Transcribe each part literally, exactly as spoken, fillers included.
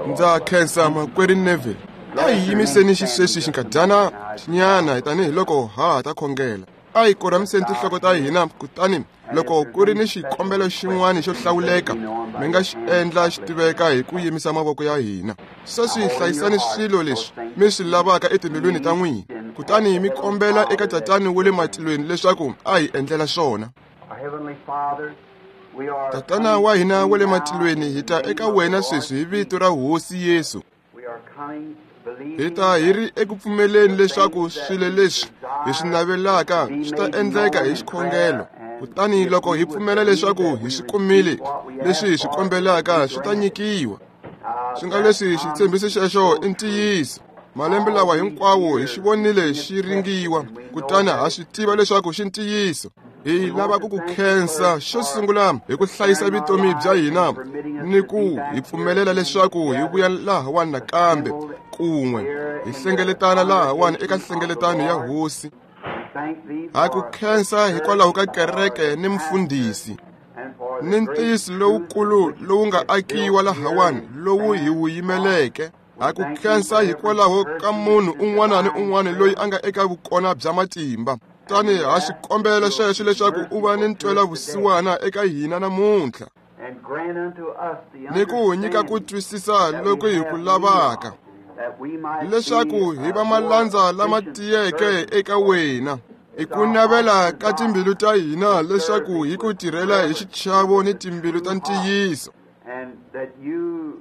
Ndza khensa makwerhu Neville. A hi yimiseni xisweswi xinkadyana nyana tanihiloko ha ha ta khongela. A hi korhamiseni tinhloko ta hina, kutani loko ku ri ni xikombelo xin'wana xo hlawuleka mi nga xi endla xi tiveka hi ku yimisa mavoko ya hina. Sweswi hlayisani swilo leswi mi swi lavaka etimbilwini ta n'wina, kutani mi kombela eka Tatana wa le matilweni leswaku a hi endlela swona. Tatana wa hina wa le matilweni, hi ta eka wena sweswi hi vito ra Hosi Yesu. Hi ta hi ri eku pfumeleni leswaku swilo leswi hi swi navelaka swi ta endleka hi xikhongelo. Kutani loko hi pfumela leswaku hi swi kumile leswi hi swi kombelaka, swi ta nyikiwa. Swi nga leswi xitshembiso xexo i ntiyiso. Malembe lawa hinkwawo hi xi vonile xi ringiwa, kutani ha swi tiva leswaku xi ntiyiso. Hi lava ku ku khensa xo sungula hi ku hlayisa vutomi bya hina ni ku hi pfumelela leswaku hi vuya lahawani nakambe kun'we hi hlengeletana lahawani eka nhlengeletano ya Hosi. Ha ku khensa hikwalaho ka kereke ni mfundhisi ni ntiyiso lowukulu lowu nga akiwa lahawani lowu hi wu yimeleke. Ha ku khensa hikwalaho ka munhu un'wana ni un'wana loyi a nga eka vukona bya matimba. Tani ha xikombelo xexo leswaku u va ni ntwela vusiwana eka hina namuntlha ni ku nyika ku twisisa loko hi ku lavaka, leswaku hi va malandza lama tiyeke eka wena. I ku navela ka timbilu ta hina leswaku hi ku tirhela hi xichavo ni timbilu ta ntiyiso,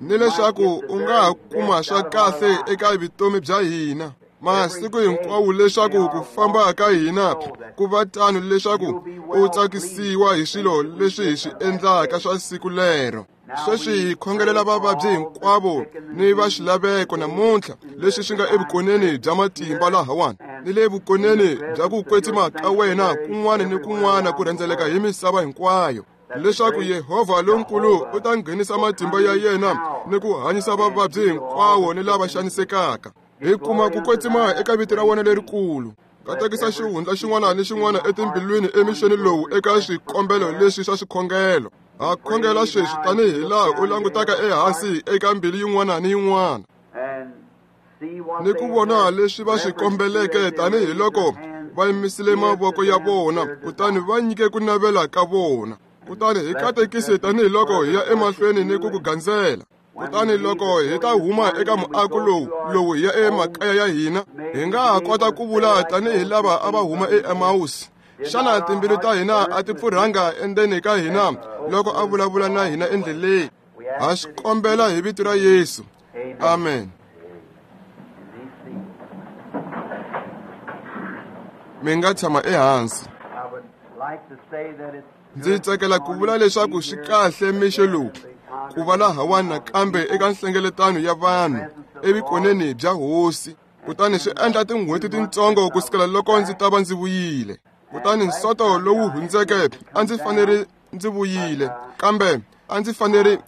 ni leswaku u nga ha kuma swa kahle eka vutomi bya hina masiku hinkwawo, leswaku ku famba ka hina ku va tano, leswaku u tsakisiwa hi swilo leswi hi swi endlaka swa siku lero. Sweswi hi khongelela vavabyi hinkwavo ni va swilaveko namuntlha leswi swi nga evukoneni bya matimba lahawani ni le vukoneni bya ku kwetsima ka wena kun'wana ni kun'wana ku rhendzeleka hi misava hinkwayo, leswaku Yehovha lonkulu u ta nghenisa matimba ya yena ni ku hanyisa vavabyi hinkwawo ni lava xanisekaka. Hi kuma ku kwetsima eka vito ra wena lerikulu. Katekisa xihundla xin'wana ni xin'wana etimbilwini emixeni lowu eka swikombelo leswi swa swikhongelo. Ha khongela sweswi tanihi laha u langutaka ehansi eka mbilu yin'wana ni yin'wana ni ku vona leswi va swi kombeleke tanihiloko va yimisile mavoko ya vona, kutani va nyike ku navela ka vona. Kutani hi katekise tanihiloko hi ya emahlweni ni ku ku gandzela. Kutani loko hi ta huma eka muako lowu lowu hi ya emakaya ya hina, hi nga ha kota ku vula tanihi lava a va huma eEmausi, xana timbilu ta hina a ti pfurhanga endzeni ka hina loko a vulavula na hina endleleni? Ha swi kombela hi vito ra Yesu. Amen. Mi nga tshama ehansi. Ndzi tsakela ku vula leswaku swi kahle mixo lowu ku va lahawani nakambe eka nhlengeletano ya vanhu evukoneni bya Hosi. Kutani swi endla tin'hweti tintsongo ku sukela loko ndzi ta va ndzi vuyile. Kutani nsoto lowu hundzeke a ndzi fanele ndzi vuyile, kambe a ndzi fanele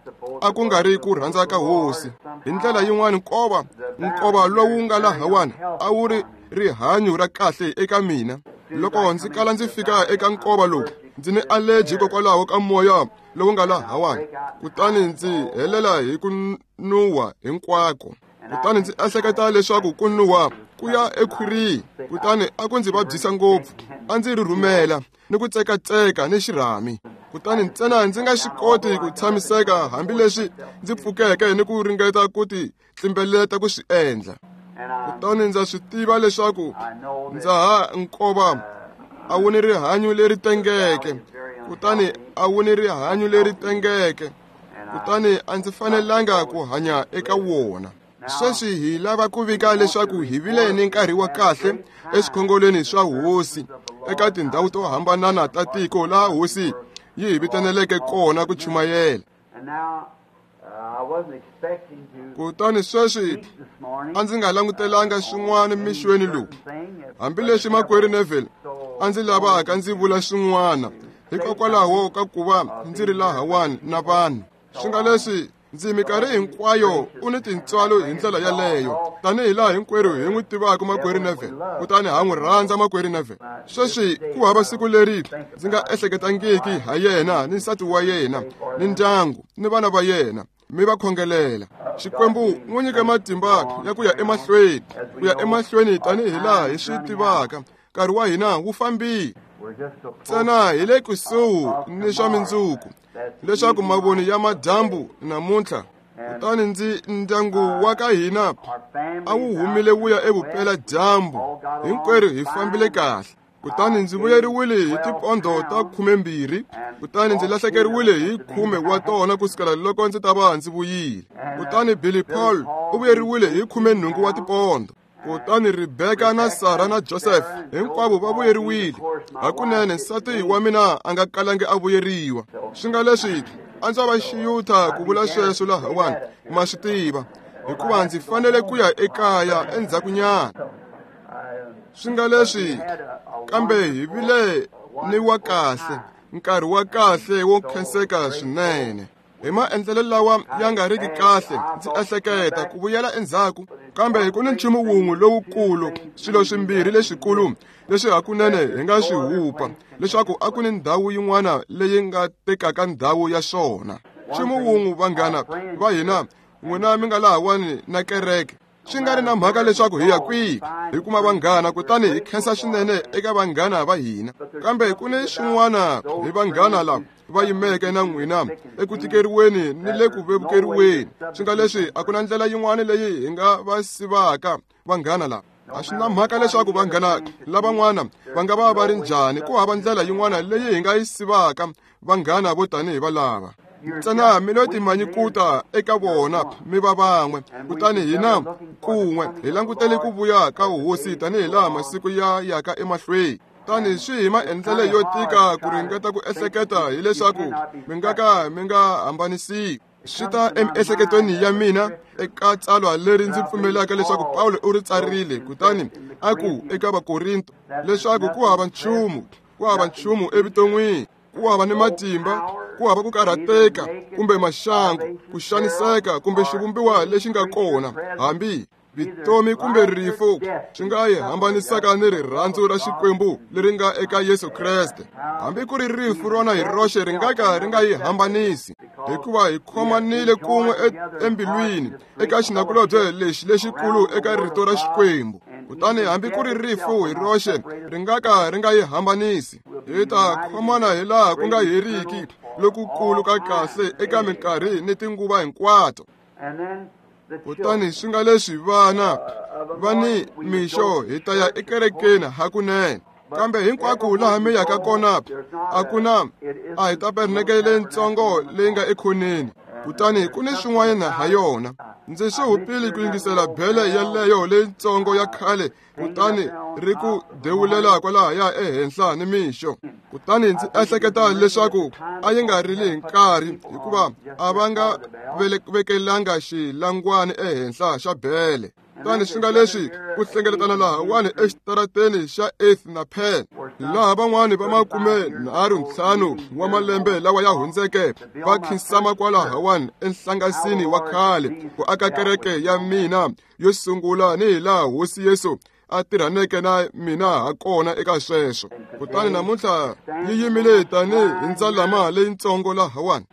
a ku nga ri ku rhandza ka Hosi. Hi ndlela yin'wana, nkova nkova lowu nga lahawani a wu ri rihanyo ra kahle eka mina. Loko ndzi kala ndzi fika eka nkova lowu, ndzi ni allergy hikokwalaho ka moya lowu nga lahawani, kutani ndzi helela hi ku nuwa hinkwako. Kutani ndzi ehleketa leswaku ku nuwa ku ya ekhwirini, kutani a ku ndzi vabyisa ngopfu. A ndzi rhurhumela ni ku tsekatseka ni xirhami, kutani ntsena ndzi nga swi koti ku tshamiseka hambileswi ndzi pfukeke ni ku ringeta ku ti tlimbeleta ku swi endla. Kutani ndza swi tiva leswaku ndza ha nkova a wu ni rihanyo leri tengeke, kutani a wu ni rihanyo leri tengeke, kutani a ndzi fanelanga ku hanya eka wona. Sweswi hi lava ku vika leswaku hi vile ni nkarhi wa kahle eswikhongolweni swa Hosi eka tindhawu to hambanana ta tiko laha Hosi yi hi vitaneleke kona ku chumayela. Kutani sweswi a ndzi nga langutelanga swin'wana mixweni lowu, hambileswi makwerhu Neville a ndzi lavaka ndzi vula swin'wana hikokwalaho ka ku va ndzi ri lahawani na vanhu. Swi nga leswi ndzi minkarhi hinkwayo u ni tintswalo hi ndlela yaleyo, tanihi laha hinkwerhu hi n'wi tivaka makwerhu Neville, kutani ha n'wi rhandza makwerhu Neville. Sweswi ku hava siku leri ndzi nga ehleketangiki ha yena ni nsati wa yena ni ndyangu ni vana va yena. mi va khongelela. Xikwembu n'wi nyike matimba ya ku ya emahlweni, ku ya emahlweni tanihi laha hi swi tivaka. Nkarhi wa hina wu fambile. Ntsena hi le kusuhi ni swa mindzuku, leswaku mavoni ya madyambu namuntlha. Kutani ndzi ndyangu wa ka hina a wu humile wu ya evupeladyambu, hinkwerhu hi fambile kahle. Kutani ndzi vuyeriwile hi tipondo ta khumembirhi, kutani ndzi lahlekeriwile hi khume wa tona kusukela loko ndzi ta va ndzi vuyile. Kutani Billy Paul u vuyeriwile hi khumenhungu wa tipondo. Kutani Rebecca na Sarah na Joseph hinkwavo va vuyeriwile. Hakunene nsati wa mina a nga kalangi a vuyeriwa. Swi nga leswi a ndzi va xiyutha ku vula sweswo lahawani, ma swi tiva, hikuva ndzi fanele ku ya ekaya endzhakunyana. Swi nga leswi kambe hi vile ni wa kahle, nkarhi wa kahle wo khenseka swinene. Hi maendlelo lawa ya nga riki kahle, ndzi ehleketa ku vuyela endzhaku, kambe ku ni nchumu wun'we lowukulu, swilo swimbirhi leswikulu leswi hakunene hi nga swi hupa, leswaku a ku ni ndhawu yin'wana leyi nga tekaka ndhawu ya swona. Nchumu wun'we, vanghana va hina, n'wina mi nga lahawani na kereke, swi nga ri na mhaka leswaku hi ya kwihi, hi kuma vanghana, kutani hi khensa swinene eka vanghana va hina. Kambe ku ni swin'wana hi vanghana lava va yimeke na n'wina eku tikeriweni ni le ku vevukeriweni. Swi nga leswi a ku na ndlela yin'wana leyi hi nga va sivaka vanghana lava. A swi na mhaka leswaku vanghana lavan'wana va nga va va ri njhani, ku hava ndlela yin'wana leyi hi nga yi sivaka vanghana vo tanihi valava. Ntsena mi lo timanyikuta eka vona mi va van'we, kutani hina kun'we hi langutele ku vuya ka hosi tanihi laha masiku ya yaka emahlweni. Tani swi hi maendlelo yo tika ku ringeta ku ehleketa hileswaku mi nga ka mi nga hambanisiwi. Swi ta emiehleketweni ya mina eka tsalwa leri ndzi pfumelaka leswaku Pawulo u ri tsarile, kutani a ku eka Vakorinto leswaku ku hava nchumu, ku hava nchumu evuton'wini, ku hava ni matimba, ku hava ku karhateka kumbe maxangu, ku xaniseka kumbe xivumbiwa lexi nga kona, hambi vutomi kumbe rifu, swi nga hi hambanisaka ni rirhandzu ra Xikwembu leri nga eka Yesu Kreste. Hambi ku ri rifu rona hi roxe ri nga ka ri nga hi hambanisi, hikuva hi khomanile kun'we embilwini eka xinakulobye lexi lexikulu eka rito ra Xikwembu. Kutani hambi ku ri rifu hi roxe ri nga ka ri nga hi hambanisi, hi ta khomana hi laha ku nga heriki lokukulu ka kahle eka minkarhi ni tinguva hinkwato. Kutani swi nga leswi vana va ni mixo hi ta ya ekerekeni hakunene, kambe hinkwako laha mi yaka kona a ku na a hi tabernakele leyitsongo leyi nga ekhoneni, kutani ku ni swin'wana ha yona. Ndzi swi hupile ku yingisela bele yeleyo leyitsongo ya khale, kutani ri ku dewulela kwalahaya ehenhla ni mixo. Kutani ndzi ehleketa leswaku a yi nga rili hi nkarhi, hikuva a va nga vekelanga xilangwani ehenhla xa bele. Kutani swi nga leswi ku hlengeletana lahawani exitarateni xa Eighth na Penn, laha van'wani va makume nharhu ntlhanu wa malembe lawa ya hundzeke va khinsama kwalahawani enhlangasini wa khale ku aka kereke ya mina yo sungula, ni hi laha Hosi Yesu a tirhaneke na mina ha kona eka sweswo. Kutani namuntlha yi yimile tanihi hi ndzalama leyitsongo lahawani.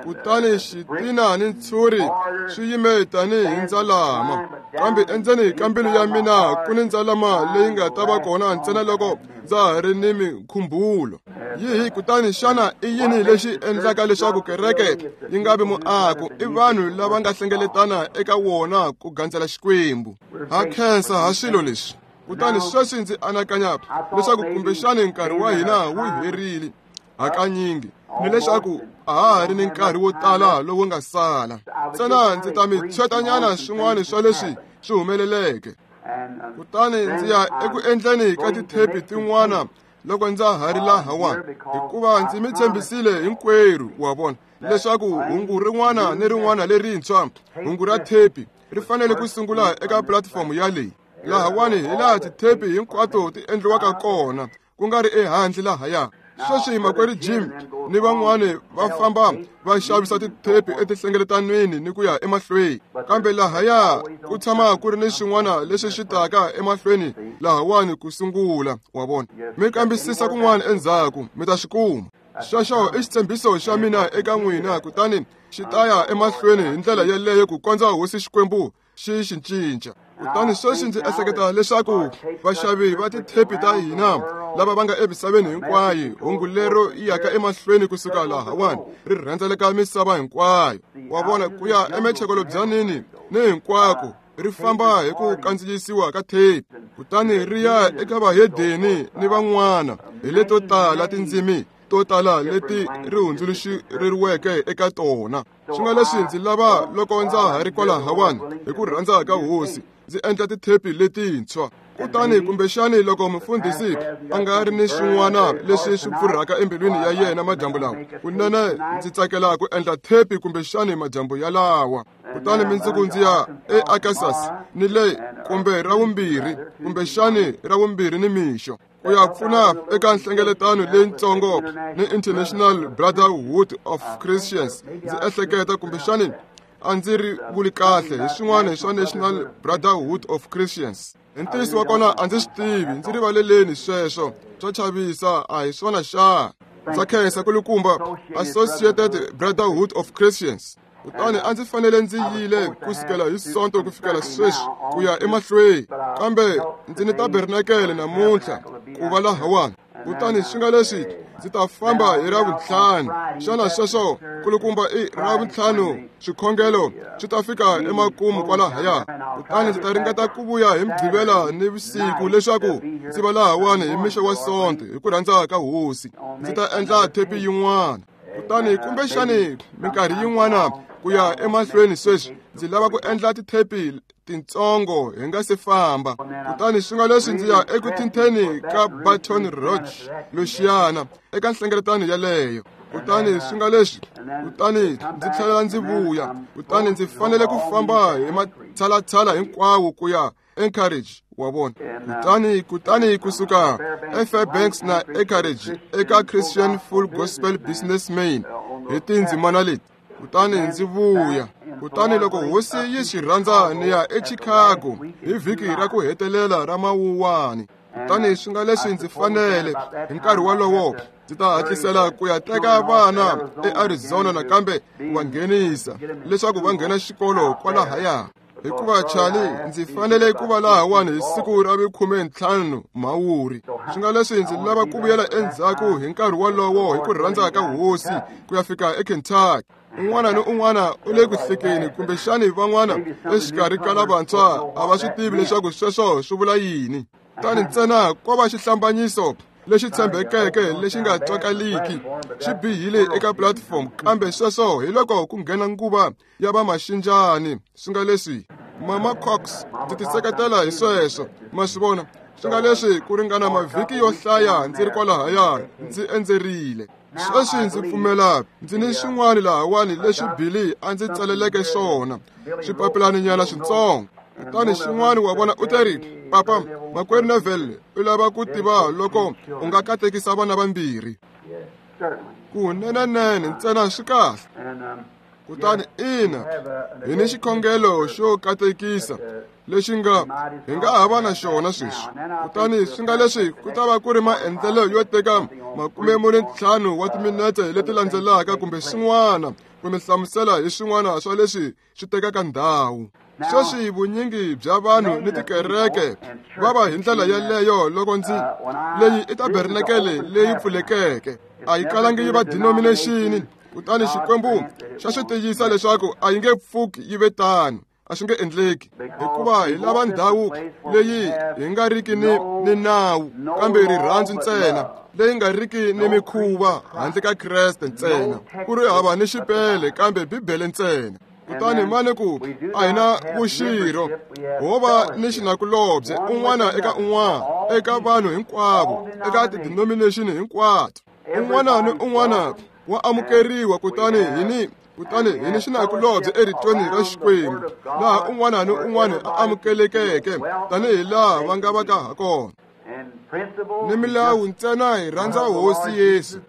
Kutani xitina ni ntshuri swi yime tanihi hi ndzalama, kambe endzeni ka mbilu ya mina ku ni ndzalama leyi nga ta va kona ntsena loko ndza ha ri ni mikhumbulo. Yihi kutani xana i yini lexi endlaka leswaku kereke yi nga vi muako? I vanhu lava nga hlengeletana eka wona ku gandzela Xikwembu. Ha khensa ha swilo leswi. Kutani sweswi ndzi anakanya leswaku kumbexani nkarhi wa hina wu herile hakanyingi, ni leswaku a ha ha ri ni nkarhi wo tala lowu nga sala. Ntsena ndzi ta mi tshwetanyana swin'wana swa leswi swi humeleleke. Kutani ndzi ya eku endleni ka tithepi tin'wana loko ndza ha ri lahawani, hikuva ndzi mi tshembisile hinkwerhu, wa vona, leswaku hungu rin'wana ni rin'wana lerintshwa, hungu ra thepi, ri fanele ku sungula eka platform ya leyi. Lahawani hi laha tithepi hinkwato ti endliwaka kona, ku nga ri ehandle lahaya. Sweswi makwerhu Jim ni van'wani va famba va xavisa tithepi etihlengeletaniweni ni ku ya emahlweni, kambe lahaya ku tshama ku ri ni swin'wana leswi swi taka emahlweni lahawani ku sungula, wa vona. Mi kambisisa kun'wana endzhaku mi ta swi kuma. Sweswo i xitshembiso xa mina eka n'wina, kutani Xi ta ya emahlweni hi ndlela yeleyo ku kondza Hosi Xikwembu xi xi cinca. Kutani sweswi ndzi ehleketa leswaku vaxavi va tithepi ta hina lava va nga emisaveni hinkwayo, hungu lero yaka emahlweni kusuka lahawani ri rhendzeleka misava hinkwayo. Wa vona, ku ya emechekelo-byanini ni hinkwako ri famba hi ku kandziyisiwa ka thepi, kutani ri ya eka vahedeni ni van'wana hi leto tala tindzimi to tala leti ri hundzuluxeriweke eka tona. Swi nga leswi ndzi lava loko ndza ha ri kwalahawani hi ku rhandza ka Hosi ndzi endla tithepi letintshwa. Kutani kumbexani loko mufundhisi a nga ri ni swin'wana leswi swi pfurhaka embilwini ya yena madyambu lawa, kunene ndzi tsakela ku endla thepi kumbexani madyambu yalawa. Kutani mindzuku ndzi ya eArkansas ni le kumbe ra vumbirhi, kumbexani ra vumbirhi ni mixo, ku ya pfuna eka nhlengeletano leyitsongo ni International Brotherhood of Christians. Ndzi ehleketa kumbexani a ndzi ri vuli kahle hi swin'wana swa National Brotherhood of Christians. Hi ntiyiso wa kona a ndzi swi tivi, ndzi rivaleleni sweswo, swa chavisa, a hi swona xa. Ndza khensa kulukumba Associated Brotherhood of Christians. Kutani a ndzi fanele ndzi yile kusukela hi Sonto ku fikela sweswi ku ya emahlweni, kambe ndzi ni tabernakele namuntlha ku va lahawani. Kutani swi nga leswi ndzi ta famba hi Ravuntlhanu. Xana sweswo kulukumba i Ravuntlhanu swikhongelo swi ta fika emakumu kwalahaya. Kutani ndzi ta ringeta ku vuya hi Mugqivela ni vusiku leswaku ndzi va lahawani hi mixo wa Sonto hi ku rhandza ka Hosi. Ndzi ta endla thepi yin'wana. Kutani kumbexani minkarhi yin'wana ku ya emahlweni sweswi ndzi lava ku endla tithepi tintsongo hi nga se famba. Kutani swi nga leswi ndzi ya eku thinteni ka Baton Rouge, Louisiana, eka nhlengeletano yeleyo. Kutani swi nga leswi, kutani ndzi tlhela ndzi vuya. Kutani ndzi fanele ku famba hi matshalatshala hinkwawo ku ya Anchorage, wa vona. Kutani kutani kusuka eFairbanks na Anchorage eka Christian Full Gospel Businessman hi tindzimana leti. Kutani ndzi vuya. Kutani loko Hosi yi swi rhandza ni ya eChicago hi vhiki ra ku hetelela ra Mawuwani. Kutani swi nga leswi ndzi fanele hi nkarhi wolowo ndzi ta hatlisela ku ya teka vana eArizona nakambe ku va nghenisa leswaku va nghena xikolo kwalahaya. Hikuva Charlie ndzi fanele ku va lahawani hi siku ra vukhume ntlhanu Mhawuri. Swi nga leswi ndzi lava ku vuyela endzhaku hi nkarhi wolowo hi ku rhandza ka Hosi ku ya fika eKentucky. Un'wana ni un'wana u le ku hlekeni, kumbexani van'wana exikarhi ka lavantshwa a va swi tivi leswaku sweswo swi vula yini. Kutani ntsena ko va xihlambanyiso lexi tshembekeke lexi nga twakaliki xi bihile eka platform, kambe sweswo hi loko ku nghena nguva ya vamaxinjani. Swi nga leswi Mama Cox ndzi tiseketela hi sweswo, ma swi vona. Swi nga leswi ku ringana mavhiki yo hlaya ndzi ri kwalahaya ndzi endzerile. Sweswi ndzi pfumela ndzi ni swin'wana lahawani leswi Billy a ndzi tsaleleke swona, swipapilaninyana switsongo. Kutani xin'wana wa vona u teri, "Papa, makwerhu Neville u lava ku tiva loko u nga katekisa vana vambirhi." Kunenenene ntsena swi kahle. Kutani ina, hi ni xikhongelo xo katekisa lexi nga hi nga ha va na xona sweswi. Kutani swi nga leswi ku ta va ku ri maendlelo yo teka makume mune ntlhanu wa timinete leti landzelaka kumbe swin'wana ku mi hlamusela hi swin'wana swa leswi swi tekaka ndhawu. Sweswi vunyingi bya vanhu ni tikereke va va hi ndlela yeleyo loko ndzi leyi i tabernakele leyi pfulekeke, a yi kalangi yi va denomination. Kutani Xikwembu xa swi tiyisa leswaku a yi nge pfuki yi ve tano, a swi nge endleki, hikuva hi lava ndhawu leyi hi nga riki ni ni nawu kambe rirhandzu ntsena, leyi nga riki ni mikhuva handle ka Kreste ntsena, ku ri hava ni xipele kambe Bibele ntsena. Kutani mani ku a hi na vuxirho, ho va ni xinakulobye un'wana eka un'wana, eka vanhu hinkwavo, eka tidenomination hinkwato. Un'wana ni un'wana wa amukeriwa. Kutani hi ni kutani hi ni xinakulobye eritweni ra Xikwembu, laha un'wana ni un'wana a amukelekeke tanihi laha va nga va ka ha kona. Ni milawu ntsena hi rhandza Hosi Yesu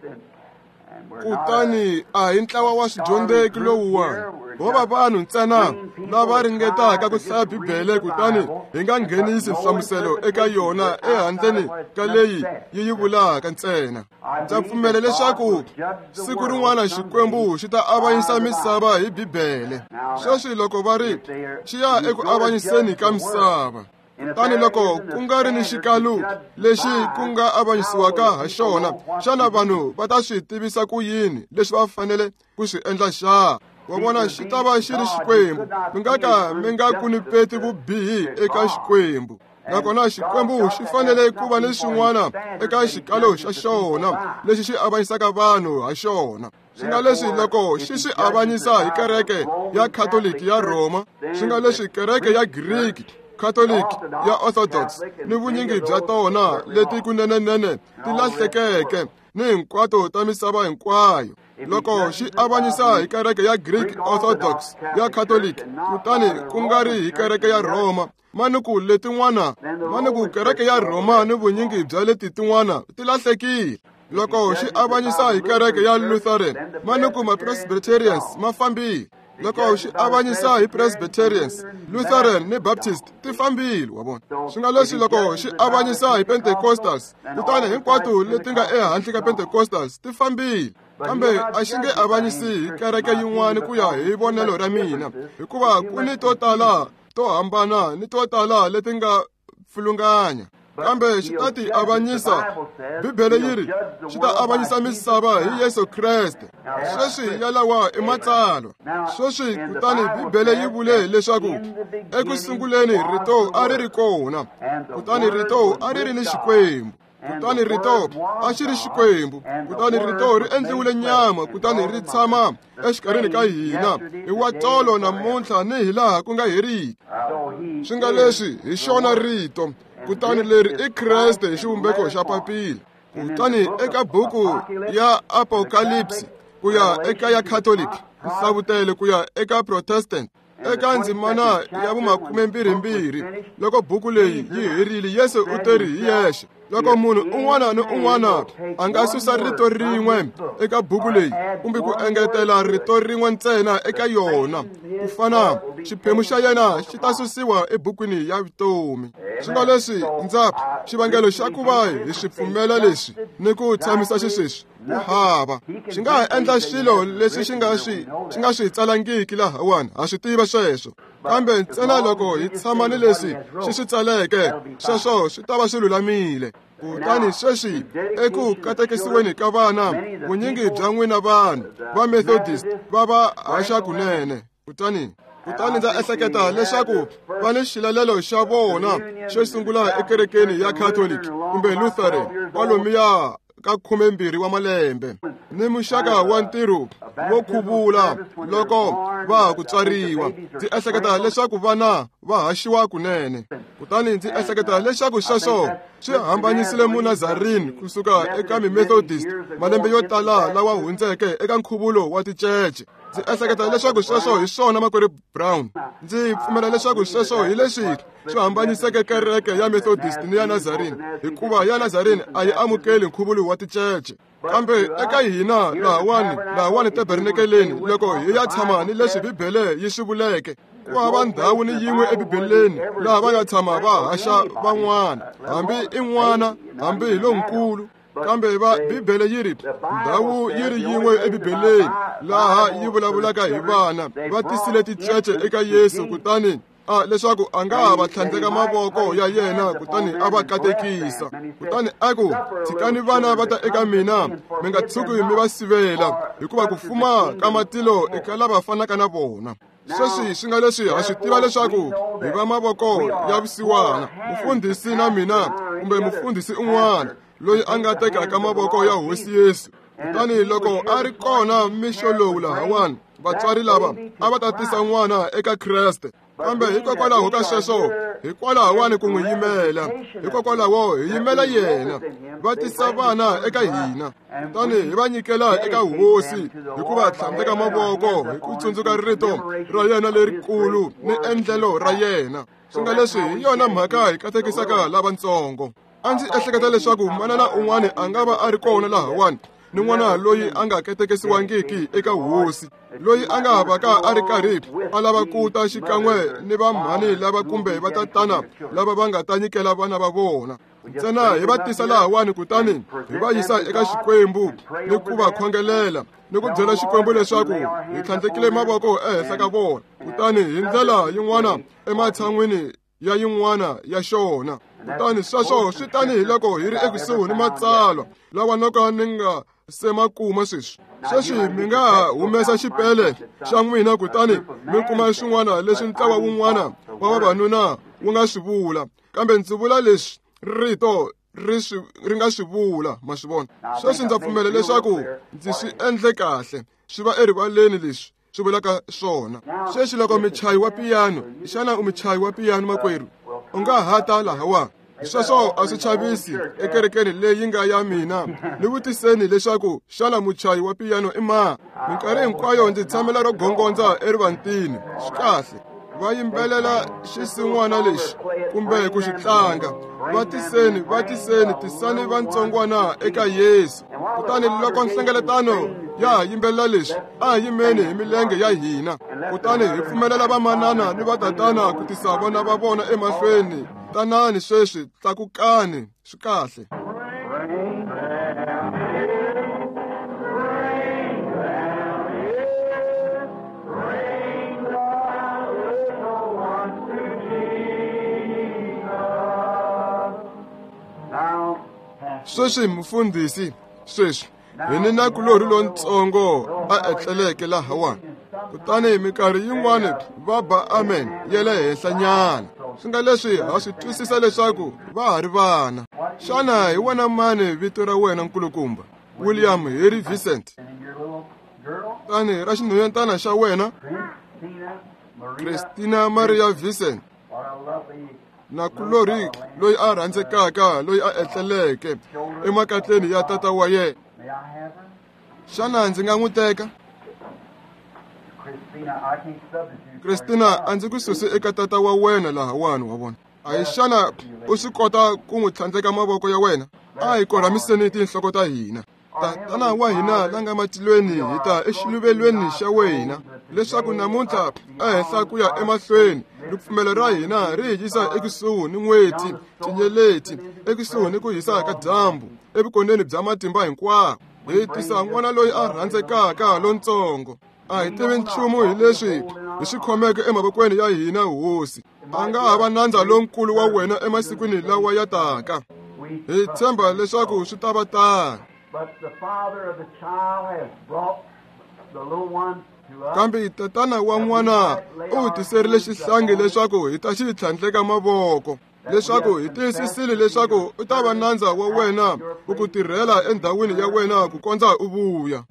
Kutani a hi ntlawa wa swidyondzeki lowuwani ho va vanhu ntsena lava ringetaka ku hlaya Bibele kutani hi nga nghenisi nhlamuselo eka yona ehandleni ka leyi yi yi vulaka ntsena. Ndza pfumela leswaku siku rin'wana Xikwembu xi ta avanyisa misava hi Bibele. Sweswi loko va ri xi ya eku avanyiseni ka misava, kutani loko ku nga ri ni xikalu lexi ku nga avanyisiwaka ha xona, xana vanhu va ta swi tivisa ku yini leswi va fanele ku swi endla xa? Wa vona, xi ta va xi ri Xikwembu. Mi nga ka mi nga kunipeti vubihi eka Xikwembu. Nakona Xikwembu xi fanele ku va ni swin'wana eka xikalo xa xona lexi xi avanyisaka vanhu ha xona. Swi nga leswi loko xi swi avanyisa hi kereke ya Khatoliki ya Rhoma, swi nga leswi kereke ya Greek Catholic ya Orthodox ni vunyingi bya tona leti kunenenene ti lahlekeke ni hinkwato ta misava hinkwayo. Loko xi avanyisa hi kereke ya Greek Orthodox ya Catholic kutani ku nga ri hi kereke ya Rhoma, manuku letin'wana manuku kereke ya Rhoma ni vunyingi bya leti tin'wana ti lahlekile. Loko xi avanyisa hi kereke ya Lutheran, manuku ma-Presbyterians ma fambile. Loko xi avanyisa hi Presbyterians, Lutheran ni Baptist ti fambile, wa vona. Swi nga leswi loko xi avanyisa hi Pentecostals, kutani hinkwato leti nga ehandle ka Pentecostals ti fambile. Kambe a xi nge avanyisi hi kereke yin'wana ku ya hi vonelo ra mina, hikuva ku ni to tala to hambana ni to tala leti nga pfilunganya. Kambe xi ta ti avanyisa. Bibele yi ri xi ta avanyisa misava hi Yesu Kreste. Sweswi yalawa i matsalwa. Sweswi kutani Bibele yi vule leswaku eku sunguleni rito a ri ri kona, kutani rito a ri ri ni Xikwembu, kutani rito a xi ri Xikwembu, kutani rito ri endliwile nyama, kutani ri tshama exikarhini ka hina hi wa tolo namuntlha ni hilaha ku nga heriki. Swi nga leswi hi xona rito, kutani leri i Kreste hi xivumbeko xa papila. Kutani eka buku ya Apocalypse ku ya eka ya Catholic, Nhlavutelo ku ya eka Protestant, eka ndzimana ya vumakumembirhimbirhi, loko buku leyi yi herile, Yesu u teri hi yexe, loko munhu un'wana ni un'wana a nga susa rito rin'we eka buku leyi kumbe ku engetela rito rin'we ntsena eka yona, ku fana xiphemu xa yena xi ta susiwa ebukwini ya vutomi. Swi nga leswi ndza xivangelo xa ku va hi swi pfumela leswi ni ku tshamisa xisweswi ku hava. Xi nga ha endla swilo leswi xi nga swi xi nga swi tsalangiki lahawani, ha swi tiva sweswo. Kambe ntsena loko hi tshama ni leswi xi swi tsaleke, sweswo swi ta va swi lulamile. Kutani sweswi eku katekisiweni ka vana, vunyingi bya n'wina vanhu va Methodist va va haxa kunene. Kutani kutani ndza ehleketa leswaku va ni xilalelo xa vona xo sungula ekerekeni ya Catholic kumbe Lutheran kwalomuya ka khumembirhi wa malembe, ni muxaka wa ntirho wo khuvula loko va ha ku tswariwa. Ndzi ehleketa leswaku vana va haxiwa kunene. Kutani ndzi ehleketa leswaku sweswo swi hambanyisile Munazarini kusuka eka mi-Methodist malembe yo tala lawa hundzeke eka nkhuvulo wa ticece. Ndzi ehleketa leswaku sweswo hi swona, makwerhu Brown. Ndzi pfumela leswaku sweswo hi leswi swi hambanyiseke kereke ya Methodist ni ya Nazarene, hikuva ya Nazarene a yi amukeli nkhuvulo wa ticece. Kambe eka hina lahawani lahawani tabernakeleni, loko hi ya tshama ni leswi Bibele yi swi vuleke, ku hava ndhawu ni yin'we eBibeleni laha va nga tshama va haxa van'wana, hambi i n'wana hambi hi lonkulu. Kambe va Bibele yi ri ndhawu yi ri yin'we eBibeleni laha yi vulavulaka hi vana va tisile ticece eka Yesu, kutani a leswaku a nga ha va tlhandleka mavoko ya yena kutani a va katekisa. Kutani a ku, tshikani vana va ta eka mina, mi nga tshuki mi va sivela, hikuva ku fuma ka matilo eka lava fanaka na vona. Sweswi swi nga leswi ha swi tiva leswaku hi va mavoko ya vusiwana, mufundhisi na mina kumbe mufundhisi un'wana loyi a nga tekaka mavoko ya Hosi Yesu. Kutani loko a ri kona mixo lowu lahawani, vatswari lava a va ta tisa n'wana eka Kreste. Kambe hikokwalaho ka sweswo, hikwalahawani ku n'wi yimela, hikokwalaho hi yimela yena. Va tisa vana eka hina, kutani hi va nyikela eka Hosi hi ku va tlhandleka mavoko hi ku tsundzuka rito ra yena lerikulu ni endlelo ra yena. Swi nga leswi hi yona mhaka hi katekisaka lavatsongo. A ndzi ehleketa leswaku manana un'wana a nga va a ri kona lahawani ni n'wana loyi a nga katekisiwangiki eka hosi, loyi a nga vaka a ri karhi a lava ku ta xikan'we ni vamhani lava kumbe vatatana lava va nga ta nyikela vana va vona. Ntsena hi va tisa lahawani kutani hi va yisa eka Xikwembu ni ku va khongelela ni ku byela Xikwembu leswaku hi tlhandlekile mavoko ehenhla ka vona, kutani hi ndlela yin'wana ematshan'wini ya yin'wana ya xona. Kutani sweswo swi tanihi loko hi ri ekusuhi ni matsalwa lawa no ka ni nga se ma kuma sweswi. Sweswi mi nga ha humesa xipele xa n'wina kutani mi kuma swin'wana leswi ntlawa wun'wana wa vavanuna wu nga swi vula, kambe ndzi vula leswi rito ri swi ri nga swi vula, ma swi vona. Sweswi ndza pfumela leswaku ndzi swi endle kahle, swi va erivaleni leswi swi vulaka swona. Sweswi loko muchayi wa piyano, xana u muchayi wa piyano makwerhu? U nga ha ta lahawa. Sweswo a swi chavisi ekerekeni leyi nga ya mina. Ni vutiseni leswaku xana muchayi wa piyano i mani? Minkarhi hinkwayo ndzi tshamela ro gongondza erivantini. Swi kahle. Va yimbelela xisin'wana lexi kumbe ku xi tlanga. Va tiseni, va tiseni, tisani vantsongwana eka Yesu. Kutani loko nhlengeletano ya ha yimbelela leswi, a hi yimeni hi milenge ya hina, kutani hi pfumelela vamanana ni vatatana ku tisa vana va vona emahlweni. Tanani sweswi, tlakukani. Swi kahle. Sweswi mufundhisi, sweswi hi ni nakulorhi lontsongo a etleleke lahawani, kutani minkarhi yin'wana va ba amen ya le henhlanyana. Swi nga leswi ha swi twisisa leswaku va ha ri vana. Xana hi wena mani vito ra wena nkulukumba? William Harry Vincent. Kutani ra xinhwanyetana xa wena? Christina Maria Vincent. Nakulorhi loyi a rhandzekaka loyi a etleleke emakatleni ya tata wa yena. Xana ndzi nga n'wi teka? Christina, a ndzi ku susi eka tata wa wena lahawani, wa vona. A hi xana u swi kota ku n'wi tlhandleka mavoko ya wena? A hi korhamiseni tinhloko ta hina. Tatana wa hina la nga matilweni, hi ta exiluvelweni xa wena leswaku namuntlha ehenhla ku ya emahlweni ripfumelo ra hina ri hi yisa ekusuhi ni n'weti, tinyeleti, ekusuhi ni ku hisa ka dyambu, evukoneni bya matimba hinkwawo. Hi tisa n'wana loyi a rhandzekaka lontsongo. A hi tivi nchumu hi leswi hi swi khomeke emavokweni ya hina, hosi. A nga ha va nandza lonkulu wa wena emasikwini lawa ya taka. Hi tshemba leswaku swi ta va tano. Kambe tatana wa n'wana u tiserile xihlangi leswaku hi ta xi tlhandleka mavoko, leswaku hi tiyisisile leswaku u ta va nandza wa wena ku ku tirhela endhawini ya wena ku kondza u vuya.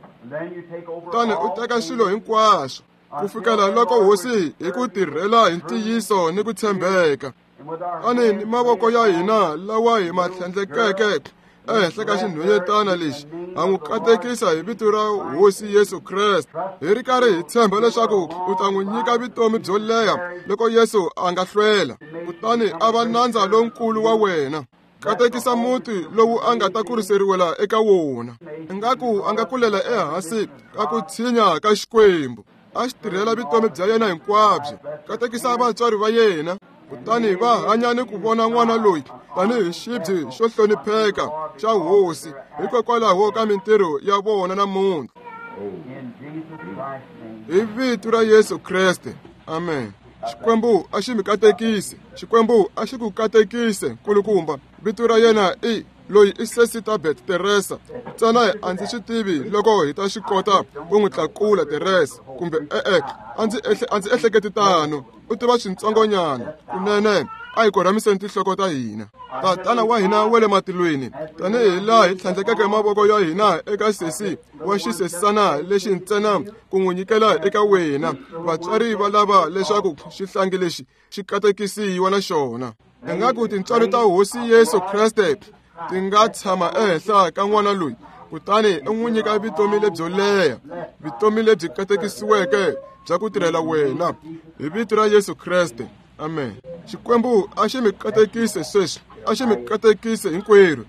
Kutani u teka swilo hinkwaswo ku fikela loko hosi hi ku tirhela hi ntiyiso ni ku tshembeka. Kutani ni mavoko ya hina lawa hi ma tlhandlekeke ehenhla ka xinhwanyetana lexi, ha n'wi katekisa hi vito ra Hosi Yesu Kreste, hi ri karhi hi tshemba leswaku u ta n'wi nyika vutomi byo leha loko Yesu a nga hlwela, kutani a va nandza lonkulu wa wena. Katekisa muti lowu a nga ta kuriseriwela eka wona, ingaku a nga kulela ehansi ka ku tshinya ka Xikwembu, a xi tirhela vutomi bya yena hinkwabyo. Katekisa vatswari va yena, kutani va hanya ni ku vona n'wana loyi tanihi xibye xo hlonipheka xa hosi hikokwalaho ka mintirho ya vona namuntlha. Hi vito ra Yesu Kreste, amen. Xikwembu a xi mi katekise. Xikwembu a xi ku katekise, nkulukumba. Vito ra yena i loyi i Sesitabet Teresa. Ntsena a ndzi swi tivi loko hi ta swi kota ku n'wi tlakula Teresa kumbe e-e, a ndzi a ndzi ehleketi tano. U tiva swintsongonyana kunene. A hi korhamiseni tinhloko ta hina. Tatana wa hina wa le matilweni, tanihi laha hi tlhandlekeke mavoko ya hina eka sesi wa xisesana lexi ntsena ku n'wi nyikela eka wena, vatswari va lava leswaku xihlangi lexi xi katekisiwa na xona. Ingaku tintswalo ta Hosi Yesu Kreste ti nga tshama ehenhla ka n'wana loyi, kutani u n'wi nyika vutomi lebyo leha, vutomi lebyi katekisiweke bya ku tirhela wena, hi vito ra Yesu Kreste, amen. Xikwembu a xi mi katekise sweswi, a xi mi katekise hinkwerhu.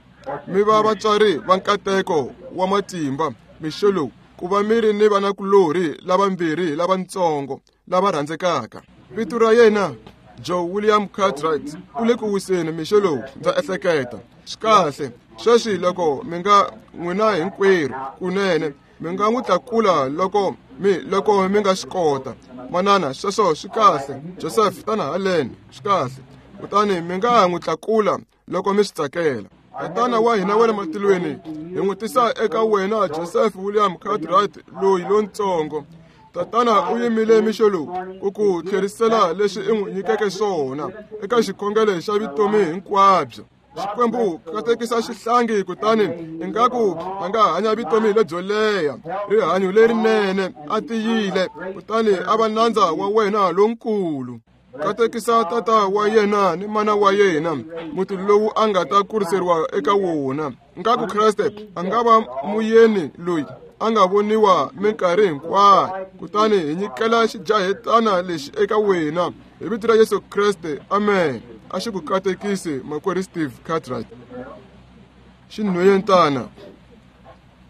Mi va vatswari va nkateko wa matimba mixo lowu ku va mi ri ni vanakulorhi lavambirhi lavatsongo lava rhandzekaka. Vito ra yena Joe William Cartwright u le ku wiseni mixo lowu, ndza ehleketa. Swi kahle. Sweswi loko mi nga n'wina hinkwerhu kunene mi nga n'wi tlakula loko mi loko mi nga swi kota. Manana, sweswo swi kahle. Joseph, tana haleni, swi kahle. Kutani mi nga n'wi tlakula loko mi swi tsakela. Tatana wa hina wa le matilweni, hi n'wi tisa eka wena Joseph William Cartwright loyi lontsongo. Tatana u yimile mixo lowu ku ku tlherisela leswi i n'wi nyikeke swona eka xikhongelo xa vutomi hinkwabyo. Xikwembu katekisa xihlangi kutani ingaku a nga hanya vutomi lebyo leha, rihanyo lerinene, a tiyile, kutani a va nandza wa wena lonkulu. Katekisa tata wa yena ni mana wa yena, muti lowu a nga ta kuriseriwa eka wona. Ingaku Kreste a nga va muyeni loyi a nga voniwa minkarhi hinkwayo. Kutani hi nyikela xijahetana lexi eka wena hi vito ra Yesu Kreste, amen. A xi ku katekisi makwerhu Steve Cartwright. Xinhwanyetana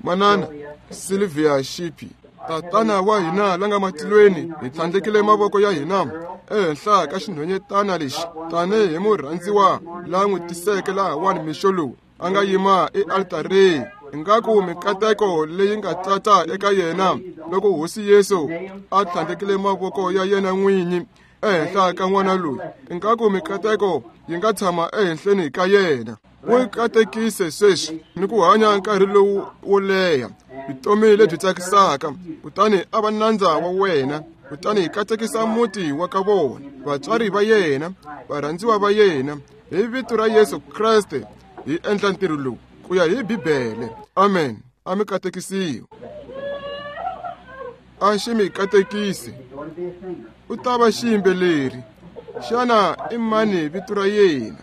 manana Sylvia Shipi. Tatana wa hina la nga matilweni, hi tlhandlekile mavoko ya hina ehenhla ka xinhwanyetana lexi tanihi murhandziwa la n'wi tiseke lahawani mixo lowu a nga yima ealtareni. Ingaku mikateko leyi nga tata eka yena loko Hosi Yesu a tlhandlekile mavoko ya yena n'winyi ehenhla ka n'wana loyi, ingaku mikateko yi nga tshama ehenhleni ka yena. N'wi katekise sweswi ni ku hanya nkarhi lowu wo leha, vutomi lebyi tsakisaka, kutani a va nandza wa wena. Kutani hi katekisa muti wa ka vona, vatswari va yena, varhandziwa va yena, hi vito ra Yesu Kreste hi endla ntirho lowu ku ya hi Bibele. Amen. A mi katekisiwe. A xi mi katekisi. U ta va xiyimbeleri. Xana i mani vito ra yena?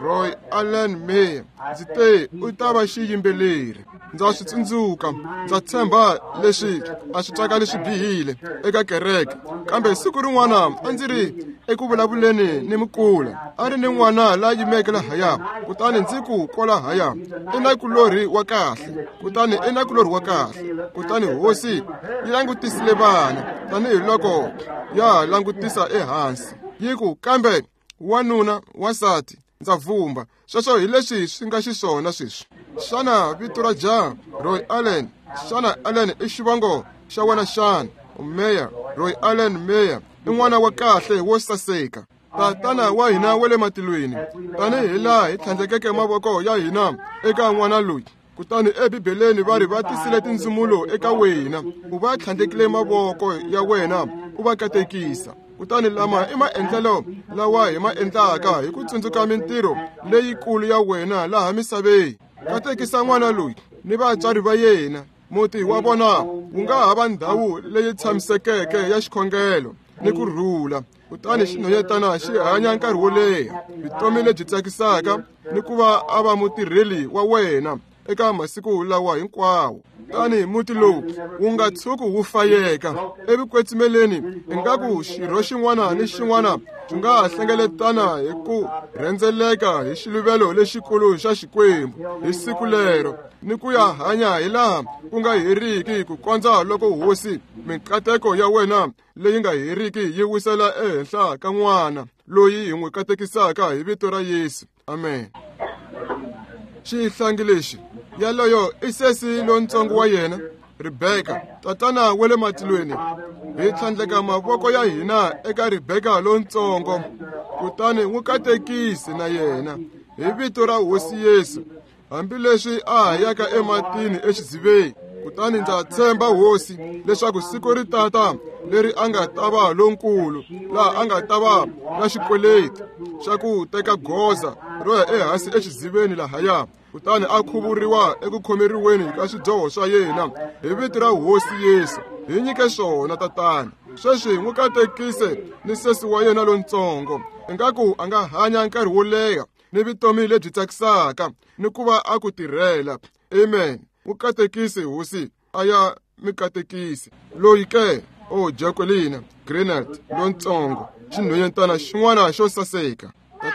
Roy Allen Mayer. Ndzi te u ta va xiyimbeleri. Ndza swi tsundzuka, ndza tshemba leswi a swi twakali swi bihile eka kereke, kambe siku rin'wana a ndzi ri eku vulavuleni ni mukula, a ri ni n'wana la yimeke lahaya, kutani ndzi ku kwalahaya i nakulorhi wa kahle, kutani i nakulorhi wa kahle. Kutani hosi yi langutisile vana tanihiloko ya langutisa ehansi, yi ku, kambe wanuna, wansati, ndza vumba. Sweswo hi leswi swi nga xiswona sweswi. Xana vito ra jaha? Roy Allen. Xana Allen i xivongo xa wena xana? Mayer. Roy Allen Mayer i n'wana wa kahle wo saseka. Tatana wa hina wa le matilweni, tanihi laha hi tlhandlekeke mavoko ya hina eka n'wana loyi, kutani eBibeleni va ri va tisile tindzumulo eka wena, u va tlhandlekile mavoko ya wena u va katekisa. Kutani lama i maendlelo lawa hi ma endlaka hi ku tsundzuka mintirho leyikulu ya wena laha misaveni. Katekisa n'wana loyi ni vatswari va yena. Muti wa vona wu nga ha va ndhawu leyi tshamisekeke ya xikhongelo ni ku rhula. Kutani xinhwanyetana xi hanya nkarhi wo leha, vutomi lebyi tsakisaka, ni ku va a va mutirheli wa wena eka masiku lawa hinkwawo. Tani muti lowu wu nga tshuki wu fayeka evukwetsimeleni, ingaku xirho xin'wana ni xin'wana xi nga hlengeletana hi ku rhendzeleka hi xiluvelo lexikulu xa Xikwembu hi siku lero, ni ku ya hanya hi laha ku nga heriki ku kondza loko Hosi mikateko ya wena leyi nga heriki yi wisela ehenhla ka n'wana loyi hi n'wi katekisaka hi vito ra Yesu. Amen. Xihlangi lexi yaloyo i sesi lontsongo wa yena Rebeka. Tatana wa le matilweni, hi tlhandleka mavoko ya hina eka Rebeka lontsongo, kutani n'wi katekise na yena hi vito ra Hosi Yesu, hambileswi a ha yaka ematini exiziveni. Kutani ndza tshemba Hosi leswaku siku ri tata leri a nga ta va lonkulu, laha a nga ta va na xikweleti xa ku teka goza ro ya ehansi exiziveni lahaya, kutani a khuvuriwa eku khomeriweni ka swidyoho swa yena hi vito ra Hosi Yesu. Hi nyike swona Tatana. Sweswi n'wi katekise ni sesi wa yena lontsongo, ingaku a nga hanya nkarhi wo leha ni vutomi lebyi tsakisaka ni ku va a ku tirhela. Amen. N'wi katekise Hosi, a ya mi katekise. Loyi ke o Jacqueline Grenard lontsongo, xinhwanyetana xin'wana xo saseka.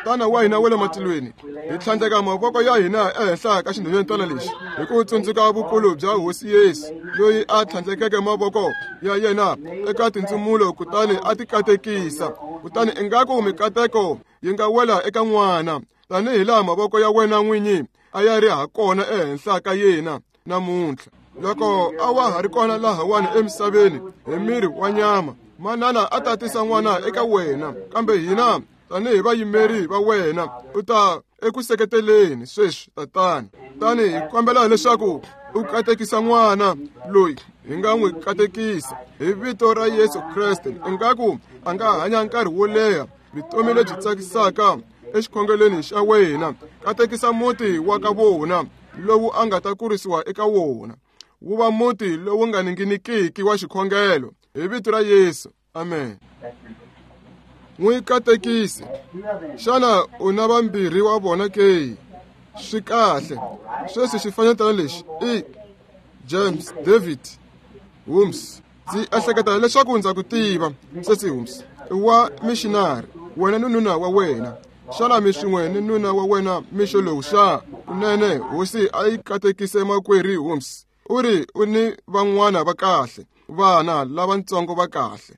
Tatana wa hina wa le matilweni, hi tlhandleka mavoko ya hina ehenhla ka xinhwanyetana lexi hi ku tsundzuka vukulu bya Hosi Yesu loyi a tlhandlekeke mavoko ya yena eka tindzumulo kutani a ti katekisa. Kutani ingaku mikateko yi nga wela eka n'wana tanihi laha mavoko ya wena n'winyi a ya ri ha kona ehenhla ka yena namuntlha. Loko a wa ha ri kona lahawani emisaveni hi miri wa nyama, manana a ta tisa n'wana eka wena, kambe hina tanihi vayimeri va wena u ta eku seketeleni sweswi Tatana. Tani hi kombela leswaku u katekisa n'wana loyi hi nga n'wi katekisa hi vito ra Yesu Kreste. Ingaku a nga hanya nkarhi wo leha vutomi lebyi tsakisaka exikhongelweni xa wena. Katekisa muti wa ka vona lowu a nga ta kurisiwa eka wona, wu va muti lowu nga ninginikiki wa xikhongelo hi vito ra Yesu. Amen. N'wi katekisi. Xana u na vambirhi wa vona ke? Swi kahle. Sweswi xifanyetana lexi i James David Holmes. Ndzi ehleketa leswaku ndza ku tiva sesi Holmes, i wa missionary, wena ni nuna wa wena. Xana mi swin'we ni nuna wa wena mixo lowu xa? Kunene Hosi a yi katekise makwerhu Holmes. U ri u ni van'wana va kahle, vana lavatsongo va kahle.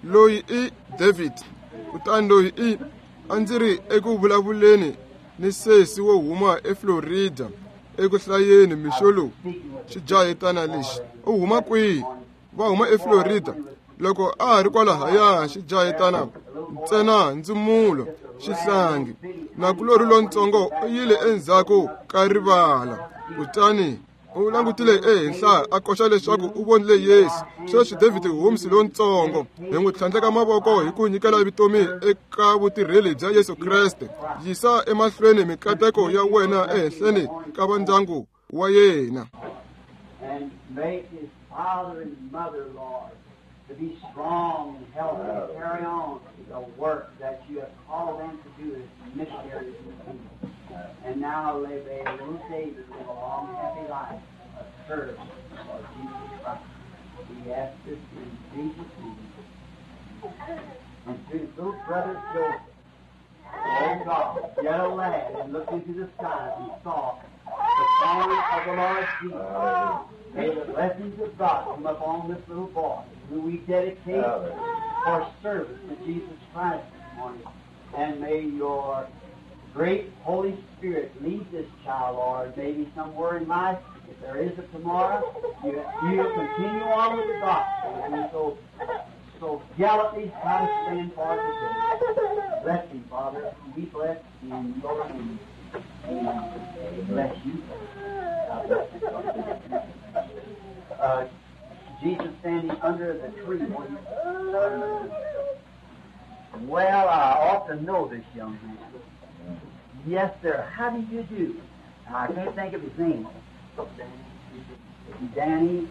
Loyi i David, kutani loyi i a ndzi ri eku vulavuleni ni sesi wo huma eFlorida eku hlayeni mixo lowu. Xijahetana lexi u huma kwihi? Va huma eFlorida. Loko a ha ri kwalahaya xijahetana ntsena ndzumulo xihlangi nakulorhi lontsongo u yile endzhaku ka rivala, kutani u langutile ehenhla a koxa leswaku u vonile Yesu. Sweswi David Holmes lontsongo hi n'wi tlhandleka mavoko hi ku nyikela vutomi eka vutirheli bya Yesu Kreste. Yisa emahlweni mikateko ya wena ehenhleni ka vandyangu wa yena. To be strong and healthy and carry on the work that you have called them to do as missionaries in the kingdom. And now may little David live a long, happy life of service for Jesus Christ. We ask this in Jesus' name. And to his little brother Joseph, oh God, yet a lad, and looked into the skies and saw the family of the Lord Jesus. May the blessings of God come upon this little boy, who we dedicate for service to Jesus Christ this morning. And may your great Holy Spirit lead this child, Lord. Maybe somewhere in life, if there is a tomorrow, you, you'll continue on with the gospel. And so, so gallantly try to stand for it today. Bless him, Father. Be blessed in your name. Amen. Bless you. God bless you. Uh, Jesus standing under the tree. Well, I ought to know this young man. Yes, sir. How do you do? I can't think of his name. Danny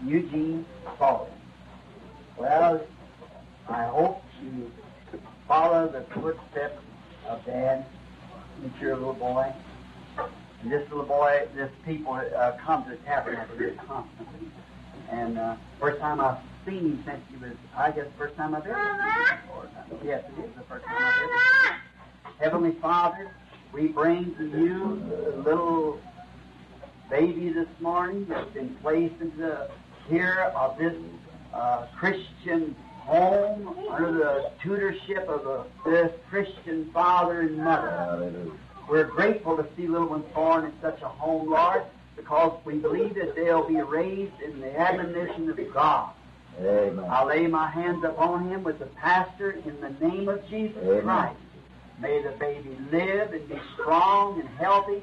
Eugene Foley. Well, I hope you follow the footsteps of Dad, mature little boy. And this little boy, this people uh, come to the tabernacle here constantly. And uh, first time I've seen him since he was, I guess, first time I've ever seen him. Yes, it is the first time I've ever seen him. Heavenly Father, we bring to you the little baby this morning that's been placed into the care of this uh, Christian home under the tutorship of a, this Christian father and mother. Hallelujah. We're grateful to see little ones born in such a home, Lord, because we believe that they'll be raised in the admonition of God. Amen. I lay my hands upon him with the pastor in the name of Jesus Amen. Christ. May the baby live and be strong and healthy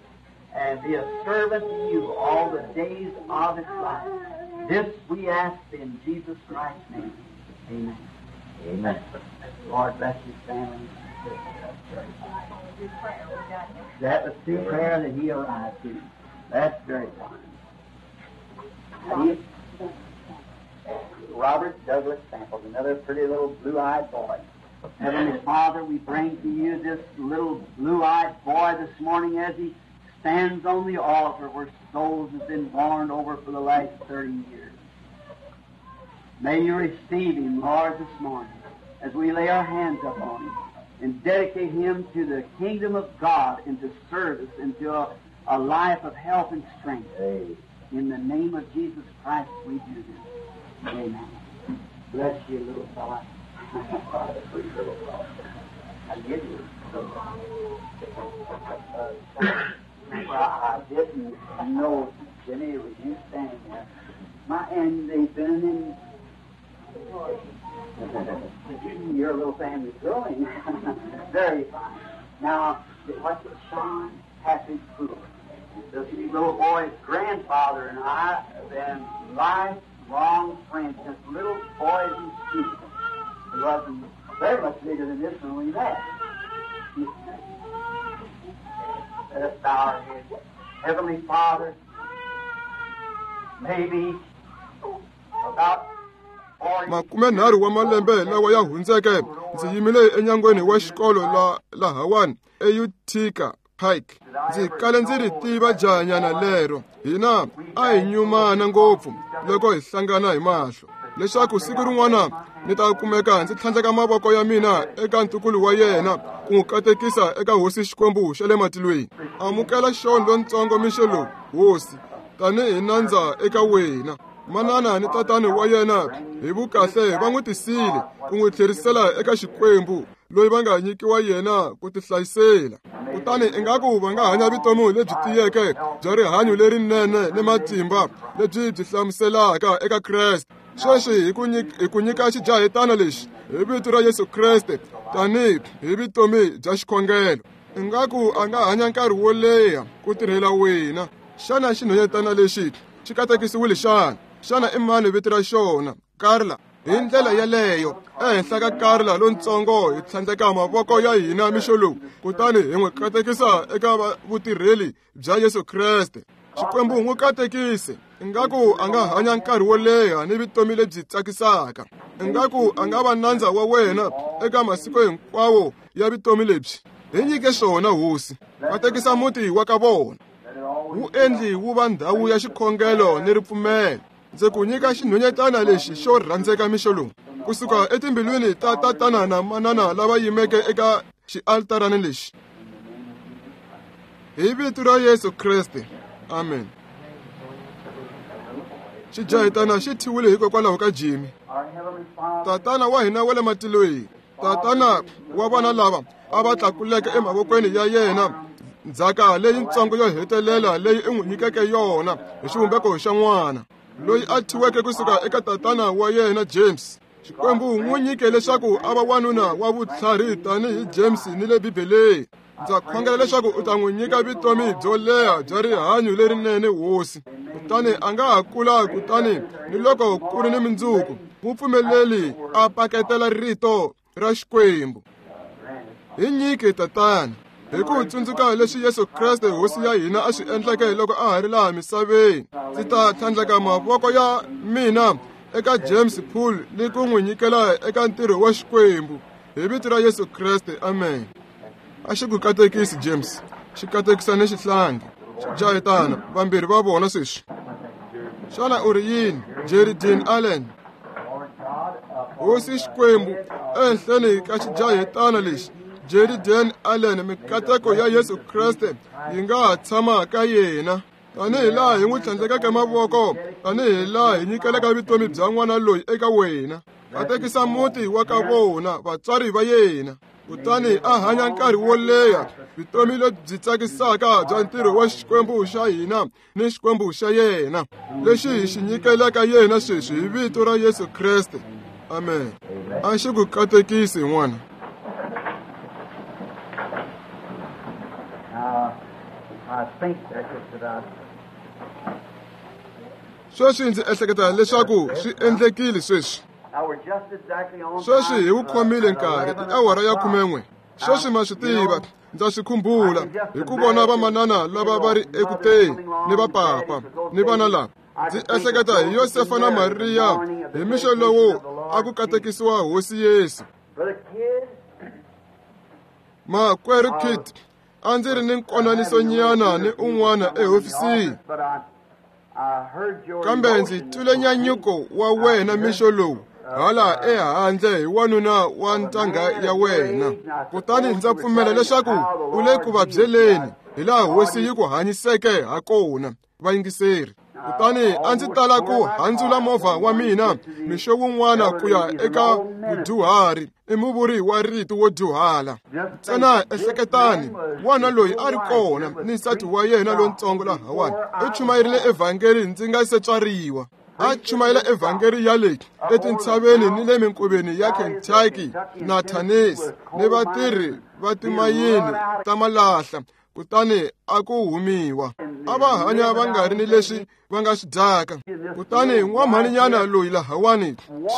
and be a servant to you all the days of his life. This we ask in Jesus Christ's name. Amen. Amen. Lord bless his family. That was through prayer that he arrived to. That's very fine. Robert Douglas Samples, another pretty little blue-eyed boy. Heavenly Father, we bring to you this little blue-eyed boy this morning as he stands on the altar where souls have been born over for the last thirty years. May you receive him, Lord, this morning, as we lay our hands upon him and dedicate him to the kingdom of God and to service and to a, a life of health and strength. Amen. In the name of Jesus Christ, we do this. Amen. Bless you, little fella. I give you. Uh, well, I didn't know, Jimmy, it was you standing there. My, and they've been in. Your little family's growing. Very fine. Now, what's it, Sean Patrick Poole? This little boy's grandfather and I have been lifelong friends since little boys in school. He wasn't very much bigger than this when we met. Let us bow our heads. Heavenly Father, maybe about makume nharhu wa malembe lawa ya hundzeke ndzi yimile enyangweni wa xikolo la lahawani eUtica Pike. Ndzi kale ndzi ri tiva jahanyana lero. Hina a hi nyumana ngopfu loko hi hlangana hi mahlo, leswaku siku rin'wana ni ta kumeka ndzi tlhandleka mavoko ya mina eka ntukulu wa yena ku n'wi katekisa eka hosi Xikwembu xa le matilweni. Amukela Sean lontsongo mixo lowu, hosi, tanihi nandza eka wena. Manana ni tatani wa yena hi vukahle va n'wi tisile ku n'wi tlherisela eka Xikwembu loyi va nga nyikiwa yena ku tihlayisela. Kutani ingaku va nga hanya vutomi lebyi tiyeke bya rihanyo lerinene ni matimba lebyi byi hlamuselaka eka Kreste. Sweswi hi ku hi ku nyika xijahetana lexi hi vito ra Yesu Kreste tanihi hi vutomi bya xikhongelo. Ingaku a nga hanya nkarhi wo leha ku tirhela wena. Xana xinhwanyetana lexi xi katekisiwile xana? Xana i mani vito ra xona? Carla. Hi ndlela yeleyo ehenhla ka Carla lontsongo hi tlhandleka mavoko ya hina mixo lowu, kutani hi n'wi katekisa eka vutirheli bya Yesu Kreste. Xikwembu n'wi katekise. Ingaku a nga hanya nkarhi wo leha ni vutomi lebyi tsakisaka. Ingaku a nga va nandza wa wena eka masiku hinkwawo ya vutomi lebyi. Hi nyike swona, hosi. Katekisa muti wa ka vona, wu endli wu va ndhawu ya xikhongelo ni ripfumelo. Ndzi ku nyika xinhwanyetana lexi xo rhandzeka mixo lowu, kusuka etimbilwini ta tatana na manana lava yimeke eka xialtarani lexi. Hi vito ra Yesu Kreste, amen. Xijahetana xi thyiwile hikokwalaho ka Jimmy. Tatana wa hina wa le matilweni, tatana wa vana lava a va tlakuleke emavokweni ya yena ndzhaka leyintsongo yo hetelela leyi i n'wi nyikeke yona hi xivumbeko xa n'wana loyi a thyiweke kusuka eka tatana wa yena James. Xikwembu n'wi nyike leswaku a va wanuna wa vutlhari tanihi James ni le Bibeleni. Ndza khongela leswaku u ta n'wi nyika vutomi byo leha bya rihanyo lerinene, hosi. Kutani a nga ha kula, kutani ni loko ku ri ni mindzuku, n'wi pfumeleli a paketela rito ra Xikwembu. Hi nyike, tatana, hi ku tsundzuka leswi Yesu Kreste hosi ya hina a swi endleke loko a ha ri laha misaveni. Ndzi ta tlhandleka mavoko ya mina eka James Poole ni ku n'wi nyikela eka ntirho wa Xikwembu. Hi vito ra Yesu Kreste, amen. A xi ku katekisi, James, xi katekisa ni xihlangi. Xijahetana vambirhi va vona sweswi. Xana u ri yini, Jerry Dean Allen? Hosi Xikwembu, ehenhleni ka xijahetana lexi Jerry Dean Allen, mikateko ya Yesu Kreste yi nga ha tshama ka yena. Tanihi laha hi n'wi tlhandlekeke mavoko, tanihi laha hi nyikelaka vutomi bya n'wana loyi eka wena. Katekisa muti wa ka vona, vatswari va yena, kutani a hanya nkarhi wo leha vutomi lebyi tsakisaka bya ntirho wa Xikwembu xa hina ni Xikwembu xa yena, lexi hi xi nyikelaka yena sweswi hi vito ra Yesu Kreste, amen. A xi ku katekisi, n'wana. Sweswi ndzi ehleketa leswaku swi endlekile sweswi. Sweswi hi wu khomile nkarhi, i awara ya khumen'we. Sweswi ma swi tiva, ndza swi khumbula hi ku vona vamanana lava va ri eku teni ni vapapa ni vana lava. Ndzi ehleketa hi Yosefa na Mariya hi mixo lowu a ku katekisiwa hosi Yesu. Makwerhu Kit, a ndzi ri ni nkonanisonyana ni un'wana ehofisini. Kambe ndzi twile nyanyuko wa wena mixo lowu hala ehandle hi wanuna wa ntangha ya wena. Kutani ndza pfumela leswaku u le ku vabyeleni hi laha hosi yi ku hanyiseke ha kona, vayingiseri. Kutani a ndzi tala ku handzula movha wa mina mixo wun'wana ku ya eka mudyuhari, i muvuri wa rito wo dyuhala. Ntsena ehleketani, n'wana loyi a ri kona ni nsati wa yena lontsongo lahawani u chumayerile evhangeli ndzi nga se tswariwa. A chumayela evhangeli ya le etintshaveni ni le minkoveni ya Kentucky na Tennessee ni vatirhi va timayini ta malahla. Kutani a ku humiwa, a va hanya va nga ri ni leswi va nga swi dyaka. Kutani n'wamhaninyana loyi lahawani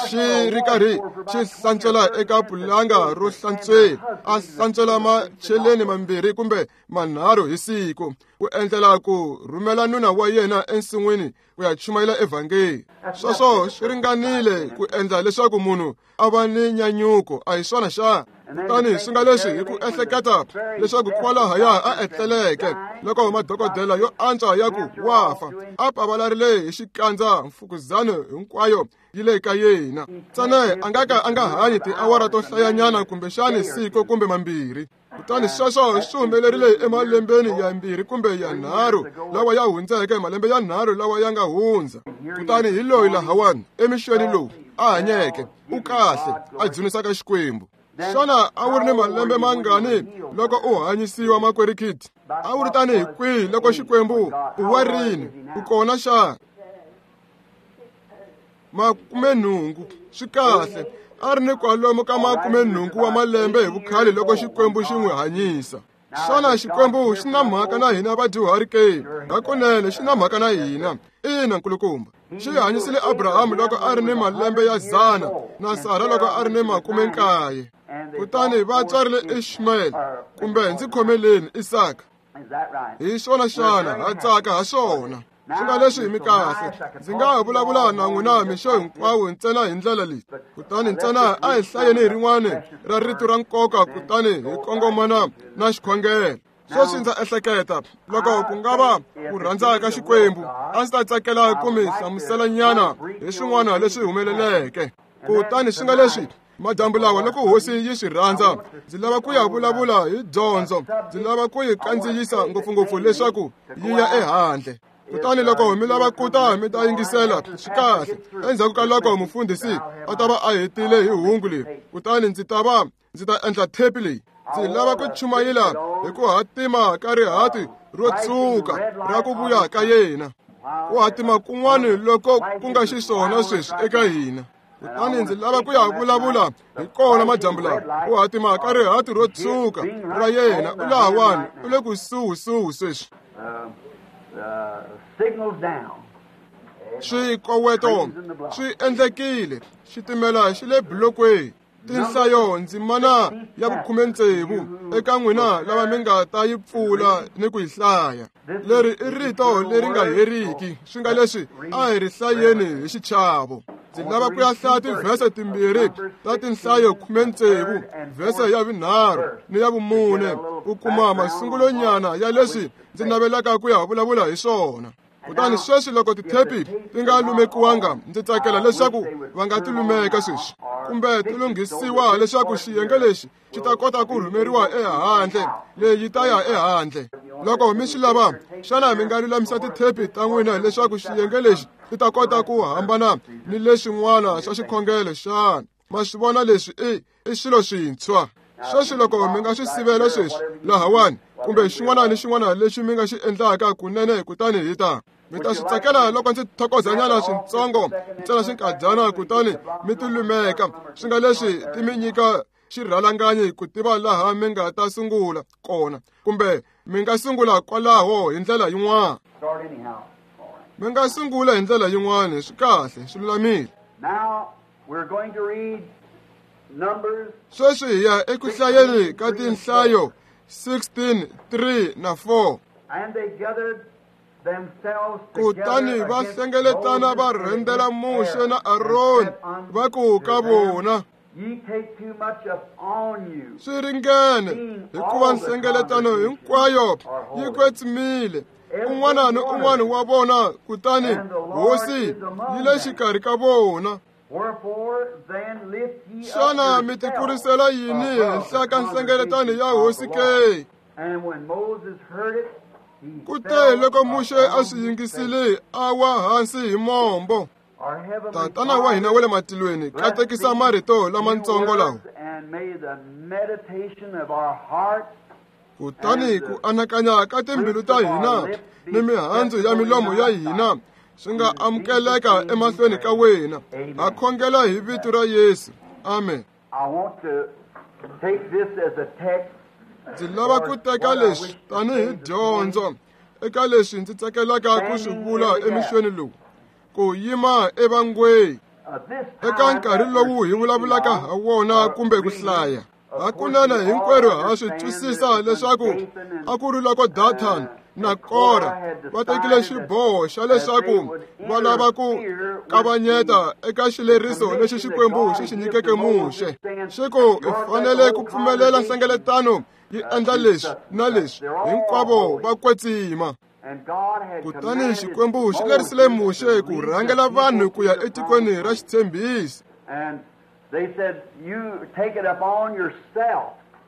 xi ri karhi xi hlantswela eka pulanga ro hlantswela, a hlantswela macheleni mambirhi kumbe manharhu hi siku ku endlela ku rhumela nuna wa yena ensin'wini ku ya chumayela evhangeli. Sweswo swi ringanile ku endla leswaku munhu a va ni nyanyuko, a hi swona xana? Kutani swi nga leswi hi ku ehleketa leswaku kwalahaya a etleleke loko madokodela yo antswa ya ku wa fa, a pavalarile hi xikandza mfukuzano hinkwayo yi le ka yena. Ntsena a nga ka a nga hanyi tiawara to hlayanyana kumbexani siku kumbe mambirhi. Kutani sweswo swi humelerile emalembeni ya mbirhi kumbe ya nharhu lawa ya hundzeke, malembe ya nharhu lawa ya nga hundza. Kutani hi loyi lahawani emixweni lowu a hanyeke, u kahle, a dzunisaka Xikwembu. Xana a wu ri ni malembe mangani loko u hanyisiwa, makwerhu Kit? A wu ri tanihi kwihi loko Xikwembu u wa rini u kona xana? Makumenhungu. Swi kahle, a ri ni kwalomu ka makumenhungu wa malembe hi vukhale loko Xikwembu xi n'wi hanyisa. Xana Xikwembu xi na mhaka na hina vadyuhari ke? Hakunene xi na mhaka na hina. Ina, nkulukumba. Xi hanyisile Abrahamu loko a ri ni malembe ya dzana na Sara loko a ri ni makume nkaye. Kutani va tswarile Ishmael, kumbe ndzi khomeleni Isaka. Hi swona xana? Ha tsaka ha swona. Swi nga leswi mi kahle, ndzi nga ha vulavula na n'wina mixo hinkwawo ntsena hi ndlela leyi. Kutani ntsena a hi hlayeni hi rin'wana ra rito ra nkoka kutani hi kongomana na xikhongelo. Sweswi ndza ehleketa loko ku nga va ku rhandza ka Xikwembu, a ndzi ta tsakela ku mi hlamuselanyana hi swin'wana leswi humeleleke. Kutani swi nga leswi madyambu lawa loko hosi yi swi rhandza, ndzi lava ku ya vulavula hi dyondzo. Ndzi lava ku yi kandziyisa ngopfungopfu leswaku yi ya ehandle. Kutani loko mi lava ku ta mi ta yingisela, swi kahle. Endzhaku ka loko mufundhisi a ta va a hetile hi hungu leri, kutani ndzi ta va ndzi ta endla thepi leyi. Ndzi lava ku chumayela hi ku hatima ka rihati ro tshuka ra ku vuya ka yena. Ku hatima kun'wana loko ku nga xiswona sweswi eka hina. Kutani ndzi lava ku ya vulavula hi kona madyambu lawa. Ku hatima ka rihati ro tshuka ra yena, u lahawani, u le kusuhisuhi sweswi. Swikoweto swi endlekile, xitimela xi le bulokweni. Tinhlayo ndzimana ya vukhume tsevu eka n'wina lava mi nga ta yi pfula ni ku yi hlaya. Leri i rito leri nga heriki, swi nga leswi a hi ri hlayeni hi xichavo. Ndzi lava ku ya hlaya tivhese timbirhi ta tinhlayo khume tsevu, vhese ya vunharhu ni ya vumune, ku kuma masungulonyana ya leswi ndzi navelaka ku ya vulavula hi swona. Kutani sweswi loko tithepi ti nga lumekiwanga, ndzi tsakela leswaku va nga ti lumeka sweswi, kumbe ti lunghisiwa leswaku xiyenge lexi xi ta kota ku rhumeriwa ehandle. Leyi ta ya ehandle. Loko mi swi lava, xana mi nga lulamisa tithepi ta n'wina leswaku xiyenge lexi xi ta kota ku hambana ni leswin'wana swa xikhongelo xana? Ma swi vona leswi i i swilo swintshwa. Sweswi loko mi nga swi sivela sweswi lahawani, kumbe xin'wana ni xin'wana lexi mi nga xi endlaka kunene, kutani hi ta mi ta swi tsakela loko ndzi thokozanyana swintsongo ntsena xinkadyana, kutani mi ti lumeka. Swi nga leswi ti mi nyika xirhalanganyi ku tiva laha mi nga ta sungula kona, kumbe mi nga sungula kwalaho hi ndlela yin'wana. Mi nga sungula hi ndlela yin'wana, swi kahle, swi lulamile. Sweswi hi ya eku hlayeni ka tinhlayo sixteen, three na four. Kutani va hlengeletana va rhendzela Muxe na Aroni, va ku ka vona, swi ringene, hikuva nhlengeletano hinkwayo yi kwetsimile, Un'wana ni un'wana wa vona, kutani Hosi yi le xikarhi ka vona. Xana mi tikurisela yini henhla ka nhlengeletano ya Hosi ke? Kute loko Muxe a swi yingisile, a wa hansi hi mombo. Tatana wa hina wa le matilweni, katekisa marito lamatsongo lawa. Kutani ku anakanya ka timbilu ta hina ni mihandzu ya milomo ya hina swi nga amukeleka emahlweni ka wena. Ha khongela hi vito ra Yesu. Amen. Ndzi lava ku teka leswi tanihi dyondzo eka leswi ndzi tsakelaka ku swi vula emixweni lowu, ku yima evangweni eka nkarhi lowu hi vulavulaka ha wona kumbe ku hlaya. Hakunene hinkwerhu ha swi twisisa leswaku a ku ri loko Dathan na Kora va tekile xiboho xa leswaku va lava ku kavanyeta eka xileriso lexi Xikwembu xi xi nyikeke Muxe. Xi ku hi fanele ku pfumelela nhlengeletano yi endla leswi na leswi, hinkwavo va kwetsima. Kutani Xikwembu xi lerisile Muxe ku rhangela vanhu ku ya etikweni ra xitshembiso.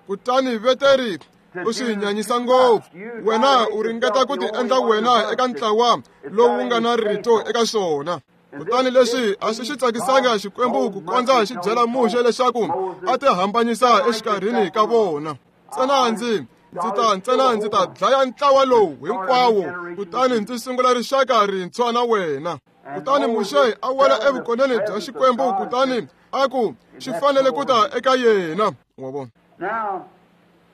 Kutani veteri u swi nyanyisa ngopfu. Wena u ringeta ku ti endla wena eka ntlawa lowu nga na rito eka swona. Kutani leswi a swi xi tsakisanga Xikwembu ku kondza xi byela Muxe leswaku a ti hambanyisa exikarhini ka vona. Ntsena ndzi ndzi ta ntsena ndzi ta dlaya ntlawa lowu hinkwawo, kutani ndzi sungula rixaka rintshwa na wena. Kutani Muxe a wela evukoneni bya Xikwembu, kutani a ku xi fanele ku ta eka yena. Wa vona?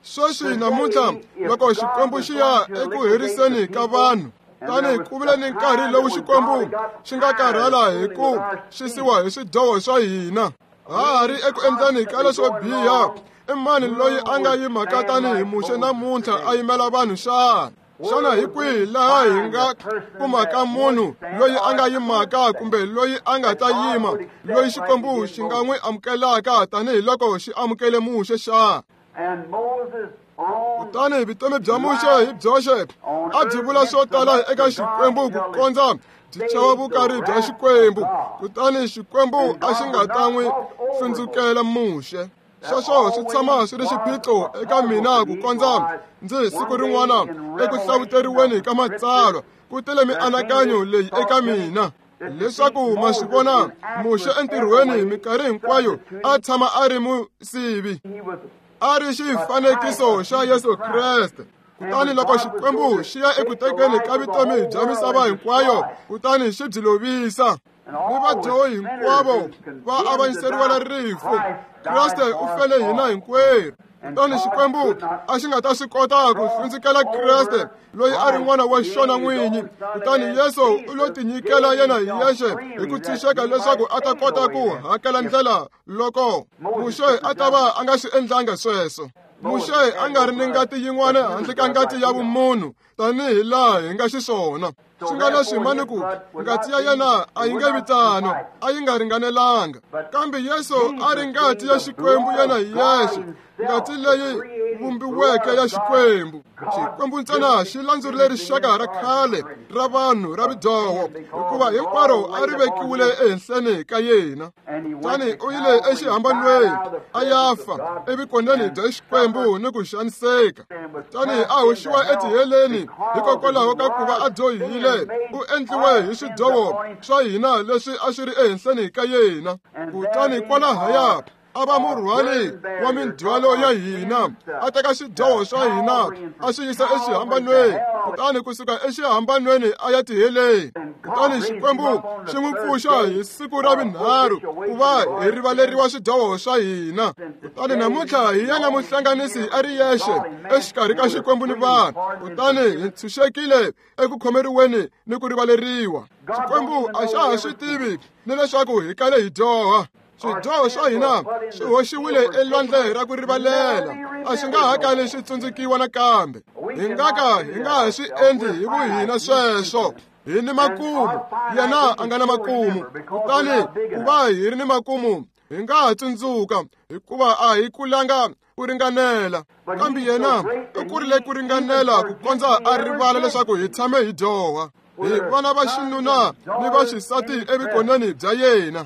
Sweswi namuntlha loko Xikwembu xi ya eku heriseni ka vanhu, tani ku vile ni nkarhi lowu Xikwembu xi nga karhala hi ku xisiwa hi swidyoho swa hina. Ha ha ri eku endleni ka leswo biha. I mani loyi a nga yimaka tanihi Muxe namuntlha a yimela vanhu xana? Xana hi kwihi laha hi nga kumaka munhu loyi a nga yimaka kumbe loyi a nga ta yima, loyi Xikwembu xi nga n'wi amukelaka tanihiloko xi amukele Muxe xana? Kutani vutomi bya Muxe hi byoxe a byi vula swo tala eka Xikwembu ku kondza byi chava vukarhi bya Xikwembu. Kutani Xikwembu a xi nga ta n'wi hlundzukela Muxe. Sweswo swi tshama swi ri xiphiqo eka mina ku kondza ndzi siku rin'wana eku hlawuteriweni ka matsalwa ku tele mianakanyo leyi eka mina leswaku ma swi vona Muxe entirhweni minkarhi hinkwayo a tshama a ri musivi, a ri xifanekiso xa Yesu Kreste. Kutani loko Xikwembu xi ya eku tekeni ka vutomi bya misava hinkwayo, kutani xi byi lovisa, ni vadyohi hinkwavo va avanyiseriwela rifu. Kreste u fele hina hinkwerhu. Kutani Xikwembu a xi nga ta swi kota ku hlundzukela Kreste loyi a ri n'wana wa xona n'winyi. Kutani Yesu u lo tinyikela yena hi yexe hi ku tshunxeka leswaku a ta kota ku hakela ndlela loko Muxe a ta va a nga swi endlanga sweswo. Muxe a nga ri ni ngati yin'wana handle ka ngati ya vumunhu tanihi laha hi nga xiswona. Swi nga leswi mani ku ngati ya yena a yi nge vitano, a yi nga ringanelanga. Kambe Yesu a ri ngati ya Xikwembu yena hi yexe, ngati leyi vumbiweke ya Xikwembu. Xikwembu ntsena xi landzurile rixaka ra khale ra vanhu ra vidyoho, hikuva hinkwaro a ri vekiwile ehenhleni ka yena. Kutani u yile exihambanweni a ya fa evukoneni bya Xikwembu ni ku xaniseka. Kutani a hoxiwa etiheleni hikokwalaho ka ku va a dyohile. U endliwe hi swidyoho swa hina leswi a swi ri ehenhleni ka yena. Kutani kwalahaya a va murhwali wa mindzhwalo ya hina, a teka swidyoho swa hina a swi yisa exihambanweni, kutani kusuka exihambanweni a ya tiheleni. Kutani Xikwembu xi n'wi pfuxa hi siku ra vunharhu ku va hi rivaleriwa swidyoho swa hina. Kutani namuntlha hi yena muhlanganisi a ri yexe exikarhi ka Xikwembu ni vanhu. Kutani hi ntshunxekile eku khomeriweni ni ku rivaleriwa. Xikwembu a xa ha swi tivi ni leswaku hi kale hi dyoha. Swidyoho swa hina swi hoxiwile elwandle ra ku rivalela, a swi nga ha kali swi tsundzukiwa nakambe. Hi nga ka hi nga ha swi endli hi vuhina sweswo. Hi ni makumu, yena a nga na makumu. Kutani ku va hi ri ni makumu, Hi nga ha tsundzuka hikuva a hi kulanga ku ringanela, kambe yena u kurile ku ringanela ku kondza a rivala leswaku hi tshame hi dyoha. Hi vana va xinuna ni va xisati evukoneni bya yena.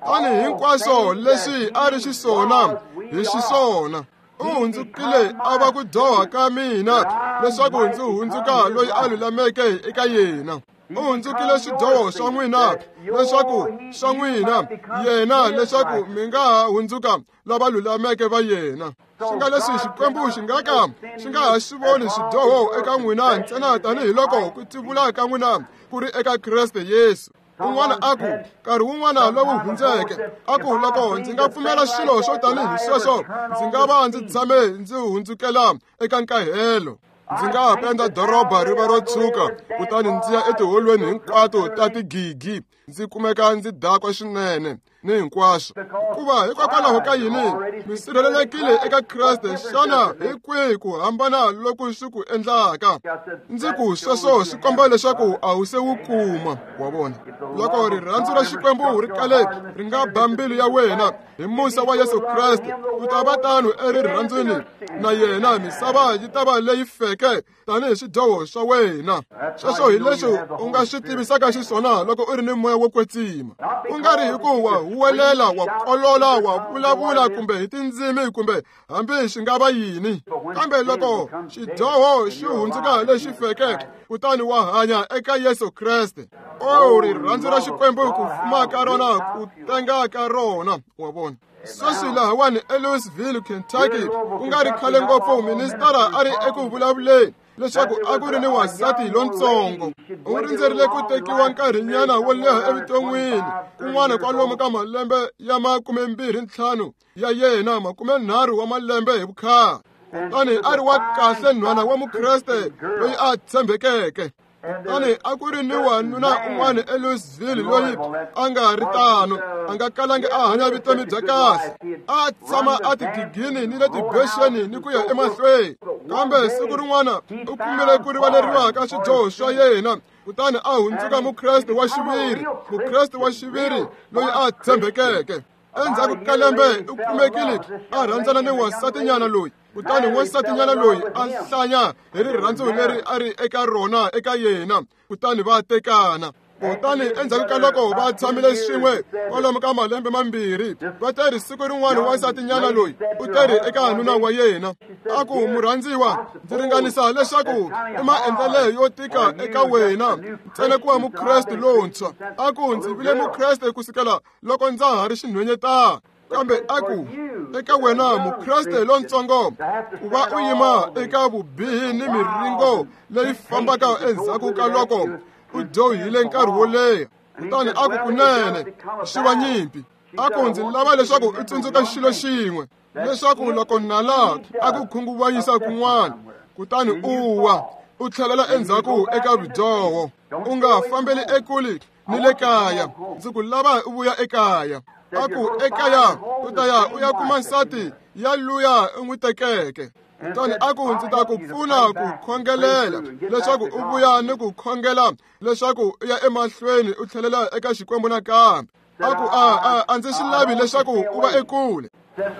Kutani hinkwaswo leswi a ri xiswona hi xiswona. U hundzukile a va ku dyoha ka mina leswaku ndzi hundzuka loyi a lulameke eka yena. U hundzukile swidyoho swa n'wina leswaku swa n'wina yena leswaku mi nga ha hundzuka lava lulameke va yena. Swi nga leswi Xikwembu xi nga ka xi nga ha swi voni swidyoho eka n'wina ntsena tanihiloko ku tivula ka n'wina ku ri eka Kreste Yesu. Un'wana a ku nkarhi wun'wana lowu hundzeke a ku loko ndzi nga pfumela swilo swo tanihi sweswo ndzi nga va ndzi tshame ndzi hundzukela eka nkahelo. Ndzi nga ha penda doroba ri va ro tshuka kutani ndzi ya etiholweni hinkwato ta tigigi ndzi kumeka ndzi dakwa swinene ni hinkwaswo. Hikuva hikokwalaho ka yini mi sirhelelekile eka Kreste? Xana hi kwihi ku hambana loku swi ku endlaka? Ndzi ku sweswo swi komba leswaku a wu se wu kuma. Wa vona, loko rirhandzu ra Xikwembu ri kale ri nga ba mbilu ya wena hi musa wa Yesu Kreste, u ta va tano erirhandzwini na yena, misava yi ta va leyi feke tanihi swidyoho swa wena. Sweswo hi leswi u nga swi tivisaka xiswona loko u ri ni moya wo kwetsima, ku nga ri hikuva huwelela, wa kolola, wa vulavula kumbe hi tindzimi kumbe hambi xi nga va yini. Kambe loko xidyoho xi hundzuka lexi feke, kutani wa hanya eka Yesu Kreste. O rirhandzu ra Xikwembu, ku fuma ka rona, ku tenga ka rona. Wa vona, sweswi lahawani eLouisville, Kentucky, ku nga ri khale ngopfu, ministara a ri eku vulavuleni leswaku a ku ri ni wansati lontsongo. U rindzerile ku tekiwa nkarhinyana wo leha evuton'wini, kun'wana kwalomu ka malembe ya makumembirhi ntlhanu ya yena, makumenharhu wa malembe hi vukhale. Kutani a ri wa kahle nhwana wa Mukreste loyi a tshembekeke. Kutani a ku ri ni wanuna un'wana eLouisville loyi a nga ri tano, a nga kalangi a hanya vutomi bya kahle, a tshama a tigigini ni le tibexeni ni ku ya emahlweni. Kambe siku rin'wana u kumile ku rivaleriwa ka swidyoho swa yena, kutani a hundzuka Mukreste wa xiviri, Mukreste wa xiviri loyi a tshembekeke. Endzhaku ka lembe u kumekile a rhandzana ni wansatinyana loyi. Kutani wansatinyana loyi a hlanya hi rirhandzu leri a ri eka rona eka yena, kutani va tekana. Kutani endzhaku ka loko va tshamile swin'we kwalomu ka malembe mambirhi, va teri siku rin'wana wansatinyana loyi u teri eka nuna wa yena a ku, murhandziwa, ndzi ringanisa leswaku i maendlelo yo tika eka wena ntsena ku va Mukreste lontshwa. A ku, ndzi vile Mukreste kusukela loko ndza ha ri xinhwenyetana, kambe a ku eka wena Mukreste lontsongo ku va u yima eka vubihi ni miringo leyi fambaka endzhaku ka loko u dyohile nkarhi wo leha. Kutani a ku, kunene swi va nyimpi. A ku, ndzi lava leswaku u tsundzuka xilo xin'we, leswaku loko nala a ku khunguvanyisa kun'wana kutani u wa, u tlhelela endzhaku eka vudyoho, u nga fambeli ekule ni le kaya. Ndzi ku lava u vuya ekaya. A ku, ekaya u ta ya u ya kuma nsati ya luya u n'wi tekeke. Kutani a ku, ndzi ta ku pfuna ku khongelela leswaku u vuya ni ku khongela leswaku u ya emahlweni u tlhelela eka Xikwembu nakambe. A ku, a a a ndzi swi lavi leswaku u va ekule.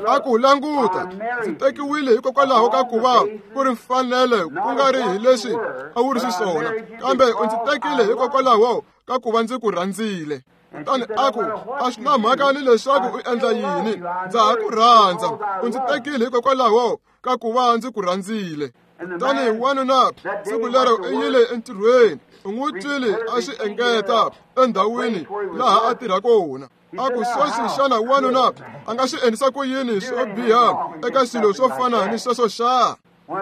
A ku, languta, ndzi tekiwile hikokwalaho ka ku va ku ri mfanelo, ku nga ri hi leswi a wu ri xiswona, kambe u ndzi tekile hikokwalaho ka ku va ndzi ku rhandzile. Kutani a ku, a swi na mhaka ni leswaku u endla yini, ndza ha ku rhandza, u ndzi tekile hikokwalaho ka ku va ndzi ku rhandzile. Kutani wanuna siku lero u yile entirhweni, u n'wi twile a swi engeta endhawini laha a tirha kona. A ku, sweswi xana wanuna a nga swi endlisa ku yini swo biha eka swilo swo fana ni sweswo xa?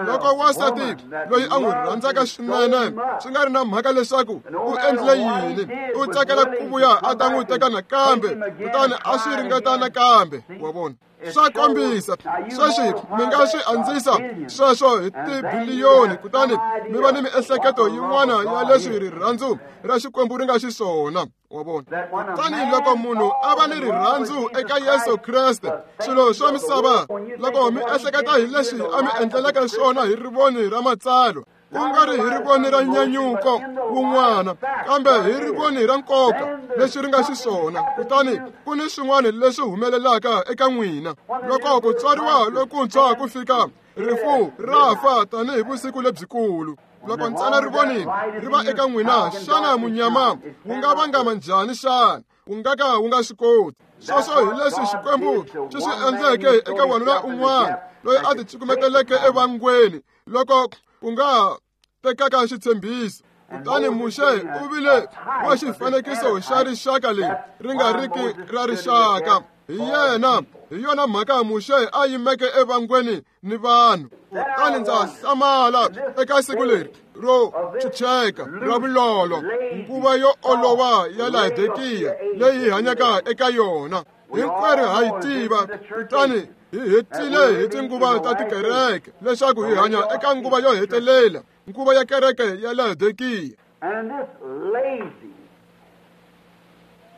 Loko wansati loyi a n'wi rhandzaka swinene, swi nga ri na mhaka leswaku u endlile yini, u tsakela ku vuya a ta n'wi teka nakambe, kutani a swi ringeta nakambe. Wa vona, swa kombisa. Sweswi mi nga swi andzisa sweswo hi tibiliyoni, kutani mi va ni miehleketo yin'wana ya leswi rirhandzu ra Xikwembu ri nga xiswona. Wa vona, kutani loko munhu a va ni rirhandzu eka Yesu Kreste, swilo swa misava, loko mi ehleketa hi leswi a mi endleleke swona hi rivoni ra matsalwa, Ku nga ri hi rivoni ra nyanyuko wun'wana, kambe hi rivoni ra nkoka leswi ri nga xiswona. Kutani ku ni swin'wana leswi humelelaka eka n'wina. Loko ku tswariwa lokuntshwa ku fika, rifu ra fa tanihi vusiku lebyikulu. Loko ntsena rivoni ri va eka n'wina, xana munyama wu nga vangama njhani xana? Wu nga ka wu nga swi koti. Sweswo hi leswi Xikwembu xi swi endleke eka wanuna un'wana loyi a ticukumeteleke evangweni loko ku nga tekaka xitshembiso. Kutani Muxe u vile wa xifanekiso xa rixaka leri ri nga riki ra rixaka. Hi yena, hi yona mhaka Muxe a yimeke evangweni ni vanhu. Kutani ndza hlamala eka siku leri ro chucheka ra vulolo, nguva yo olova ya Laodikiya leyi hi hanyaka eka yona. Hinkwerhu ha yi tiva, kutani hi hetile hi tinguva ta tikereke leswaku hi hanya eka nguva yo hetelela, nguva ya kereke ya Laodikiya.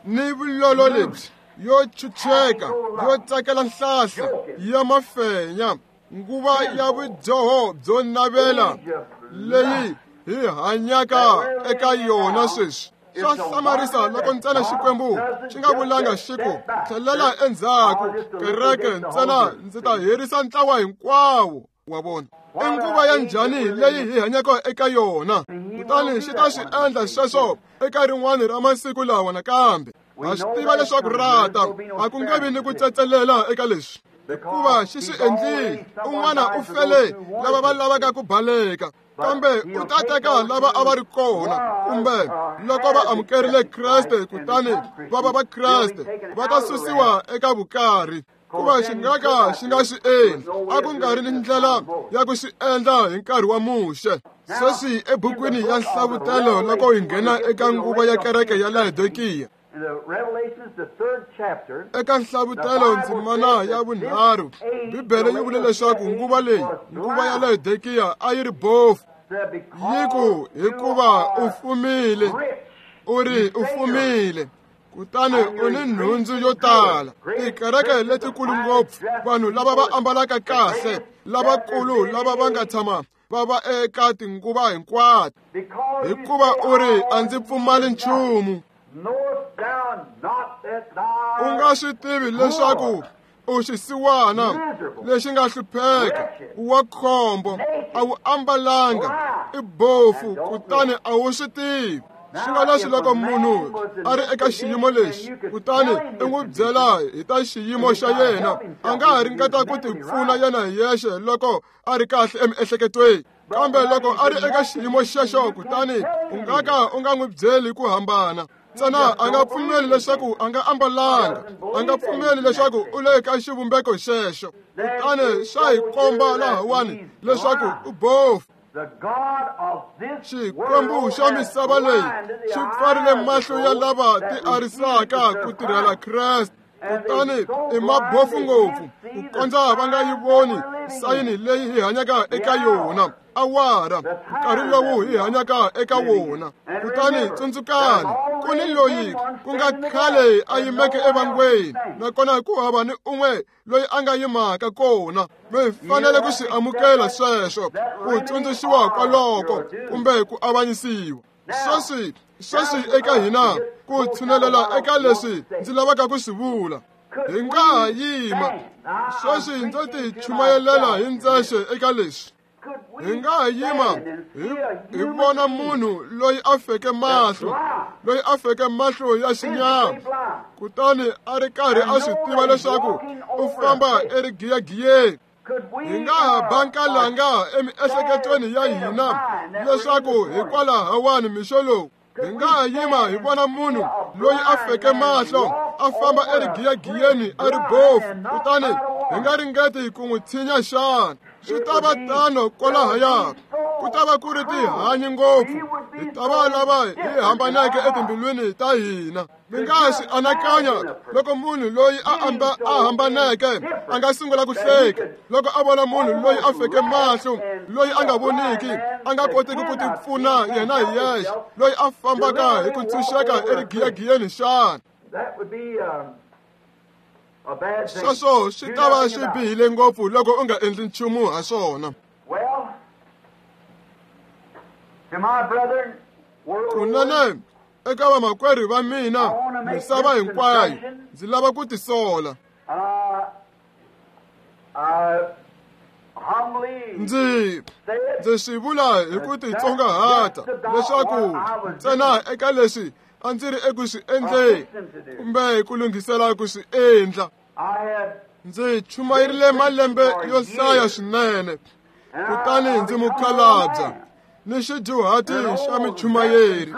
Ni vulolo lebyi yo chucheka, yo tsakela nhlahla ya mafenya, nguva ya vudyoho byo navela leyi hi hanyaka eka yona sweswi. Swa hlamarisa loko ntsena Xikwembu xi nga vulanga xi ku tlhelela endzhaku kereke ntsena, ndzi ta herisa ntlawa hinkwawo wa vona. I nguva ya njhani leyi hi hanyaka eka yona? Kutani xi ta swi endla sweswo eka rin'wana ra masiku lawa nakambe. Ha swi tiva leswaku ra ta, a ku nge vi ni ku tsetselela eka leswi, hikuva xi swi endlile. Un'wana u fele lava va lavaka ku baleka, kambe u ta teka lava a va ri kona, kumbe loko va amukerile Kreste kutani va va va Kreste, va ta susiwa eka vukarhi. Kuva xi nga ka xi nga swi endli, a ku nga ri ni ndlela ya ku swi endla hi nkarhi wa Muxe. Sweswi ebukwini ya Nhlavutelo, loko hi nghena eka nguva ya kereke ya Laodikiya, eka Nhlavutelo ndzimana ya vunharhu, Bibele yi vule leswaku nguva leyi, nguva ya Laodikiya, a yi ri bofu. Yi ku, hikuva u fumile, u ri u fumile, kutani u ni nhundzu yo tala. Tikereke letikulu ngopfu, vanhu lava va ambalaka kahle, lavakulu lava va nga tshama va va eka tinguva hinkwato, hikuva u ri a ndzi pfumali nchumu. U nga swi tivi leswaku u xisiwana lexi nga hlupheka, wa khombo, a wu ambalanga, i bofu, kutani a wu swi tivi. Swi nga leswi loko munhu a ri eka xiyimo lexi, kutani i n'wi byela hi ta xiyimo xa yena, a nga ha ringeta ku tipfuna yena hi yexe loko a ri kahle emiehleketweni. Kambe loko a ri eka xiyimo xexo, kutani u nga ka u nga n'wi byeli ku hambana. Ntsena a nga pfumeli leswaku a nga ambalanga, a nga pfumeli leswaku u le ka xivumbeko xexo. Kutani swa hi komba lahawani leswaku u bofu. Xikwembu xa misava leyi xi pfarile mahlo ya lava ti arisaka ku tirhela Kreste, kutani i mabofu ngopfu ku kondza va nga yi voni sayini leyi hi hanyaka eka yona, awara, nkarhi lowu hi hanyaka eka wona. Kutani tsundzukani, ku ni loyi ku nga khale a yimeke evangweni, nakona ku hava ni un'we loyi a nga yimaka kona. Mi fanele ku swi amukela sweswo, ku tsundzuxiwa kwaloko kumbe ku avanyisiwa. Sweswi, sweswi eka hina ku tshunelela eka leswi ndzi lavaka ku swi vula. Hi nga ha yima sweswi, ndzo ti chumayelela hi ndzexe eka leswi. Hi nga ha yima hi hi vona munhu loyi a feke mahlo, loyi a feke mahlo ya xinyama, kutani a ri karhi a swi tiva leswaku u famba erigiyagiyeni. Hi nga ha ba nkalanga emiehleketweni ya hina leswaku hikwalahawani mixo lowu. Hi nga ha yima hi vona munhu loyi a feke mahlo a famba erigiyagiyeni a ri bofu, kutani hi nga ringeti ku n'wi tshinya xana? Swi ta va tano kwalahaya, ku ta va ku ri tihanyi ngopfu, hi ta va lava hi hambaneke etimbilwini ta hina. Mi nga swi anakanya loko munhu loyi a amba a hambaneke a nga sungula ku hleka loko a vona munhu loyi a feke mahlo, loyi a nga voniki, a nga kotiki ku tipfuna yena hi yexe, loyi a fambaka hi ku tshunxeka erigiyagiyeni xana? Sweswo swi ta va swi bihile ngopfu loko u nga endli nchumu ha swona. Kunene eka vamakwerhu va mina misava hinkwayo ndzi lava ku tisola. Ndzi ndzi swi vula hi ku titsongahata leswaku ntsena eka leswi a ndzi ri eku swi endleni kumbe ku lunghisela ku swi endla. Ndzi chumayerile malembe yo hlaya swinene, kutani ndzi mukhalabya ni xidyuhati xa michumayeri,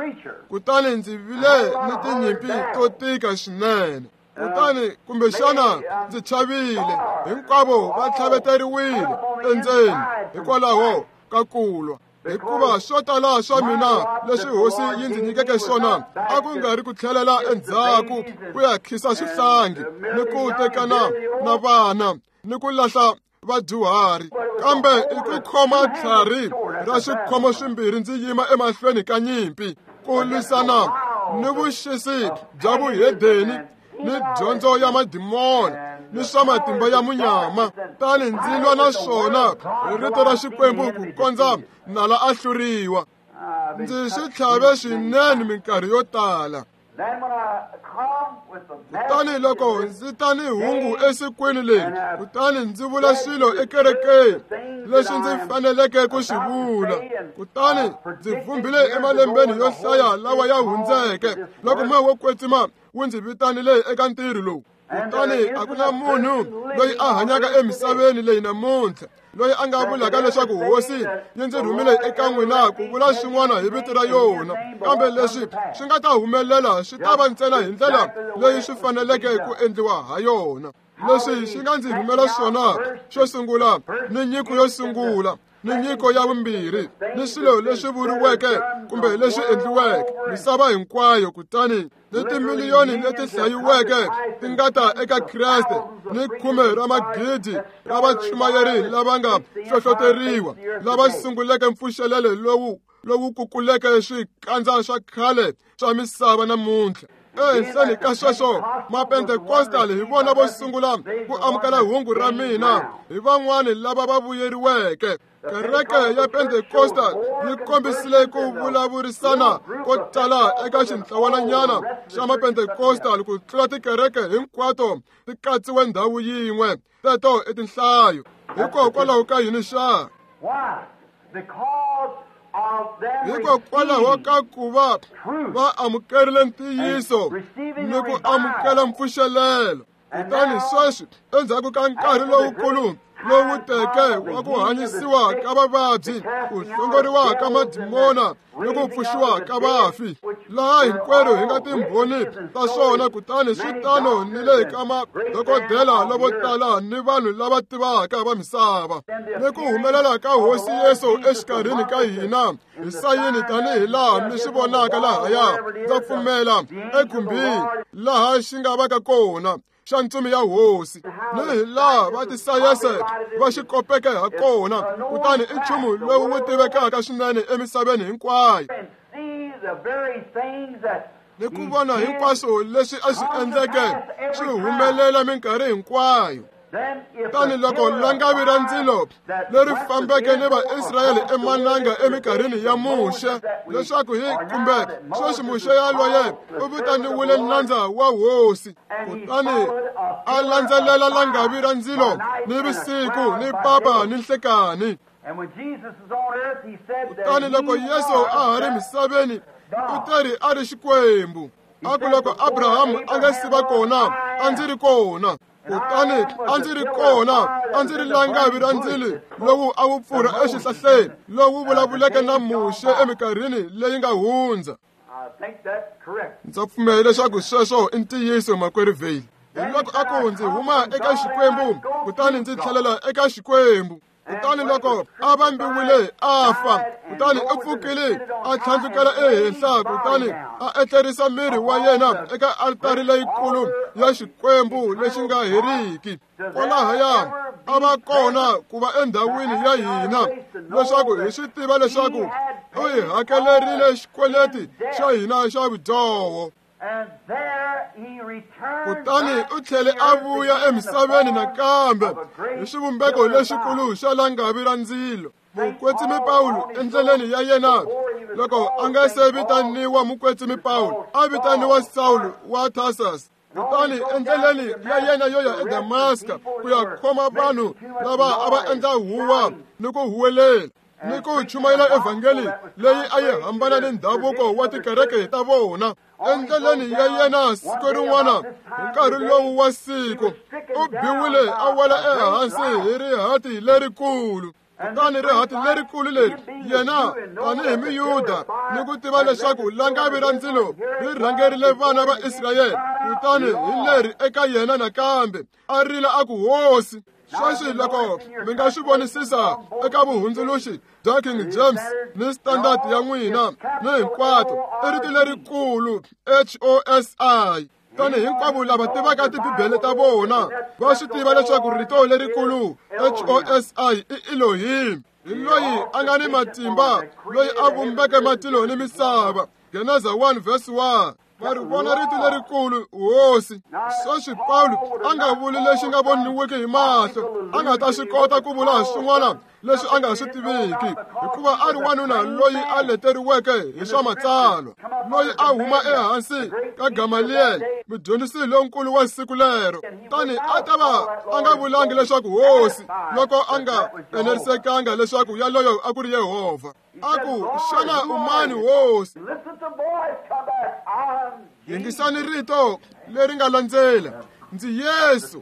kutani ndzi vile ni tinyimpi to tika swinene. Kutani kumbexana ndzi chavile, hinkwavo va tlhaveteriwile endzeni hikwalaho ka ku lwa, hikuva swo tala swa mina leswi hosi yi ndzi nyikeke swona a ku nga ri ku tlhelela endzhaku ku ya khisa swihlangi ni ku tekana na vana ni ku lahla vadyuhari, kambe i ku khoma tlhari ra swikhomo swimbirhi ndzi yima emahlweni ka nyimpi ku lwisana ni vuxisi bya vuhedeni ni dyondzo ya madimona ni swa matimba ya munyama. Tani ndzi lwa na swona hi rito ra Xikwembu ku kondza nala a hluriwa. Ndzi swi tlhave swinene minkarhi yo tala. Kutani loko ndzi ta ni hungu esikwini leri, kutani ndzi vula swilo ekerekeni leswi ndzi faneleke ku swi vula, kutani ndzi vumbile emalembeni yo hlaya lawa ya hundzeke loko moya wo kwetsima wu ndzi vitanile eka ntirho lowu. Kutani a ku na munhu loyi a hanyaka emisaveni leyi namuntlha loyi a nga vulaka leswaku hosi yi ndzi rhumile eka n'wina ku vula swin'wana hi vito ra yona, kambe leswi swi nga ta humelela swi ta va ntsena hi ndlela leyi swi faneleke ku endliwa ha yona. Leswi swi nga ndzi rhumela swona xo sungula ni nyiko yo sungula ni nyiko ya vumbirhi ni swilo leswi vuriweke kumbe leswi endliweke misava hinkwayo, kutani ni timiliyoni leti hlayiweke ti nga ta eka Kreste ni khume ra magidi ra vachumayeri lava nga hlohloteriwa lava sunguleke mpfuxelelo lowu lowu kukuleke swikandza swa khale swa misava namuntlha. Ehenhleni ka sweswo, Mapentekostal hi vona vo sungula ku amukela hungu ra mina, hi van'wani lava va vuyeriweke. Kereke ya Pentecostal yi kombisile ku vulavurisana ko tala eka xintlawananyana xa Mapentecostal ku tlula tikereke hinkwato ti katsiwe ndhawu yin'we. Teto i tinhlayo. Hikokwalaho ka yini xa? Hikokwalaho ka ku va va amukerile ntiyiso ni ku amukela mpfuxelelo. Kutani sweswi endzhaku ka nkarhi lowukulu lowu teke wa ku hanyisiwa ka vavabyi, ku hlongoriwa ka madimona ni ku pfuxiwa ka vafi, laha hinkwerhu hi nga timbhoni ta swona. Kutani swi tano ni le ka madokodela lavo tala ni vanhu lava tivaka va misava, ni ku humelela ka Hosi Yesu exikarhini ka hina hi sayini tanihi laha mi swi vonaka lahaya. Ndza pfumela ekhumbini laha xi nga vaka kona xa ntsumi ya hosi, ni hi laha va tisayense va xi kopeke ha kona, kutani i nchumu lowu wu tivekaka swinene emisaveni hinkwayo. Ni ku vona hinkwaswo leswi a swi endleke swi humelela minkarhi hinkwayo. Tani loko langavi ra ndzilo leri fambeke ni Vaisrayele emananga eminkarhini ya Muxe, leswaku hi kumbe sweswi Muxe yaloye u vitaniwile nandza wa hosi, kutani a landzelela langavi ra ndzilo ni vusiku ni papa ni nhlekani. Kutani loko Yesu a ha ri misaveni u teri a ri Xikwembu. A ku loko Abrahamu a nga si va kona a ndzi ri kona, kutani a ndzi ri kona a ndzi ri langavi ra ndzilo lowu a wu pfurha exihlahleni lowu vulavuleke na Muxe eminkarhini leyi nga hundza. Ndza pfumela leswaku sweswo i ntiyiso, makwerhu Vale. Hi loko a ku ndzi huma eka Xikwembu kutani ndzi tlhelela eka Xikwembu. Kutani loko a vambiwile a fa, kutani u pfukile a tlhandlukela ehenhla, kutani a etlerisa miri wa yena eka altari leyikulu ya Xikwembu lexi nga heriki. Kwalahaya a va kona ku va endhawini ya hina leswaku hi swi tiva leswaku u hi hakelerile xikweleti xa hina xa vudyoho. Kutani u tlhele a vuya emisaveni nakambe hi xivumbeko lexikulu xa langavi ra ndzilo. Mukwetsimi Pawulo endleleni ya yena Loko a nga se vitaniwa mukwetsimi Pawulo, a vitaniwa Sawulo wa Tarsus. Kutani endleleni ya yena yo ya eDamaska ku ya khoma vanhu lava a va endla huwa ni ku huwelela ni ku chumayela evhangeli leyi a yi hambana ni ndhavuko wa tikereke ta vona. Endleleni ya yena siku rin'wana hi nkarhi lowu wa siku, u biwile a wela ehansi hi rihati lerikulu. Kutani rihati lerikulu leri yena tanihi Muyuda ni ku tiva leswaku langavi ra ndzilo ri rhangerile vana va Israyele, kutani hi leri eka yena nakambe a rila a ku, Hosi. Sweswi loko mi nga swi vonisisa eka vuhundzuluxi bya King James ni Standard ya n'wina ni hinkwato, i rito lerikulu H O S I. Tani hinkwavo lava tivaka tibibele ta vona va swi tiva leswaku rito lerikulu H O S I i Elohim, hi loyi a nga ni matimba, loyi a vumbeke matilo ni misava. Geneza one verse one. Va ri vona rito lerikulu Hosi. Sweswi Pawulo a nga vuli lexi nga voniwiki hi mahlo, a nga ta swi kota ku vula swin'wana leswi a nga swi tiviki, hikuva a ri wanuna loyi a leteriweke hi swa matsalwa, loyi a huma ehansi ka Gamaliel, mudyondzisi lonkulu wa siku lero. Tani a ta va a nga vulangi leswaku Hosi loko a nga enerisekanga leswaku yaloyo a ku ri Yehovha. A ku, xana u mani Hosi? Yingisani rito leri nga landzela, ndzi Yesu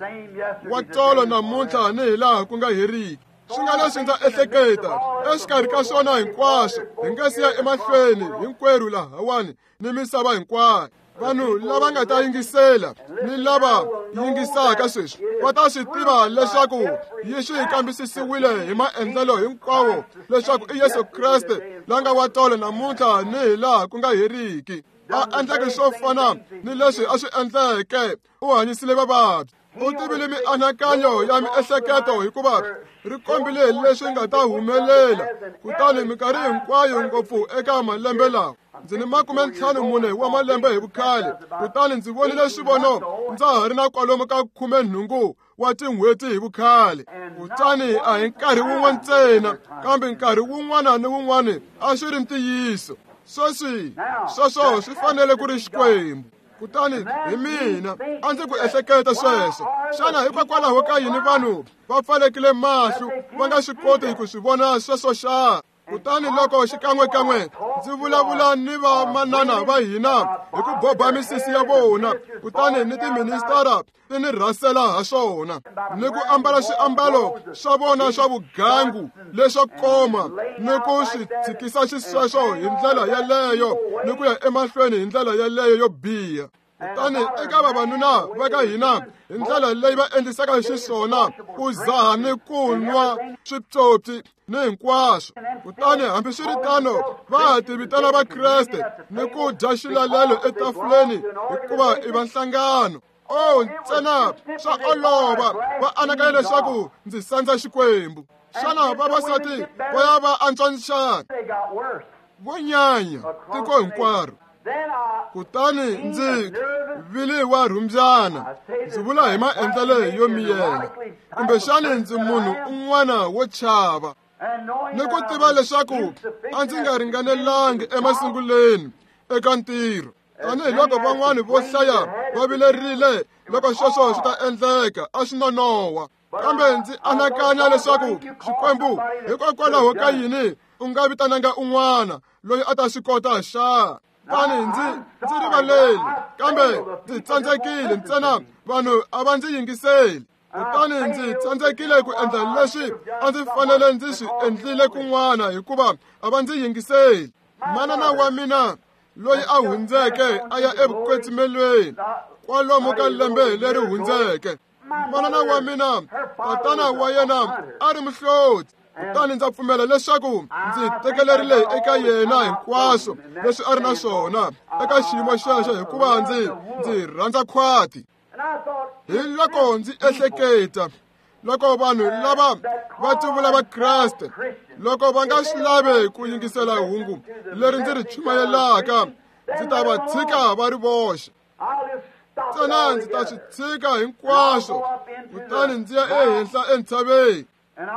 wa tolo namuntlha ni hilaha ku nga heriki. Swi nga leswi ndza ehleketa exikarhi ka swona hinkwaswo, hi nga siya emahlweni hinkwerhu lahawani ni misava hinkwayo. Vanhu lava nga ta yingisela ni lava yingisaka sweswi va ta swi tiva leswaku yi swi kambisisiwile hi maendlelo hinkwawo leswaku i Yesu Kreste la nga wa tolo namuntlha ni hilaha ku nga heriki. A endleke swo fana ni leswi a swi endleke, u hanyisile vavabyi, u tivile mianakanyo ya miehleketo hikuva ri kombile leswi nga ta humelela. Kutani minkarhi hinkwayo ngopfu eka malembe lawa, ndzi ni makume ntlhanu mune wa malembe hi vukhale, kutani ndzi vonile swivono ndza ha ri na kwalomu ka khume nhungu wa tin'hweti hi vukhale. Kutani a hi nkarhi wun'we ntsena, kambe nkarhi wun'wana ni wun'wana a swi ri ntiyiso. Sweswi sweswo swi fanele ku ri Xikwembu. Kutani hi mina a ndzi ku ehleketa sweswo, xana hikokwalaho ka yini vanhu va pfalekile mahlo va nga swi koti ku swi vona sweswo xa? Kutani loko xikan'wekan'we ndzi vulavula ni vamanana va hina hi ku boba misisi ya vona, kutani ni tiministara ti ni rhasela ha swona, ni ku ambala swiambalo swa vona swa vugangu leswo koma, ni ku swi tshikisa xisweswo hi ndlela yeleyo, ni ku ya emahlweni hi ndlela yeleyo yo biha. Kutani eka vavanuna va ka hina hi ndlela leyi va endlisaka xiswona, ku zaha ni ku nwa swipyopyi ni hinkwaswo. Kutani hambiswiritano va ha ti vitana Vakreste ni ku dya xilalelo etafuleni hikuva i va nhlangano. Oh, ntsena swa olova va anakanya leswaku ndzi sandza Xikwembu. Xana vavasati va ya va antswa xana? Vo nyanya tiko hinkwaro. Kutani ndzi vile wa rhumbyana, ndzi vula hi maendlelo yo miyela, kumbexani ndzi munhu un'wana wo chava, ni ku tiva leswaku a ndzi nga ringanelangi emasunguleni eka ntirho. Tanihiloko van'wani vo hlaya va vilerile loko sweswo swi ta endleka, a swi nonoha. Kambe ndzi anakanya leswaku Xikwembu hikokwalaho ka yini u nga vitananga un'wana loyi a ta swi kota xa? Tani ndzi ndzi rivaleli, kambe ndzi tsandzekile ntsena vanhu a va ndzi yingiseli. Kutani ndzi tsandzekile ku endla leswi a ndzi fanele ndzi swi endlile kun'wana hikuva a va ndzi yingiseli. Manana wa mina loyi a hundzeke a ya evukwetsimelweni kwalomu ka lembe leri hundzeke. Manana wa mina, tatana wa yena a ri muhloti. Kutani ndza pfumela leswaku ndzi tekelerile eka yena hinkwaswo leswi a ri na swona eka xiyimo xexo, hikuva ndzi ndzi rhandza khwati. Hi loko ndzi ehleketa loko vanhu lava va tivula Vakreste, loko va nga swi lavi ku yingisela hungu leri ndzi ri chumayelaka, ndzi ta va tshika va ri voxe. Ntsena ndzi ta swi tshika hinkwaswo, kutani ndzi ya ehenhla entshaveni.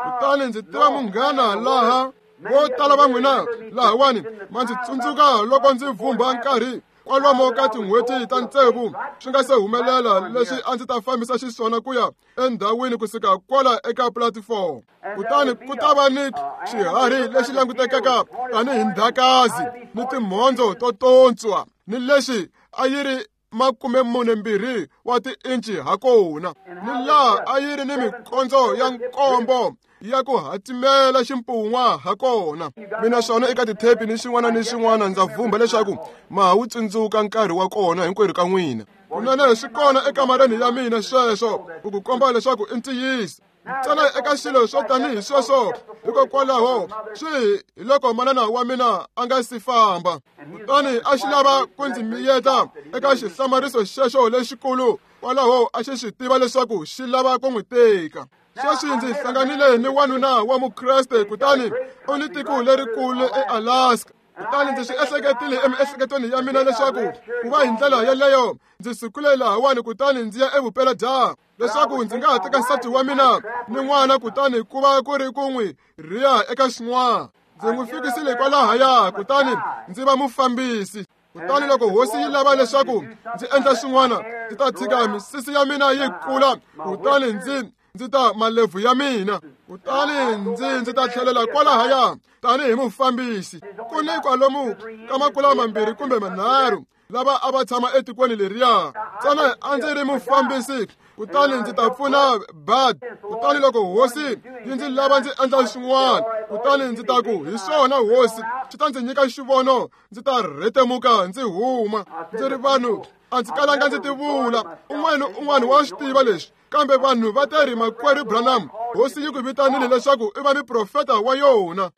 Kutani ndzi tiva munghana laha Vo tala va n'wina lahawani ma ndzi tsundzuka loko ndzi vhumbha nkarhi kwalomo ka tin'hweti ta tsevu swi nga se humelela leswi a ndzi ta fambisa xiswona ku ya endhawini kusuka kwala eka pulatifomo. Kutani ku ta va ni xiharhi lexi langutekaka tanihi ndhakazi ni timhondzo to tontswa ni lexi a yi ri makume mune mbirhi wa tiinci hakona, ni laha a yi ri ni mikondzo ya nkombo ya ku hatimela ximpun'wa hakona. Mina swona eka tithepi ni xin'wana ni xin'wana ndza vhumba leswaku ma ha wu tsundzuka nkarhi wa kona hinkwerhu ka n'wina. Kunene swi kona ekamareni ya mina sweswo ku ku komba leswaku i ntiyiso. Ntsena eka swilo swo tanihi sweswo, hikokwalaho swi hi loko manana wa mina a nga si famba, kutani a xi lava ku ndzi miyeta eka xihlamariso xexo lexikulu, kwalaho a xi swi tiva leswaku xi lava ku n'wi teka. Sweswi ndzi hlanganile ni wanuna wa Mukreste, kutani u ni tiko lerikulu eAlaska. Kutani ndzi swi ehleketile emiehleketweni ya mina leswaku ku va hi ndlela yeleyo ndzi sukile lahawani kutani ndzi ya evupeladyambu leswaku ndzi nga ha teka nsati wa mina ni n'wana, kutani ku va ku ri ku n'wi rhiya eka xin'wana. Ndzi n'wi fikisile kwalahaya kutani ndzi va mufambisi. Kutani loko hosi yi lava leswaku ndzi endla swin'wana, ndzi ta tshika misisi ya mina yi kula, kutani ndzi ndzi ta malebvu ya mina, kutani ndzi ndzi ta tlhelela kwalahaya tanihi mufambisi. Ku ni kwalomu ka makula mambirhi kumbe manharhu lava a va tshama etikweni leriya. Ntsena a ndzi ri mufambisi, kutani ndzi ta pfuna Bud. Kutani loko hosi yi ndzi lava ndzi endla swin'wana, kutani ndzi ta ku hi swona hosi, swi ta ndzi nyika xivono, ndzi ta rhetemuka ndzi huma. Ndzi ri vanhu a ndzi kalanga ndzi tivula, un'wana ni un'wana wa swi tiva leswi, kambe vanhu va ta ri makwerhu Branham, hosi yi ku vitanile leswaku i va muprofeta wa yona.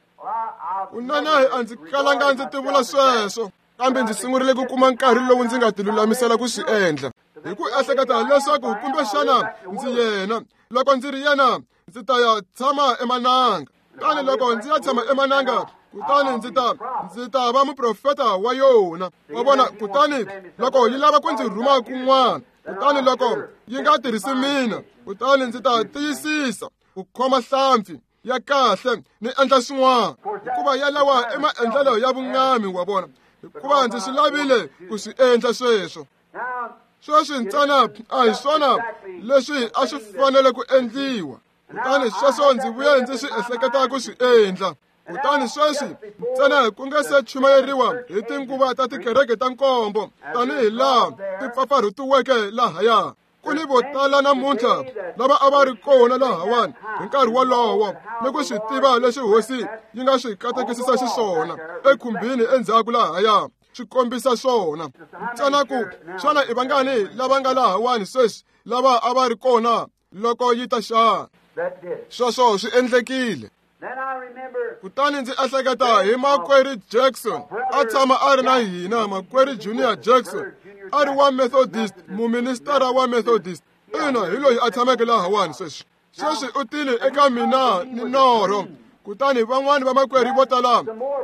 Kunene a ndzi kalanga ndzi tivula sweswo, kambe ndzi sungurile ku kuma nkarhi lowu ndzi nga tilulamisela ku swi endla, hi ku ehleketa leswaku kumbexana ndzi yena. Loko ndzi ri yena, ndzi ta ya tshama emananga. Kutani loko ndzi ya tshama emananga, kutani ndzi ta ndzi ta va muprofeta wa yona. Wa vona? Kutani loko yi lava ku ndzi rhuma kun'wana, kutani loko yi nga tirhisi mina, kutani ndzi ta tiyisisa ku khoma hlampfi ya kahle ni endla swin'wana, hikuva yalawa i maendlelo ya vungami, wa vona, hikuva ndzi swi lavile ku swi endla sweswo. Sweswi ntsena a hi swona leswi a swi fanele ku endliwa, kutani sweswo ndzi vuye ndzi swi ehleketa ku swi endla. Kutani sweswi ntsena ku nga se chumayeriwa hi tinguva ta tikereke ta nkombo tanihi laha ti pfapfarhutiweke lahaya. Ku ni vo tala namuntlha lava a va ri kona lahawani hi nkarhi wolowo ni ku swi tiva leswi hosi yi nga swi katekisisa xiswona ekhumbini endzhaku lahaya swi kombisa swona. Ntsena ku xana i vangani lava nga lahawani sweswi lava a va ri kona loko yi ta xana? Sweswo swi endlekile. Kutani ndzi ehleketa hi makwerhu Jackson, a tshama a ri na hina, makwerhu Junior Jackson, a ri wa Methodist, muministara wa Methodist. Ina, hi loyi a tshameke lahawani sweswi. Sweswi u tile eka mina ni norho, kutani van'wani va makwerhu vo tala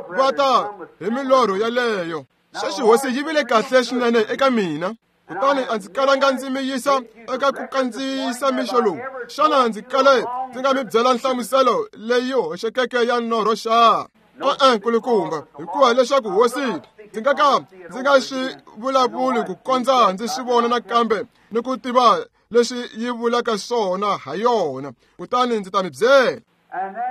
va ta hi milorho yaleyo. Sweswi hosi yi vile kahle swinene eka mina, kutani a ndzi kalanga ndzi mi yisa eka ku kandziyisa mixo lowu. Xana ndzi kale ndzi nga mi byela nhlamuselo leyi hoxekeke ya norho xa? E-e, nkulukumba, hikuva leswaku hosi ndzi nga ka ndzi nga swi vulavuli ku kondza ndzi swi vona nakambe ni ku tiva leswi yi vulaka swona ha yona, kutani ndzi ta mi byela.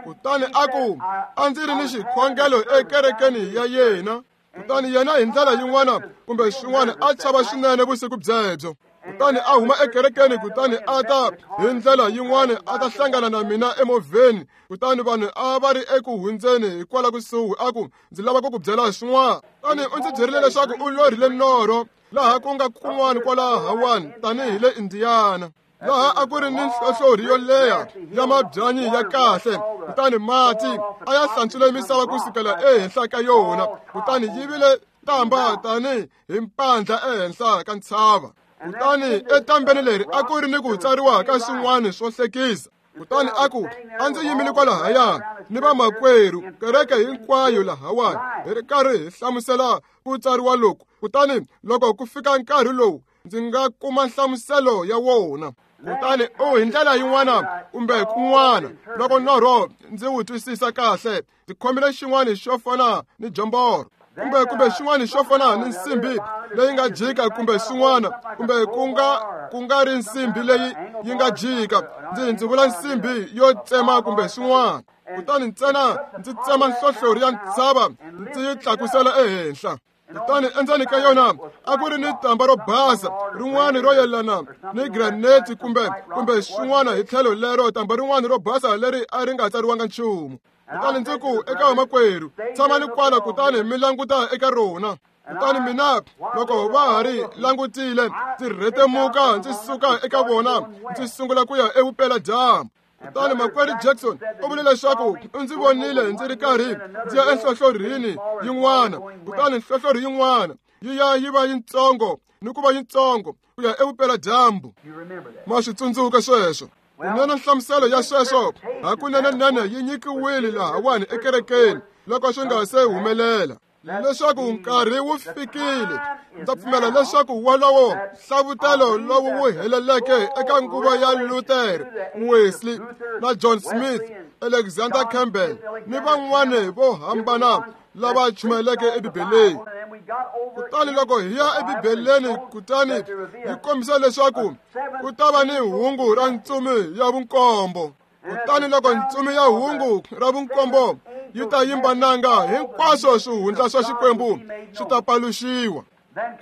Kutani a ku a ndzi ri ni xikhongelo ekerekeni ya yena, kutani yena hi ndlela yin'wana kumbe swin'wana a chava swinene vusiku byebyo. Kutani a huma ekerekeni, kutani a ta hi ndlela yin'wana a ta hlangana na mina emovheni, kutani vanhu a va ri eku hundzeni hikwala kusuhi, a ku ndzi lava ku ku byela swin'wana. Kutani u ndzi byerile leswaku u lorhile norho laha ku nga kun'wana kwalahawani tanihi le Indiana, laha a ku ri ni nhlohlorhi yo leha ya mabyanyi ya kahle, kutani mati a ya hlantswile misava kusukela ehenhla ka yona, kutani yi vile tamba tanihi hi mpandla ehenhla ka ntshava. Kutani etambeni leri a ku ri ni ku tsariwa ka swin'wana swo hlekisa. Kutani a ku a ndzi yimile kwalahaya ni vamakwerhu kereke hinkwayo lahawani hi ri karhi hi hlamusela ku tsariwa loku, kutani loko ku fika nkarhi lowu ndzi nga kuma nhlamuselo ya wona. Kutani u hi ndlela yin'wana kumbe kun'wana loko norho ndzi wu twisisa kahle, ndzi khomile xin'wana xo fana ni jomboro kumbe kumbe xin'wana xo fana ni nsimbi leyi nga jika kumbe swin'wana kumbe ku nga ku nga ri nsimbi leyi yi nga jika, ndzi ndzi vula nsimbi yo tsema kumbe swin'wana. Kutani ntsena ndzi tsema nhlohlorhi ya ntshava ndzi yi tlakusela ehenhla. Kutani endzeni ka yona a ku ri ni tamba ro basa rin'wana ro yelana ni granite kumbe kumbe swin'wana hi tlhelo lero, tamba rin'wana ro basa leri a ri nga tsariwanga nchumu. Kutani ndzi ku eka vamakwerhu, tshamani kwala kutani mi languta eka rona. Kutani mina loko va ha ri langutile, ndzi rhetemuka ndzi suka eka vona ndzi sungula ku ya evupeladyambu. Kutani makwerhu Jackson u vule leswaku u ndzi vonile ndzi ri karhi ndzi ya enhlohlorhini yin'wana, kutani nhlohlorhi yin'wana yi ya yi va yitsongo ni ku va yitsongo ku ya evupeladyambu. Ma swi tsundzuka sweswo? Kunene nhlamuselo ya sweswo hakunenenene yi nyikiwile lahawani ekerekeni loko swi nga se humelela, leswaku nkarhi wu fikile. Ndza pfumela leswaku wolowo nhlavutelo lowu wu heleleke eka nguva ya Luther, Wesley na John Smith, Alexander Campbell ni van'wana vo hambana lava chumayeleke eBibeleni. Kutani loko hi ya eBibeleni kutani yi kombisa leswaku ku ta va ni hungu ra ntsumi ya vunkombo. Kutani loko ntsumi ya hungu ra vunkombo yi ta yimba nanga, hinkwaswo swihundla swa Xikwembu swi ta paluxiwa.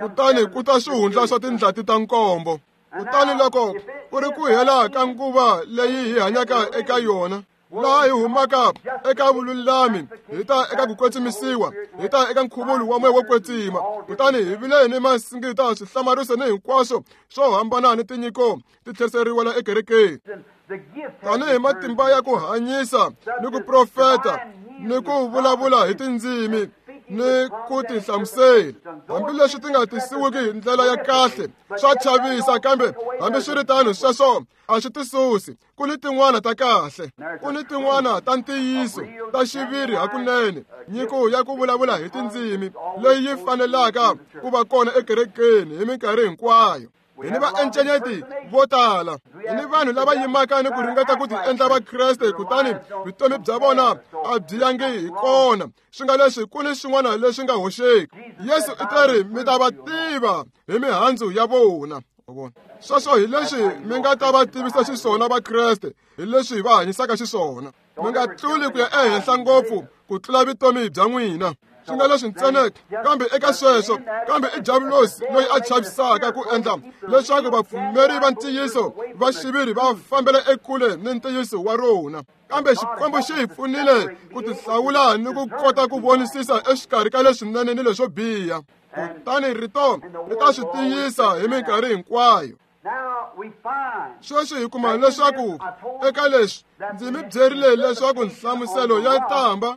Kutani ku ta swihundla swa tindlati ta nkombo. Kutani loko ku ri ku hela ka nguva leyi hi hanyaka eka yona, laha hi humaka eka vululami hi ta eka ku kwetsimisiwa, hi ta eka nkhuvulo wa moya wo kwetsima. Kutani hi vile ni masingita, swihlamariso ni hinkwaswo swo hambana ni tinyiko ti tlheriseriwa la ekerekeni, tanihi matimba ya ku hanyisa ni ku profeta ni ku vulavula hi tindzimi ni ku tihlamusela. Hambileswi ti nga tisiwiki hi ndlela ya kahle, swa chavisa, kambe hambiswiritano sweswo a swi tisusi. Ku ni tin'wana ta kahle, ku ni tin'wana ta ntiyiso ta xiviri hakunene, nyiko ya ku vulavula hi tindzimi leyi yi fanelaka ku va kona ekerekeni hi minkarhi hinkwayo. Hi ni vaencenyeti vo tala, hi ni vanhu lava yimaka ni ku ringeta ku tiendla Vakreste, kutani vutomi bya vona a byi yangi hi kona. Swi nga leswi ku ni swin'wana leswi nga hoxeki. Yesu u teri mi ta va tiva hi mihandzu ya vona. Sweswo hi leswi mi nga ta va tivisa xiswona Vakreste, hi leswi va hanyisaka xiswona. Mi nga tluli ku ya ehenhla ngopfu ku tlula vutomi bya n'wina. Swi nga leswi ntsena, kambe eka sweswo, kambe i diabulosi loyi a chavisaka ku endla leswaku vapfumeri va ntiyiso va xiviri va fambela ekule ni ntiyiso wa rona. Kambe Xikwembu xi hi pfunile ku tihlawula ni ku kota ku vonisisa exikarhi ka leswinene ni leswo biha. Kutani rito ri ta swi tiyisa hi minkarhi hinkwayo. Sweswi hi kuma leswaku eka leswi ndzi mi byerile leswaku nhlamuselo ya tamba,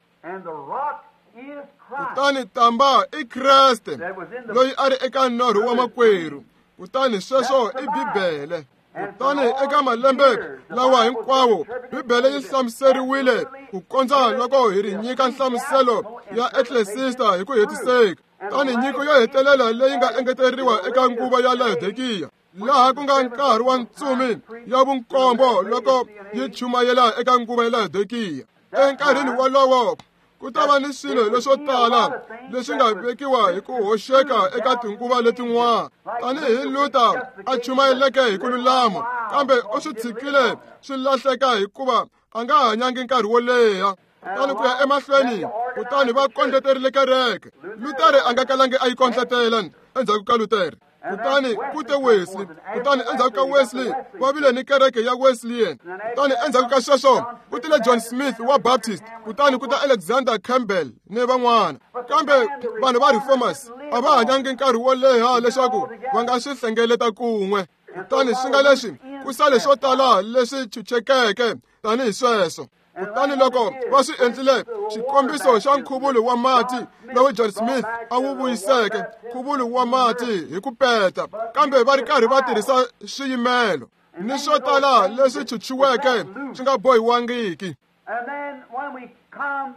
kutani tamba i Kreste loyi a ri eka norho wa makwerhu, kutani sweswo i Bibele. Kutani eka malembe lawa hinkwawo Bibele yi hlamuseriwile ku kondza loko hi ri nyika nhlamuselo ya Ecclesiastes hi ku hetiseka. Kutani nyiko yo hetelela leyi nga engeteriwa eka nguva ya Laodikiya, laha ku nga nkarhi wa ntsumi ya vunkombo loko yi chumayela eka nguva ya Laodikiya. Enkarhini wolowo ku ta va ni swilo leswo tala leswi nga vekiwa hi ku hoxeka eka tinguva letin'wana, tanihi Luther a chumayeleke hi ku lulama, kambe u swi tshikile swi lahleka hikuva a nga hanyangi nkarhi wo leha. Kutani ku ya emahlweni, kutani va kondleterile kereke. Luther a nga kalangi a yi kondletela endzhaku ka Luther. Kutani ku te Wesley, kutani endzhaku ka Wesley va vile ni kereke ya Wesleyan. Kutani endzhaku ka sweswo ku tile John Smith wa Baptist, kutani ku ta Alexander Campbell ni van'wana. Kambe vanhu va Reformers a va hanyangi nkarhi wo leha leswaku va nga swi hlengeleta kun'we. Kutani swi nga leswi ku sale swo tala leswi chuchekeke tanihi sweswo. Kutani loko va swi endlile, xikombiso xa nkhuvulo wa mati lowu John Smith a wu vuyiseke, nkhuvulo wa mati hi ku peta, kambe va ri karhi va tirhisa swiyimelo ni swo tala leswi chuchiweke swi nga bohiwangiki.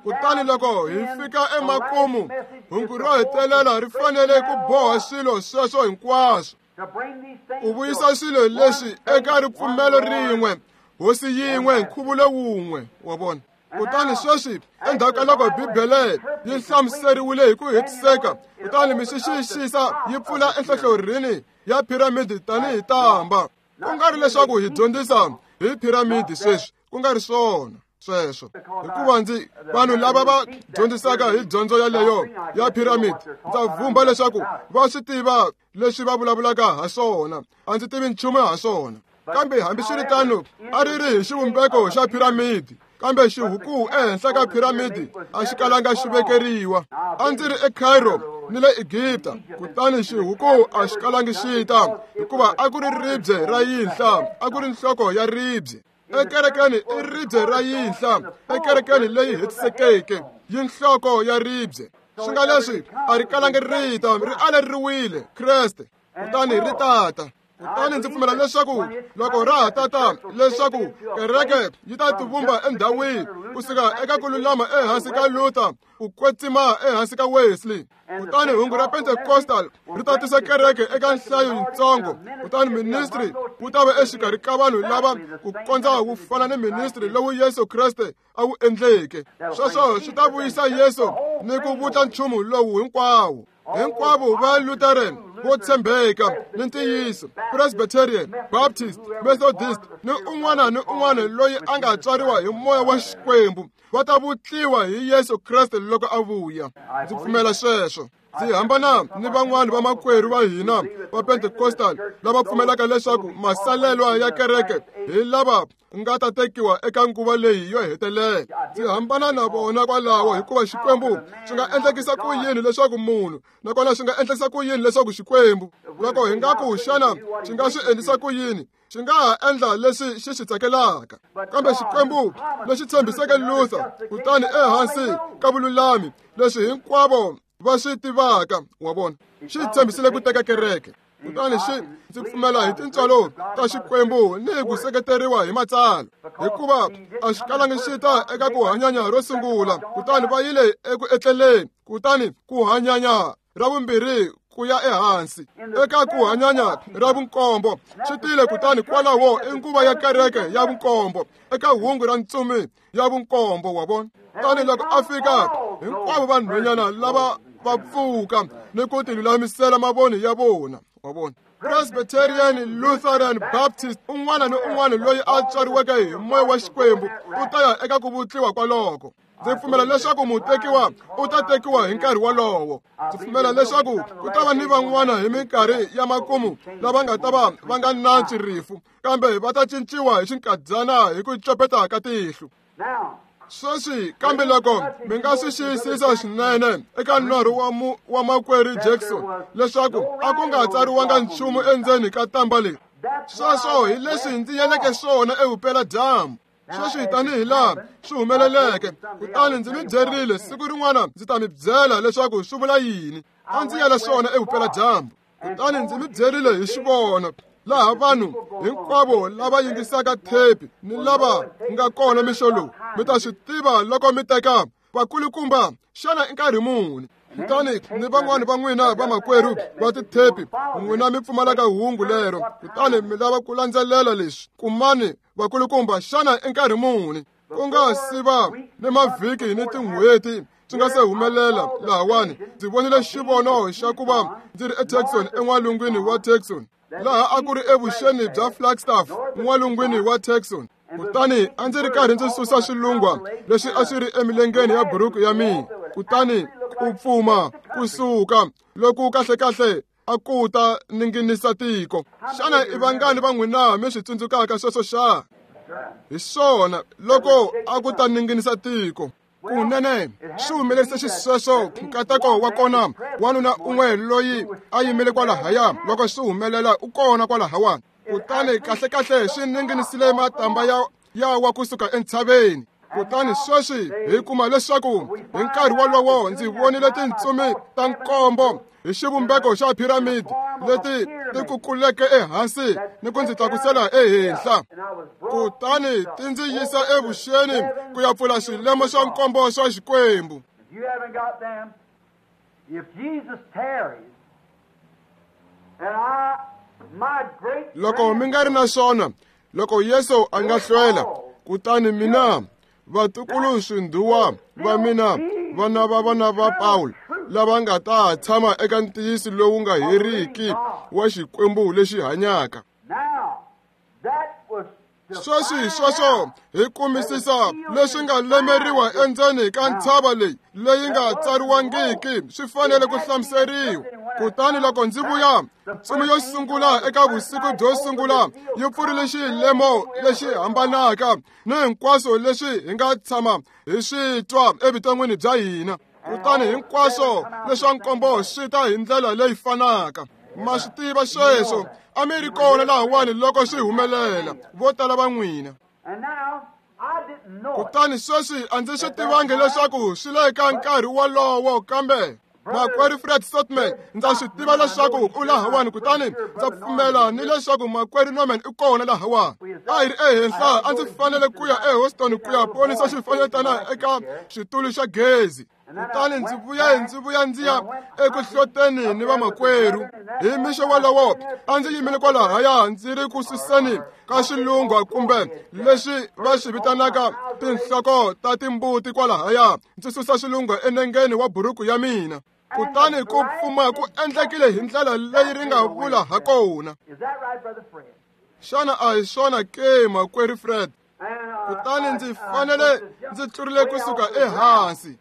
Kutani loko hi fika emakumu, hungu ro hetelela ri fanele ku boha swilo sweswo hinkwaswo. Ku vuyisa swilo leswi eka ripfumelo rin'we, hosi yin'we, nkhuvulo wun'we, wa vona. Kutani sweswi endzhaku ka loko Bibele yi hlamuseriwile hi ku hetiseka, kutani mi swi xiyisisa yi pfula enhlohlorhini ya piramidi tanihi tamba. Ku nga ri leswaku hi dyondzisa hi piramidi sweswi, ku nga ri swona sweswo. Hikuva ndzi vanhu lava va dyondzisaka hi dyondzo yaleyo ya piramidi, ndza vhumba leswaku va swi tiva leswi va vulavulaka ha swona. A ndzi tivi nchumu ha swona. Kambe hambiswiritano a ri ri hi xivumbeko xa piramidi, kambe xihuku ehenhla ka piramidi a xi kalanga xi vekeriwa. A ndzi ri eCairo ni le Egipta, kutani xihuku a xi kalangi xi ta, hikuva a ku ri ribye ra yinhla, a ku ri nhloko ya ribye. Ekerekeni i ribye ra yinhla, ekerekeni leyi hetisekeke yi nhloko ya ribye. Swi nga leswi a ri kalangi ri ta, ri aleriwile Kreste, kutani ri tata. Kutani ndzi pfumela leswaku loko ra ha tata, leswaku kereke yi ta tivumba endhawini kusuka eka ku lulama ehansi ka Luther, ku kwetsima ehansi ka Wesley. Kutani hungu ra Pentecostal ri ta tisa kereke eka nhlayo yitsongo, kutani ministry wu ta va exikarhi ka vanhu lava ku kondza wu fana ni ministry lowu Yesu Kreste a wu endleke. Sweswo swi ta vuyisa Yesu ni ku vutla nchumu lowu hinkwawo. Hinkwavo va Lutheran vo tshembeka ni ntiyiso, Presbyterian, Baptist, Methodist ni un'wana ni un'wana loyi a nga tswariwa hi moya wa Xikwembu va ta vutliwa hi Yesu Kreste loko a vuya. Ndzi pfumela sweswo. Ndzi hambana ni van'wana va makwerhu va hina va Pentecostal lava pfumelaka leswaku masalelwa ya kereke hi lava nga ta tekiwa eka nguva leyi yo hetelela. Ndzi hambana na vona kwalaho, hikuva Xikwembu xi nga endlekisa ku yini leswaku munhu, nakona xi nga endlekisa ku yini leswaku Xikwembu, loko hi nga ku xana xi nga swi endlisa ku yini, xi nga ha endla leswi xi swi tsakelaka. Kambe Xikwembu lexi tshembiseke Luther, kutani ehansi ka vululami leswi hinkwavo va swi tivaka, wa vona, xi tshembisile ku teka kereke. Kutani xi ndzi pfumela hi tintswalo ta Xikwembu ni ku seketeriwa hi matsalwa, hikuva a xi kalangi xi ta eka ku hanyanya ro sungula, kutani va yile eku etleleni, kutani ku hanyanya ra vumbirhi ku ya ehansi eka ku hanyanya ra vunkombo swi tile. Kutani kwalaho i nguva ya kereke ya vunkombo, eka hungu ra ntsumi ya vunkombo, wa vona. Tani loko a fika, hinkwavo vanhwanyana lava va pfuka ni ku tilulamisela mavoni ya vona, wa vona. Presbyterian, Lutheran, Baptist, un'wana ni un'wana loyi a tswariweke hi moya wa Xikwembu u ta ya eka ku vutliwa kwaloko. Ndzi pfumela leswaku mutekiwa u ta tekiwa hi nkarhi wolowo. Ndzi pfumela leswaku ku ta va ni van'wana hi minkarhi ya makumu lava nga ta va va nga nantswi rifu, kambe va ta cinciwa hi xinkadyana hi ku copeta ka tihlo. Sweswi kambe loko mi nga swi xiyisisa swinene eka norho wa mu, wa makwerhu Jackson leswaku a ku nga tsariwanga nchumu endzeni ka tamba leri. Sweswo hi leswi ndzi yeleke swona evupeladyambu. Sweswi tanihi laha swi humeleleke, kutani ndzi mi byerile siku rin'wana ndzi ta mi byela leswaku swi vula yini. A ndzi yela swona evupeladyambu, kutani ndzi mi byerile hi xivono laha vanhu hinkwavo lava yingisaka thepi ni lava nga kona mixo lowu mi ta swi tiva loko mi teka vakulukumba xana i nkarhi muni. Kutani ni van'wani va n'wina vamakwerhu va tithepi, n'wina mi pfumalaka hungu lero, kutani mi lava ku landzelela leswi. Kumani vakulukumba xana i nkarhi muni, ku nga si va ni mavhiki ni tin'hweti swi nga se humelela lahawani. Ndzi vonile xivono xa ku va ndzi ri eTucson, en'walungwini wa Tucson, laha a ku ri evuxeni bya Flagstaff, n'walungwini wa Tucson. Kutani a ndzi ri karhi ndzi susa swilungwa leswi a swi ri emilengeni ya buruku ya mina, kutani ku pfuma kusuka loku kahlekahle a ku ta ninginisa tiko. Xana i vangani va n'wina mi swi tsundzukaka sweswo xa? Hi swona loko a ku ta ninginisa tiko. Kunene swi humelerise xisweswo nkateko wa kona wanuna un'we loyi a yimile kwalahaya loko swi humelela u kona kwalahawani. Kutani kahlekahle swi ninginisile matamba ya ya wa kusuka entshaveni. Kutani sweswi hi kuma leswaku hi nkarhi wolowo ndzi vonile tintsumi ta nkombo hi xivumbeko xa piramidi leti ti kukuleke ehansi ni ku ndzi tlakusela ehenhla. Kutani ti ndzi yisa evuxeni ku ya pfula swilemo swa nkombo swa Xikwembu. If Jesus tarries, and I Loko mi nga ri na swona, loko Yesu a nga hlwela, kutani mina vatukulu swindhuwa va mina vana va vana va Paul lava nga ta tshama eka ntiyiso lowu nga heriki wa Xikwembu lexi hanyaka. Sweswi sweswo hi kumisisa leswi nga lemeriwa endzeni ka ntshava leyi leyi nga tsariwangiki swi fanele ku hlamuseriwa. Kutani loko ndzi vuya, ntsumi yo sungula eka vusiku byo sungula yi pfurile xilemo lexi hambanaka ni hinkwaswo leswi hi nga tshama hi swi twa evuton'wini bya hina. Kutani hinkwaswo leswa nkombo swi ta hi ndlela leyi fanaka. Ma swi tiva sweswo, a mi ri kona lahawani loko swi humelela, vo tala va n'wina. Kutani sweswi a ndzi swi tivangi leswaku swi le ka nkarhi wolowo, kambe makwerhu Fred Sotman ndza swi tiva leswaku u lahawani, kutani ndza pfumela ni leswaku makwerhu Norman i kona lahawani. A hi ri ehenhla, a ndzi fanele ku ya eHouston ku ya ponisa xifanyetana eka xitulu xa gezi. Kutani ndzi vuya ndzi vuya ndzi ya eku hloteni ni vamakwerhu. Hi mixo wolowo a ndzi yimile kwalahaya ndzi ri ku suseni ka xilungwa kumbe leswi va swi vitanaka tinhloko ta timbuti kwalahaya, ndzi susa xilungwa enengeni wa buruku ya mina. Kutani ku pfuma ku endlekile hi ndlela leyi ri nga vula ha kona. Xana a hi swona ke, makwerhu Fred? Kutani ndzi fanele ndzi tlurile kusuka ehansi.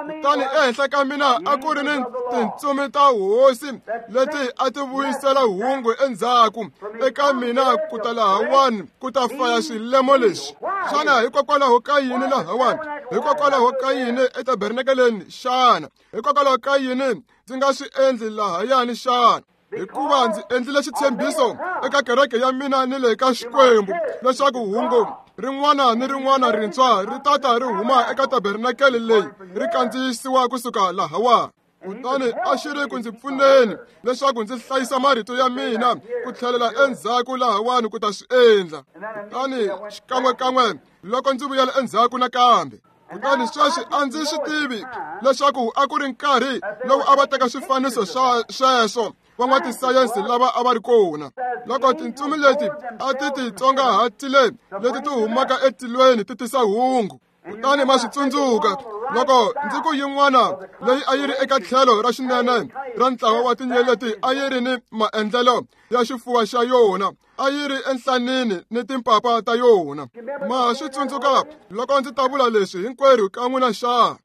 Kutani ehenhla ka mina a ku ri ni tintsumi ta hosi leti a ti vuyisela hungu endzhaku eka mina ku ta lahawani ku ta faya swilemo leswi. Xana hikokwalaho ka yini lahawani? Hikokwalaho ka yini etabernakeleni xana? Hikokwalaho ka yini ndzi nga swi endli lahayani xana? Hikuva ndzi endlile xitshembiso eka kereke ya mina ni le ka Xikwembu leswaku hungu rin'wana ni rin'wana rintshwa ri tata ri huma eka tabernakele leyi ri kandziyisiwa kusuka lahawani. Kutani a xi ri ku ndzi pfuneni leswaku ndzi hlayisa marito ya mina ku tlhelela endzhaku lahawani ku ta swi endla. Kutani xikan'wekan'we loko ndzi vuyela endzhaku nakambe. Kutani sweswi a ndzi swi tivi leswaku a ku ri nkarhi lowu a va teka swifaniso swa sweswo van'watisayense lava a va ri kona. Loko tintsumi leti a ti titsongahatile leti ti humaka etilweni ti tisa hungu. Kutani ma swi tsundzuka loko ndzi ku yin'wana leyi a yi ri eka tlhelo ra xinene ra ntlawa wa tinyeleti a yi ri ni maendlelo ya xifuva xa yona, a yi ri enhlanini ni timpapa ta yona. Ma swi tsundzuka loko ndzi ta vula leswi hinkwerhu ka n'wina xa?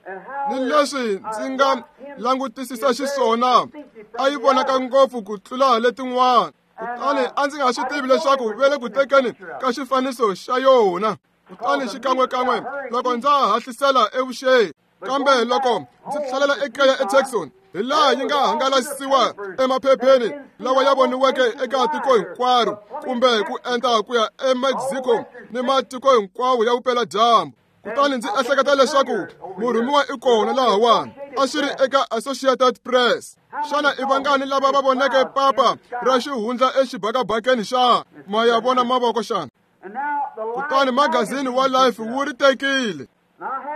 Ni leswi ndzi nga langutisisa xiswona, a yi vonaka ngopfu ku tlula letin'wana. Kutani a ndzi nga swi tivi leswaku ve le ku tekeni ka xifaniso xa yona. Kutani xikan'wekan'we loko ndza hahlisela evuxeni, kambe loko ndzi tlhelela ekaya eTucson, hi laha yi nga hangalasiwa emaphepheni lawa ya voniweke eka tiko hinkwaro kumbe ku endla ku ya eMexico ni matiko hinkwawo ya vupeladyambu. Kutani ndzi ehleketa leswaku murhumiwa i kona lahawani, a swi ri eka Associated Press. Xana i vangani lava va voneke papa ra xihundla exibakabakeni xa? Ma ya vona mavoko xana? Kutani magazini wa Life wu ri tekile.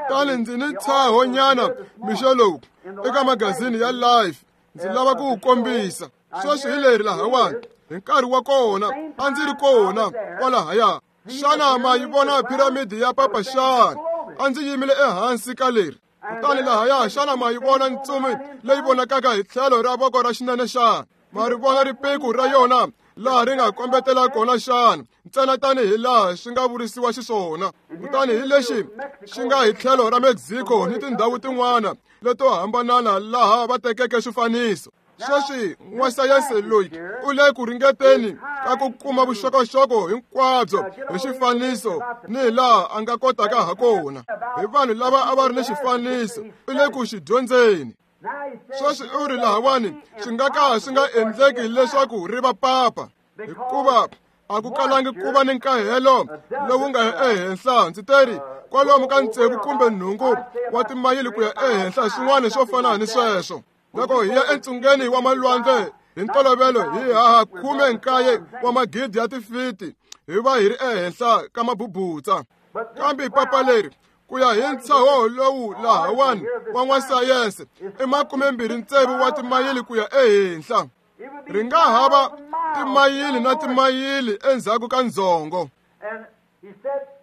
Kutani ndzi ni ntshaho-nyana mixo lowu eka magazini ya Life, ndzi lava ku wu kombisa. Sweswi hi leri lahawani, hi nkarhi wa kona a ndzi ri kona kwalahaya. Xana ma yi vona piramidi ya papa xana? A ndzi yimile ehansi ka leri. Kutani lahaya, xana ma yi vona ntsumi leyi vonakaka hi tlhelo ra voko ra xinene xana? Ma ri vona ripiku ra yona laha ri nga kombetela kona xana? Ntsena tanihi laha swi nga vurisiwa xiswona. Kutani hi lexi xi nga hi tlhelo ra Mexico ni tindhawu tin'wana leto hambanana laha va tekeke swifaniso. Sweswi n'wasayense loyi u le ku ringeteni ka ku kuma vuxokoxoko hinkwabyo hi xifaniso ni hi laha a nga kotaka ha kona. Hi vanhu lava a va ri ni xifaniso, u le ku xi dyondzeni. Sweswi u ri lahawani swi nga ka swi nga endleki leswaku ri va papa, hikuva a ku kalangi ku va ni nkahelo lowu nga ehenhla. Ndzi teri kwalomu ka tsevu kumbe nhungu wa timayili ku ya ehenhla, swin'wana swo fana ni sweswo. Loko hi ya entsungeni wa malwandle hi ntolovelo hi haha khume nkaye wa magidi ya tifiti hi va hi ri ehenhla ka mabubutsa. Kambe papa leri ku ya hi ntshaho lowu lahawani wa n'wasayense i makumembirhi tsevu wa timayili ku ya ehenhla. Ri nga hava timayili na timayili endzhaku ka ndzhongo.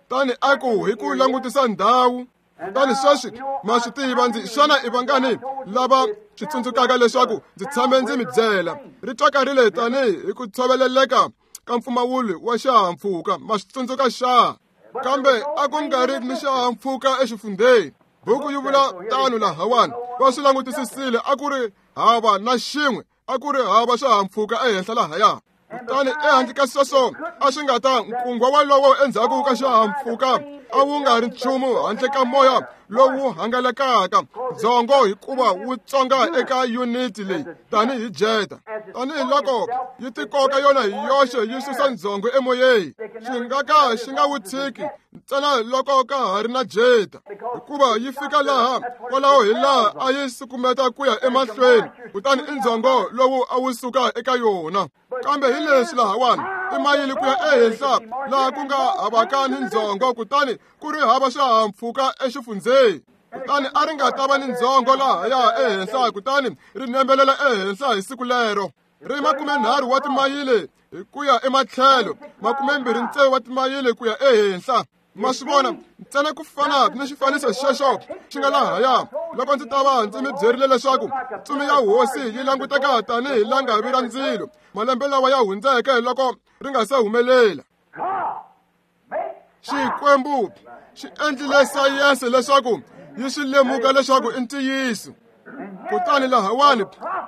Tani a ku hi ku langutisa ndhawu. Kutani sweswi ma swi tiva ndzi xana i vangani lava swi tsundzukaka leswaku ndzi tshame ndzi mi byela ri twakarile tanihi hi ku tshoveleleka ka mpfumawulo wa xihahampfhuka. Ma swi tsundzuka xa? Kambe a ku nga ri ni xihahampfhuka exifundzheni. Buku yi vula tano lahawani. Va swi langutisisile, a ku ri hava na xin'we, a ku ri hava xihahampfhuka ehenhla lahaya. Kutani ehandle ka sweswo a swi nga ta nkungwa walowo endzhaku ka xihahampfhuka a wu nga ri nchumu handle ka moya lowu hangalakaka ndzhongo, hikuva wu tsonga eka yuniti leyi tanihi jeta. Tanihiloko yi tikoka yona hi yoxe yi susa ndzhongo emoyeni, xi nga ka xi nga wu tshiki ntsena loko ka ha ri na jeta, hikuva yi fika laha kwalaho hi laha a yi sukumeta ku ya emahlweni, kutani i ndzhongo lowu a wu suka eka yona. Kambe hi leswi lahawani timayili ku ya ehenhla laha ku nga havaka ni ndzhongo, kutani ku ri hava xihahampfhuka exifundzheni. Kutani a ri nga ta va ni ndzhongo lahaya ehenhla, kutani ri nembelela ehenhla hi siku lero. Ri makumenharhu wa timayili hi ku ya ematlhelo, makumembirhi ntsevu wa timayili ku ya ehenhla. Ma swi vona ntsena ku fana ni xifaniso xexo xi nga lahaya. Loko ndzi ta va ndzi mi byerile leswaku ntsumi ya hosi yi languteka tanihi langavi ra ndzilo malembe lawa ya hundzeke loko ri nga se humelela. Xikwembu xi endlile sayense leswaku yi swi lemuka leswaku i ntiyiso. Kutani lahawani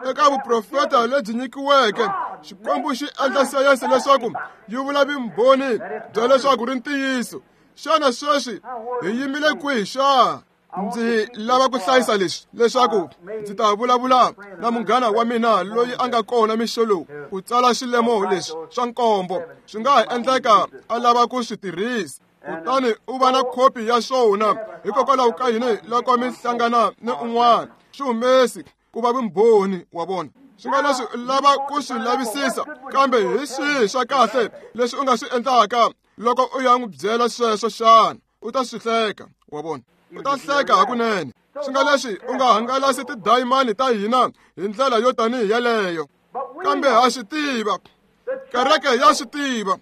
eka vuprofeta lebyi nyikiweke, Xikwembu xi endla sayense leswaku yi vula vumbhoni bya leswaku ri ntiyiso. Xana sweswi hi yimile kwihi xa? Ndzi lava ku hlayisa leswi leswaku ndzi ta vulavula na munghana wa mina loyi a nga kona mixo lowu ku tsala xilemo leswi swa nkombo. Swi nga ha endleka a lava ku swi tirhisa, kutani u va na khopi ya swona. Hikokwalaho ka yini loko mi hlangana ni un'wana swi humesi ku va vumbhoni wa vona. Swi nga leswi u lava ku swi lavisisa, kambe hi swihi swa kahle leswi u nga swi endlaka loko u ya n'wi byela sweswo xana? U ta swi hleka, wa vona. U ta hleka hakunene. Swi nga leswi u nga hangalasi tidayimani ta hina hi ndlela yo tanihi yeleyo. Kambe ha swi tiva, kereke ya swi tiva,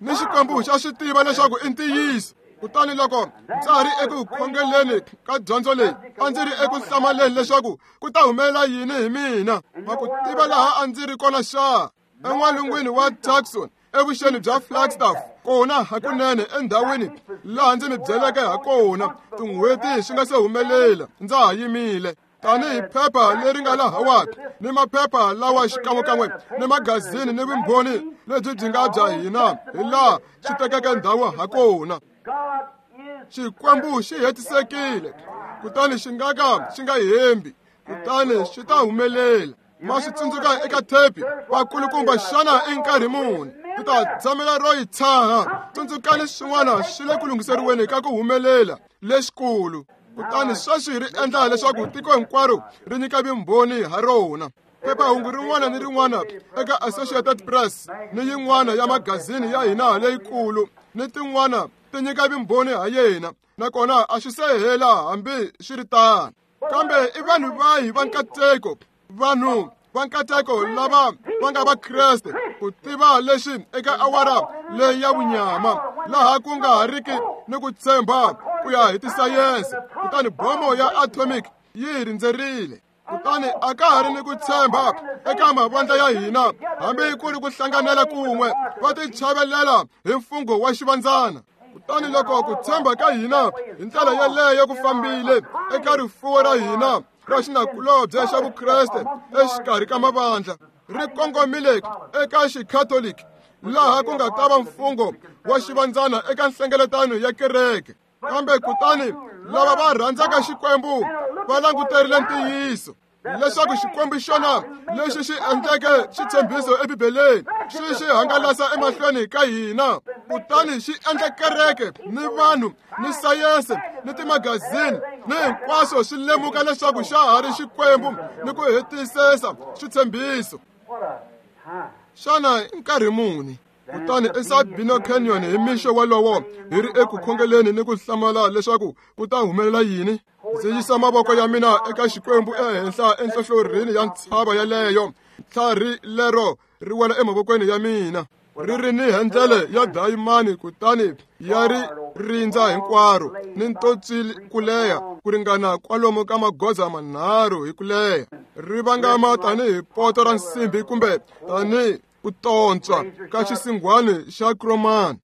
ni Xikwembu xa swi tiva leswaku i ntiyiso. Kutani loko ndza ha ri eku khongeleni ka dyondzo leyi, a ndzi ri eku hlamaleni leswaku ku ta humelela yini hi mina. Ma ku tiva laha a ndzi ri kona xa? En'walungwini wa Tucson, evuxeni bya Flagstaff, kona hakunene endhawini laha ndzi mi byeleke ha kona tin'hweti swi nga se humelela, ndza ha yimile. Tanihi phepha leri nga lahawani ni maphepha lawa xikan'wekan'we ni magazini ni vumbhoni lebyi byi nga bya hina hi laha swi tekeke ndhawu ha kona. Xikwembu xi hetisekile, kutani xi nga ka xi nga hembi, kutani swi ta humelela. Ma swi tsundzuka eka thepi vakulukumba, xana i nkarhi muni ti ta tshamela ro yi tshaha? Tsundzukani swin'wana swi le ku lunghiseriweni ka ku humelela lexikulu. Kutani sweswi ri endla leswaku tiko hinkwaro ri nyika vumbhoni ha rona. Phephahungu rin'wana ni rin'wana eka Associated Press ni yin'wana ya magazini ya hina leyikulu ni tin'wana ti nyika vumbhoni ha yena, nakona a swi se hela hambi swi ri tano. Kambe i vanhu vahi va nkateko, vanhu va nkateko lava va nga Vakreste ku tiva leswi eka awara leyi ya vunyama laha ku nga ha riki ni ku tshemba ku ya hi tisayense, kutani bomo ya atomic yi hi rindzerile. Kutani a ka ha ri ni ku tshemba eka mavandla ya hina, hambi ku ri ku hlanganela kun'we, va tichavelela hi mfungho wa xivandzana. Kutani loko ku tshemba ka hina hi ndlela yeleyo ku fambile eka rifuwo ra hina ra xinakulobye xa Vukreste exikarhi ka mavandla, ri kongomile eka xikhatoliki laha ku nga ta va mfungho wa xivandzana eka nhlengeletano ya kereke. Kambe kutani lava va rhandzaka Xikwembu va languterile ntiyiso leswaku Xikwembu xona lexi xi endleke xitshembiso eBibeleni xi xi hangalasa emahlweni ka hina, kutani xi endla kereke ni vanhu ni sayense ni timagazini ni hinkwaswo swi lemuka leswaku xa ha ri Xikwembu ni ku hetisisa xitshembiso. Xana i nkarhi muni? Kutani eSabino Canyon hi mixo walowo hi ri eku khongeleni ni ku hlamala leswaku ku ta humelela yini. Ndzi yisa mavoko ya mina eka Xikwembu ehenhla enhlohlorhini ya ntshava yeleyo, tlhari lero ri wela emavokweni ya mina ri ri ni hendlele ya dayimani kutani ya ri rindza hinkwaro ni ntotsi ku leha ku ringana kwalomu ka magoza manharhu hi ku leha ri vangama tanihi poto ra nsimbi kumbe tanihi ku tontswa ka xisinghwani xa kromani.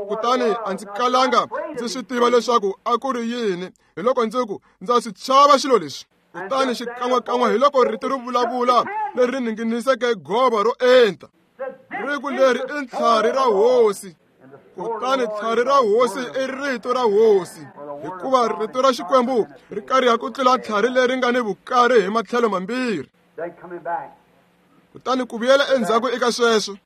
Kutani a ndzi kalanga ndzi swi tiva leswaku a ku ri yini hi loko ndzi ku ndza swi chava xilo lexi. Kutani xikan'wekan'we hi loko rito ri vulavula leri ninginiseke gova ro enta ri ku leri i ntlhari ra hosi. Kutani tlhari ra hosi i rito ra hosi hikuva rito ra Xikwembu ri kariha ku tlula tlhari leri nga ni vukari hi matlhelo mambirhi. Kutani ku vuyela endzhaku eka sweswo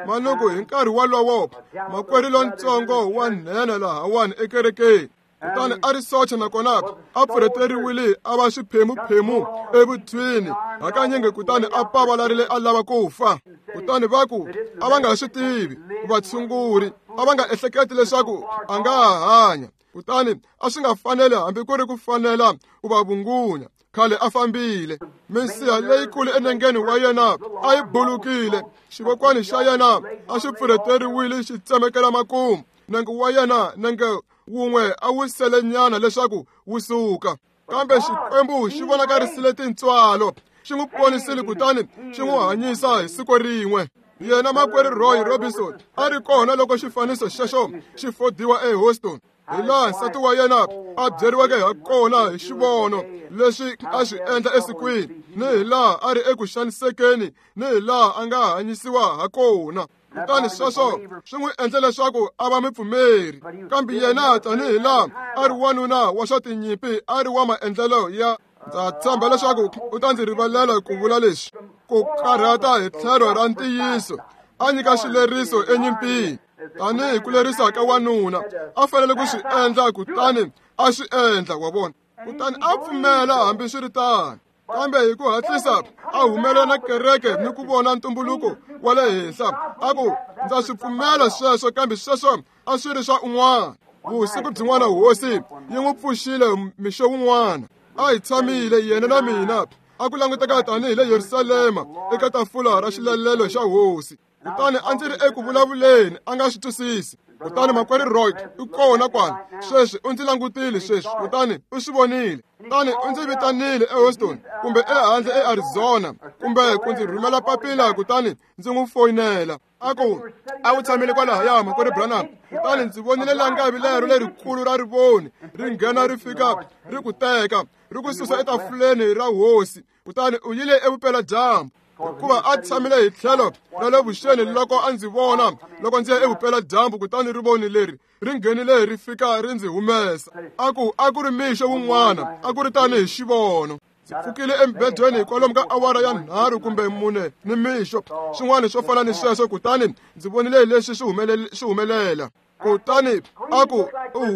manuku hi nkarhi wolowo makwerhu lontsongo wa nhenha lahawani ekerekeni kutani a ri socha nakona a pfurheteriwile a va xiphemuphemu evuthwini hakanyingi kutani a pavalarile a lava ku fa. Kutani va ku a va nga swi tivi vatshunguri a va nga ehleketi leswaku a nga ha hanya. Kutani a swi nga fanele hambi ku ri ku fanela ku va vungunya khale a fambile. Minsiha leyikulu enengeni wa yena a yi bulukile xivokwani xa yena a xi pfurheteriwile xi tsemekela makumu nenge wa yena nenge wun'we a wu selenyana leswaku wu suka. Kambe Xikwembu xi vonakarisile tintswalo xi n'wi ponisile kutani xi n'wi hanyisa hi siku rin'we. Yena makwerhu Roy Robinson a ri kona loko xifaniso xexo xi fodiwa eHouston hi laha nsati wa yena a byeriweke ha kona hi xivono leswi a swi endla esikwini ni hi laha a ri eku xanisekeni ni hi laha a nga hanyisiwa ha kona. Kutani sweswo swi n'wi endle leswaku a va mupfumeri. Kambe yena tanihi laha a ri wanuna wa swa tinyimpi a ri wa maendlelo ya ndza tshemba leswaku u ta ndzi rivalela ku vula leswi ku karhata hi tlhelo ra ntiyiso a nyika xileriso enyimpini tanihi ku lerisa ka wanuna a fanele ku swi endla kutani a swi endla wa vona. Kutani a pfumela hambiswiritano kambe hi ku hatlisa a humelela na kereke ni ku vona ntumbuluko wa le henhla a ku ndza swi pfumela sweswo kambe sweswo a swi ri swa un'wana. Vusiku byin'wana hosi yi n'wi pfuxile mixo wun'wana a hi tshamile yena na mina a ku languteka tanihi le Yerusalema eka tafula ra xilalelo xa hosi. Kutani a ndzi ri eku vulavuleni a nga swi twisisi. Kutani makwerhu Roy u kona kwala sweswi u ndzi langutile sweswi kutani u swi vonile. Kutani u ndzi vitanile eHouston kumbe ehandle eArizona kumbe ku ndzi rhumela papila kutani ndzi n'wi foyinela a ku a wu tshamile kwalahaya makwerhu Branham. Kutani ndzi vonile langavi lero lerikulu ra rivoni ri nghena ri fika ri ku teka ri ku susa etafuleni ra hosi. Kutani u yile evupeladyambu hikuva a tshamile hi tlhelo ra le vuxeni loko a ndzi vona loko ndzi ya evupeladyambu. Kutani rivoni leri ri nghenile ri fika ri ndzi humesa a ku a ku ri mixo wun'wana a ku ri tanihi xivono. Ndzi pfukile embedweni kwalomu ka awara ya nharhu kumbe mune ni mixo swin'wana swo fana ni sweswo. Kutani ndzi vonile leswi swi swi humelela. Kutani a ku u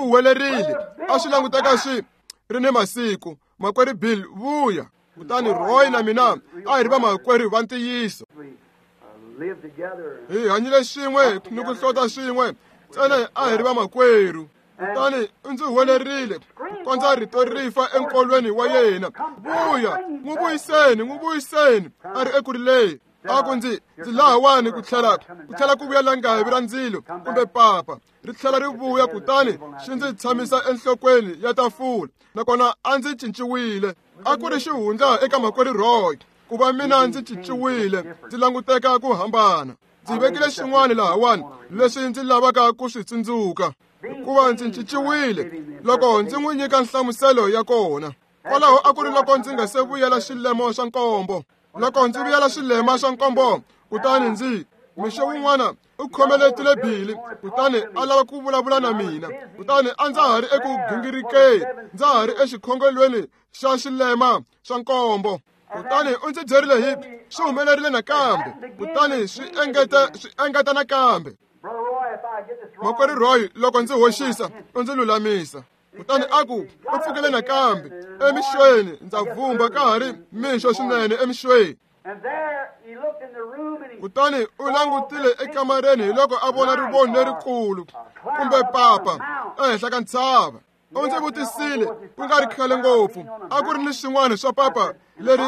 huwelerile a swi languteka swi ri ni masiku makwerhu Bill vuya. Kutani Roy na mina a hi ri vamakwerhu va ntiyiso hi hanyile swin'we ni ku hlota swin'we ntsena a hi ri vamakwerhu. Kutani u ndzi huwelerile ku kondza rito ri fa enkolweni wa yena vuya n'wi vuyiseni n'wi vuyiseni a ri eku rileni. A ku ndzi ndzi lahawani ku tlhela ku tlhela ku vuya langavi ra ndzilo kumbe papa ri tlhela ri vuya. Kutani xi ndzi tshamisa enhlokweni ya tafula nakona a ndzi cinciwile. A ku ri xihundla eka makwerhu Roy ku va mina ndzi cinciwile ndzi languteka ku hambana. Ndzi vekile xin'wana lahawani leswi ndzi lavaka ku swi tsundzuka hikuva ndzi cinciwile loko ndzi n'wi nyika nhlamuselo ya kona. Kwalaho a ku ri loko ndzi nga se vuyela xilemo xa nkombo. Loko ndzi vuyela xilema xa nkombo kutani ndzi mixo wun'wana u khomeletile Bili kutani a lava ku vulavula na mina. Kutani a ndza ha ri eku gingirikeni ndza ha ri exikhongelweni xa xilema xa nkombo. Kutani u ndzi byerile hi swi humelerile nakambe kutani swi engeta swi engeta nakambe. Makwerhu Roy loko ndzi hoxisa u ndzi lulamisa. Kutani a ku u pfukile nakambe emixweni ndza vumba ka ha ri mixo swinene emixweni. Kutani u langutile ekamareni hi loko a vona rivoni lerikulu kumbe papa ehenhla ka ntshava. U ndzi vutisile ku nga ri khale ngopfu a ku ri ni swin'wana swa papa leri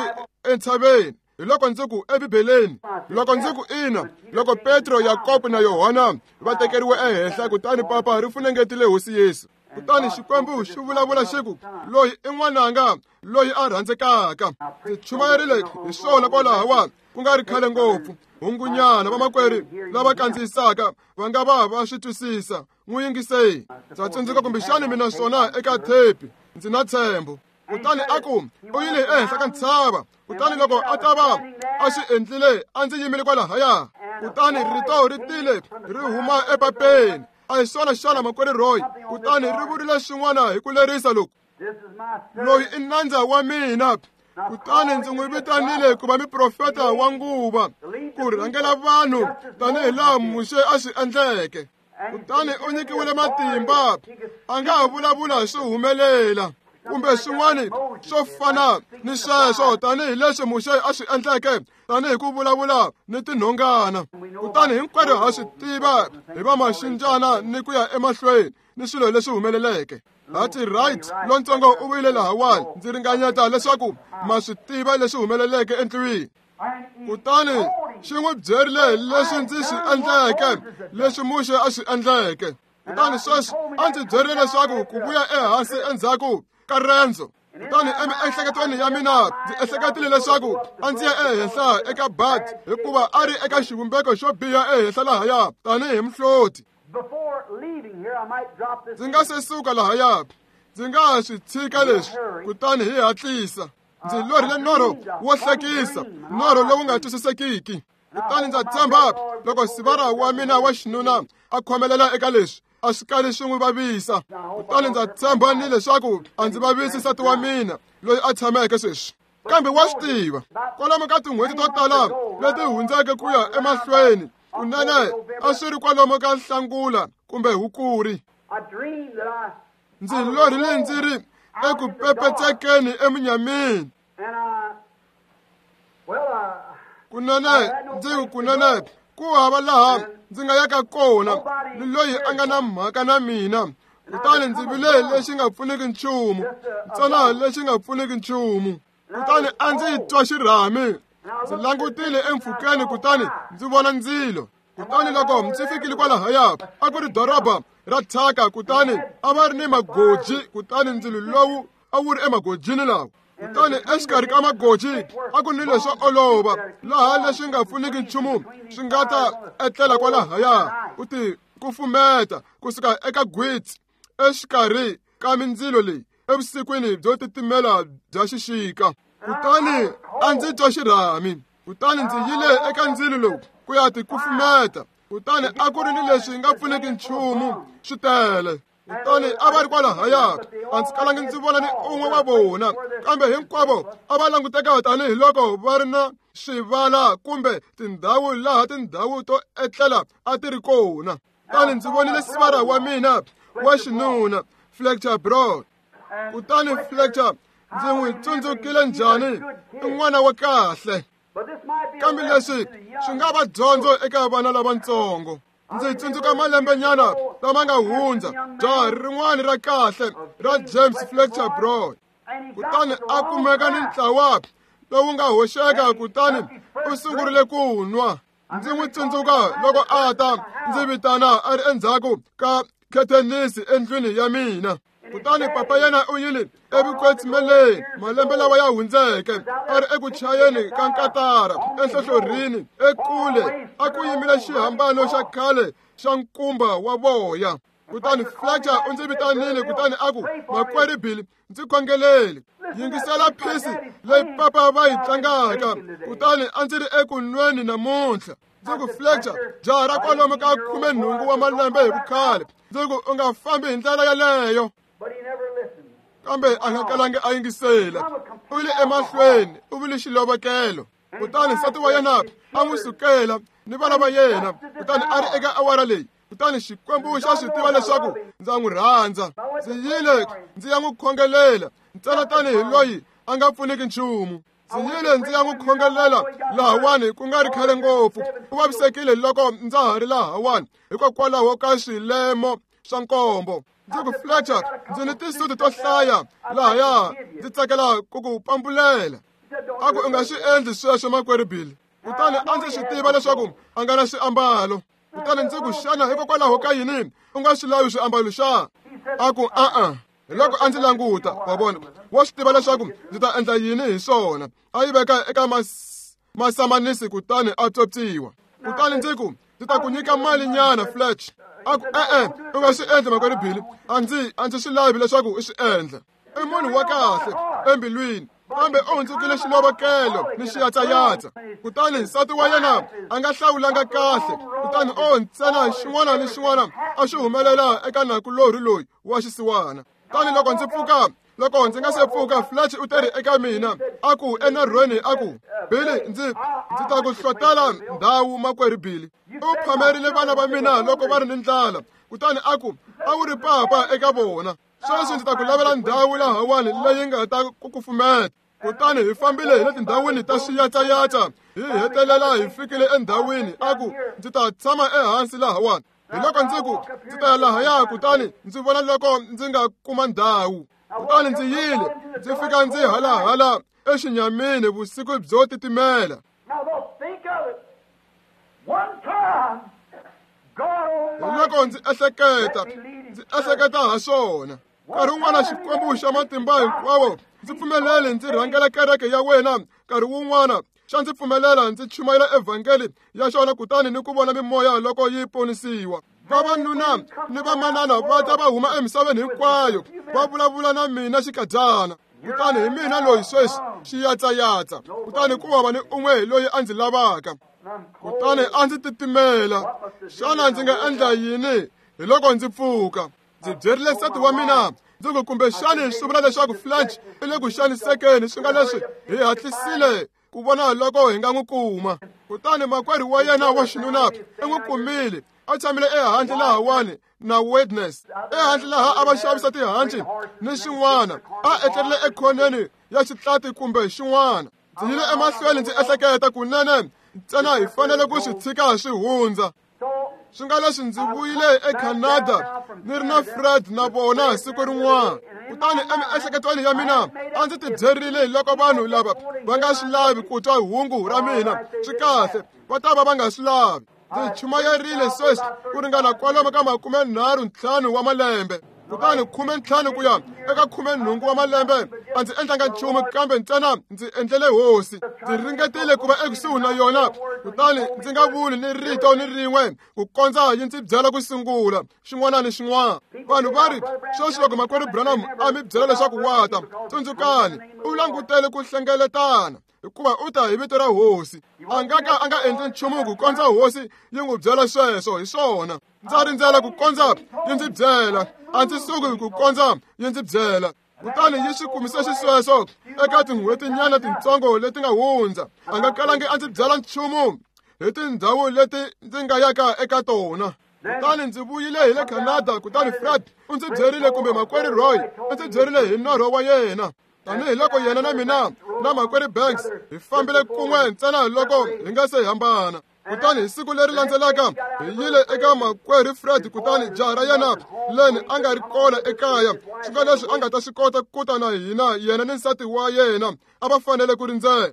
entshaveni. Hi loko ndzi ku eBibeleni, loko ndzi ku ina, loko Petro, Yakobo na Yohana va tekeriwe ehenhla, kutani papa ri funengetile Hosi Yesu. Kutani Xikwembu xi vulavula xi ku, loyi i n'wananga, loyi a rhandzekaka. Ndzi chumayerile hi swona kwalahawa ku nga ri khale ngopfu. Hungunyana vamakwerhu lava kandziyisaka va nga va va swi twisisa. N'wi yingisei. Ndza tsundzuka kumbexani mina swona eka thepi. Ndzi na ntshembo. Kutani a ku, u yile ehenhla ka ntshava. Kutani loko a ta va a swi endlile, a ndzi yimile kwalahaya. Kutani rito ri tile ri huma epapeni. A hi swona xana makwerhu Roy? Kutani ri vurile swin'wana hi ku lerisa loku, loyi i nandza wa mina. Kutani ndzi n'wi vitanile ku va muprofeta wa nguva, ku rhangela vanhu tanihi laha Muxe a swi endleke. Kutani u nyikiwile matimba, a nga ha vulavula swi humelela kumbe swin'wana swo fana ni sweswo, tanihileswi Muxe a swi endleke, tanihi ku vulavula ni tinhongana. Kutani hinkwerhu ha swi tiva hi va maxinjana ni ku ya emahlweni ni swilo leswi humeleleke. Hati Wright lontsongo u vuyile lahawani, ndzi ringanyeta leswaku ma swi tiva leswi humeleleke endlwini. Kutani xi n'wi byerile leswi ndzi swi endleke, leswi Muxe a swi endleke. Kutani sweswi a ndzi byerile leswaku ku vuya ehansi endzhaku ka rendzo. Kutani emiehleketweni ya mina ndzi ehleketile leswaku a ndzi ya ehenhla eka Bud, hikuva a ri eka xivumbeko xo biha ehenhla lahaya tanihi muhloti. Ndzi nga se suka lahaya, ndzi nga ha swi tshika leswi, kutani hi hatlisa. Ndzi lorhile norho wo hlekisa, norho lowu nga twisisekiki. Kutani ndza tshemba loko sivara wa mina wa xinuna a khomelela eka leswi, a swi kali swi n'wi vavisa. Kutani ndza tshemba ni leswaku a ndzi vavisi nsati wa mina loyi a tshameke sweswi. Kambe wa swi tiva, kwalomu ka tin'hweti to tala leti hundzeke ku ya emahlweni, kunene a swi ri kwalomu ka Nhlangula kumbe Hukuri. Ndzi lorhile ndzi ri eku pepetsekeni emunyameni. Kunene ndzi ku kunene ku hava laha ndzi nga yaka kona ni loyi a nga na mhaka na mina. Kutani ndzi vile lexi nga pfuniki nchumu, ntsena lexi nga pfuniki nchumu. Kutani a ndzi twa xirhami, ndzi langutile empfhukeni, kutani ndzi vona ndzilo. Kutani loko ndzi fikile kwalahaya, a ku ri doroba ra thyaka, kutani a va ri ni magoji, kutani ndzilo lowu a wu ri emagojini lawa. Kutani exikarhi ka magoji a ku ni leswo olova, laha leswi nga pfuniki nchumu swi nga ta etlela kwalahaya, ku ti kufumeta kusuka eka gwitsi exikarhi ka mindzilo leyi evusikwini byo titimela bya xixika. Kutani a ndzi twa xirhami, kutani ndzi yile eka ndzilo lowu ku ya ti kufumeta. Kutani a ku ri ni leswi nga pfuniki nchumu swi tele. Kutani a va ri kwalahaya, a ndzi kalangi ndzi vona ni un'we wa vona, kambe hinkwavo a va languteka tanihiloko va ri na swivala kumbe tindhawu laha tindhawu to etlela a ti ri kona. Kutani ndzi vonile sivara wa mina wa xinuna, Fletcher Broad. Kutani Fletcher ndzi n'wi tsundzukile njhani, i n'wana wa kahle. Kambe leswi swi nga va dyondzo eka vana lavatsongo. Ndzi tsundzuka malembenyana lama nga hundza, jaha rin'wana ra kahle ra James Fletcher Broad. Kutani a kumeka ni ntlawa lowu nga hoxeka, kutani u sungurile ku nwa. Ndzi n'wi tsundzuka loko a ta ndzi vitana a ri endzhaku ka khethenisi endlwini ya mina. Kutani papa yena u yile evukwetsimeli malembe lawa ya hundzeke, a ri eku chayeni ka nkatara enhlohlorhini ekule, a ku yimile xihambano xa khale xa nkumba wa voya. Kutani Fletcher u ndzi vitanile, kutani a ku, makwerhu Billy, ndzi khongeleli, yingisela phisi leyi papa va yi tlangaka. Kutani a ndzi ri eku nweni namuntlha. Ndzi ku, Fletcher, jaha ra kwalomu ka khumenhungu wa malembe hi vukhale, ndzi ku u nga fambi hi ndlela yaleyo. Kambe a nga kalangi a yingisela, u yile emahlweni, u vile xilovekelo. Kutani nsati wa yena a n'wi sukela ni vana va yena, kutani a ri eka awara leyi. Kutani Xikwembu xa swi tiva leswaku ndza n'wi rhandza. Ndzi yile ndzi ya n'wi khongelela ntsena tanihi loyi a nga pfuniki nchumu. Ndzi yile ndzi ya n'wi khongelela lahawani ku nga ri khale ngopfu. U vavisekile loko ndza ha ri lahawani hikokwalaho ka swilemo swa nkombo. Ndzi ku, Fletcher, ndzi ni tisuti to hlaya lahaya, ndzi tsakela ku ku pambulela. A ku u nga swi endli sweswo makwerhu Billy. Kutani a ndzi swi tiva leswaku a nga na swiambalo. Kutani ndzi ku xana hikokwalaho ka yini u nga swi lavi swiambalo xa? A ku a-a. Hi loko a ndzi languta, wa vona, wa swi tiva leswaku ndzi ta endla yini hi swona. A yi veka eka mas masamanisi kutani a tsopsiwa. Kutani ndzi ku ndzi ta ku nyika mali nyana Fletch. A ku e-e, u nga swi endli makwerhu Billy. A ndzi a ndzi swi lavi leswaku u swi endla. I munhu wa kahle embilwini, kambe u hundzukile xilovekelo ni xiyatsayatsa. Kutani nsati wa yena a nga hlawulanga kahle, kutani o ntsena xin'wana ni xin'wana a xi humelela eka nakulorhi loyi wa xisiwana. Kutani loko ndzi pfuka, loko ndzi nga se pfuka, Fletch u teri eka mina, a ku enarhweni, a ku Billy, ndzi ndzi ta ku hlotela ndhawu makwerhu Billy. U phamerile vana va mina loko va ri ni ndlala, kutani a ku a wu ri papa eka vona. Sweswi ndzi ta ku lavela ndhawu lahawani leyi nga ta ku kufumeta. Kutani hi fambile hi le tindhawini ta swiyatsayatsa, hi hetelela hi fikile endhawini. A ku ndzi ta tshama ehansi lahawani. Hi loko ndzi ku ndzi ta ya lahaya, kutani ndzi vona loko ndzi nga kuma ndhawu. Kutani ndzi yile, ndzi fika ndzi halahala exinyamini vusiku byo titimela. Hi loko ndzi ehleketa, ndzi ehleketa ha swona. Nkarhi wun'wana Xikwembu xa matimba hinkwawo ndzi pfumelele ndzi rhangela kereke ya wena. Nkarhi wun'wana xa ndzi pfumelela ndzi chumayela evhangeli ya xona, kutani ni ku vona mimoya loko yi ponisiwa. Vavanuna ni vamanana va ta va huma emisaveni hinkwayo va vulavula na mina xikadyana. Kutani hi mina loyi sweswi xiyatsayatsa, kutani ku hava ni un'we loyi a ndzi lavaka. Kutani a ndzi titimela. Xana ndzi nga endla yini? Hi loko ndzi pfuka, ndzi byerile nsati wa mina, ndzi ku kumbexani swi vula leswaku Fletch i le ku xanisekeni, swi nga leswi hi hatlisile ku vona loko hi nga n'wi kuma. Kutani makwerhu wa yena wa xinuna i n'wi kumile, a tshamile ehandle lahawani na Witness, ehandle laha a va xavisa tihanci ni xin'wana, a etlerile ekhoneni ya xitlati kumbe xin'wana. Ndzi yile emahlweni ndzi ehleketa kunene ntsena hi fanele ku swi tshika swi hundza. Swi nga leswi ndzi vuyile eCanada ni ri na Fred na vona siku rin'wana. Kutani emiehleketweni ya mina a ndzi tibyerile loko vanhu lava va nga swi lavi ku twa hungu ra mina, swi kahle, va ta va va nga swi lavi. Ndzi chumayerile sweswi ku ringana kwalomu ka makume nharhu ntlhanu wa malembe. Kutani khume ntlhanu ku ya eka khume nhungu wa malembe a ndzi endlanga nchumu, kambe ntsena ndzi endlele hosi. Ndzi ringetile ku va ekusuhi na yona, kutani ndzi nga vuli ni rito ni rin'we ku kondza yi ndzi byela ku sungula xin'wana ni xin'wana. Vanhu va ri sweswi loko makwerhu Branham a mi byela leswaku wa ta, tsundzukani u langutele ku hlengeletana, hikuva u ta hi vito ra hosi. A nga ka a nga endli nchumu ku kondza hosi yi n'wi byela sweswo. Hi swona, ndza rindzela ku kondza yi ndzi byela, a ndzi suki ku kondza yi ndzi byela. Kutani yi swi kumise xisweswo eka tin'hwetinyana tintsongo leti nga hundza. A nga kalangi a ndzi byela nchumu hi tindhawu leti ndzi nga yaka eka tona. Kutani ndzi vuyile hi le Canada, kutani Fred u ndzi byerile, kumbe makwerhu Roy u ndzi byerile hi norho wa yena. Tanihi loko yena na mina na makwerhu Banks hi fambile kun'we ntsena loko hi nga se hambana. Kutani hi siku leri landzelaka hi yile eka makwerhu Fred, kutani jaha ra yena Len a nga ri kona ekaya, swi nga leswi a nga ta swi kota ku ta na hina. Yena ni nsati wa yena a va fanele ku rindzela.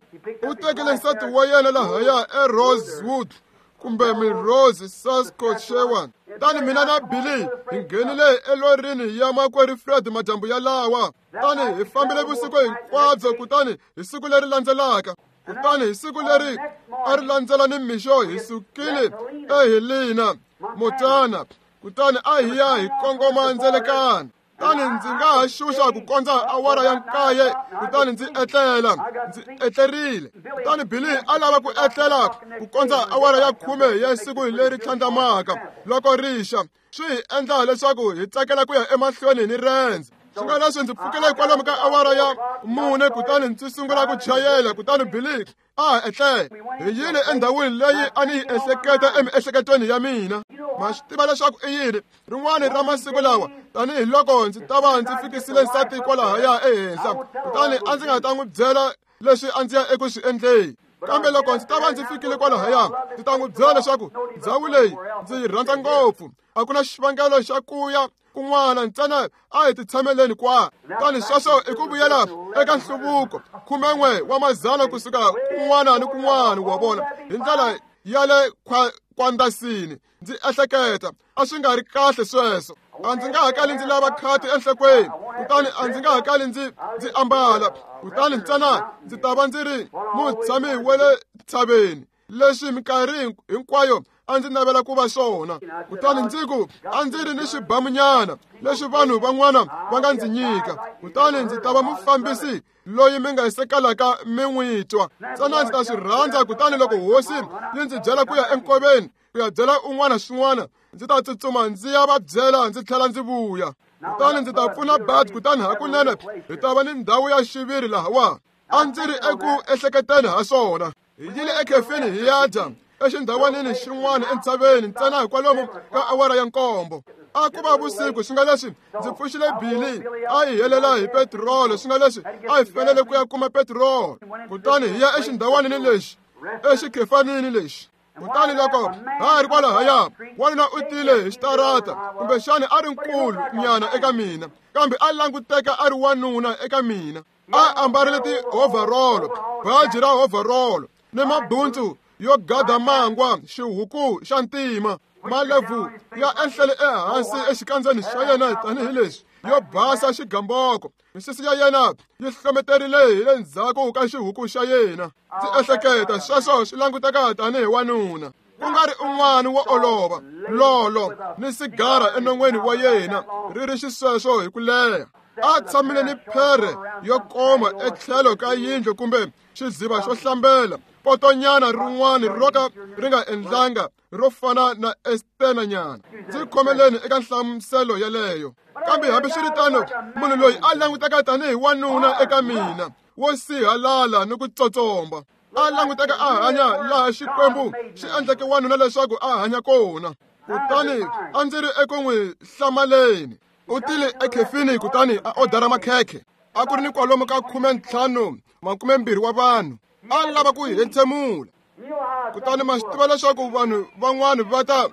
U tekile nsati wa yena lahaya eRosewood kumbe Melrose, Saskatchewan. Tani mina na Billy hi nghenile elorini ya makwerhu Fred madyambu yalawa. Tani hi fambile vusiku hinkwabyo, kutani hi siku leri landzelaka, kutani hi siku leri a ri landzela ni mixo hi sukile eHelena, Montana, kutani a hi ya hi kongoma ndzelekana. Kutani ndzi nga ha xuxa ku kondza awara ya nkaye, kutani ndzi etlela, ndzi etlerile. Kutani Billy a lava ku etlela ku kondza awara ya khume ya siku leri tlhandlamaka loko rixa, swi hi endla leswaku hi tsakela ku ya emahlweni ni rendzo. Swi nga leswi ndzi pfukile kwalomu ka awara ya mune, kutani ndzi sungula ku chayela, kutani Billy a ha etlela. Hi yile endhawini leyi a ni yi ehleketa emiehleketweni ya mina. Ma swi tiva leswaku i yini rin'wana ra masiku lawa, tanihiloko ndzi ta va ndzi fikisile nsati kwalahaya ehenhla, kutani a ndzi nga ta n'wi byela leswi a ndzi ya eku swi endleni. Kambe loko ndzi ta va ndzi fikile kwalahaya, ndzi ta n'wi byela leswaku ndhawu leyi ndzi yi rhandza ngopfu. A ku na xivangelo xa ku ya kun'wana, ntsena a hi titshameleni kwa. Kutani sweswo i ku vuyela eka nhluvuko khumen'we wa mazana kusuka kun'wana ni kun'wana, wa vona, hi ndlela ya le kwandasini. Ndzi ehleketa a swi nga ri kahle sweswo. A ndzi nga hakali ndzi lava khati enhlokweni, kutani a ndzi nga hakali ndzi ndzi ambala, kutani ntsena ndzi ta va ndzi ri mutshami wa le ntshaveni, leswi minkarhi hinkwayo a ndzi navela ku va swona. Kutani ndzi ku a ndzi ri ni xibamunyana leswi vanhu van'wana va nga ndzi nyika, kutani ndzi ta va mufambisi loyi mi nga sekalaka mi n'wi twa. Ntsena ndzi ta swi rhandza. Kutani loko hosi yi ndzi byela ku ya enkoveni ku ya byela un'wana swin'wana, ndzi ta tsutsuma ndzi ya va byela, ndzi tlhela ndzi vuya. Kutani ndzi ta pfuna Bud, kutani hakunene hi ta va ni ndhawu ya xiviri lahawa. A ndzi ri eku ehleketeni ha swona. Hi yile ekhefini hi ya dya exindhawanini xin'wana entshaveni, ntsena hikwalomu ka awara ya nkombo. A ku va vusiku, swi nga leswi ndzi pfuxile Billy a hi helela hi petirolo, swi nga leswi a hi fanele ku ya kuma petirolo. Kutani hi ya exindhawanini lexi, exikhefanini lexi. Kutani loko ha ri kwalahaya, wanuna u tile hi xitarata, kumbexana a ri nkulu nyana eka mina, kambe a languteka a ri wanuna eka mina. A ambarile ti-overall, baji ra overall ni mabuntsu yo gada mangwa, xihuku xa ntima, malebvu ya enhlele ehansi exikandzeni xa yena tanihileswi yo basa xigamboko. Misisi ya yena yi hlometerile hi le ndzhaku ka xihuku xa yena. Ndzi ehleketa sweswo swi languteka tanihi wanuna, ku nga ri un'wana wo olova, lolo ni sigara enon'weni wa yena ri ri xisweswo hi ku leha. A tshamile ni phere yo koma etlhelo ka yindlu kumbe xiziva xo hlambela, potonyana rin'wana ro ka ri nga endlanga ro fana na estenanyana. Ndzi khomeleni eka nhlamuselo yeleyo. Kambe hambiswiritano, munhu loyi a languteka tanihi wanuna eka mina, wo sihalala ni ku tsotsomba, a languteka a hanya laha Xikwembu xi endleke wanuna leswaku a hanya kona. Kutani a ndzi ri eku n'wi hlamaleni. U tile ekhefini kutani a odara makhekhe. A ku ri ni kwalomu ka khumentlhanu makumembirhi wa vanhu. A lava ku hi hentshemula. Kutani ma swi tiva leswaku vanhu van'wana va ta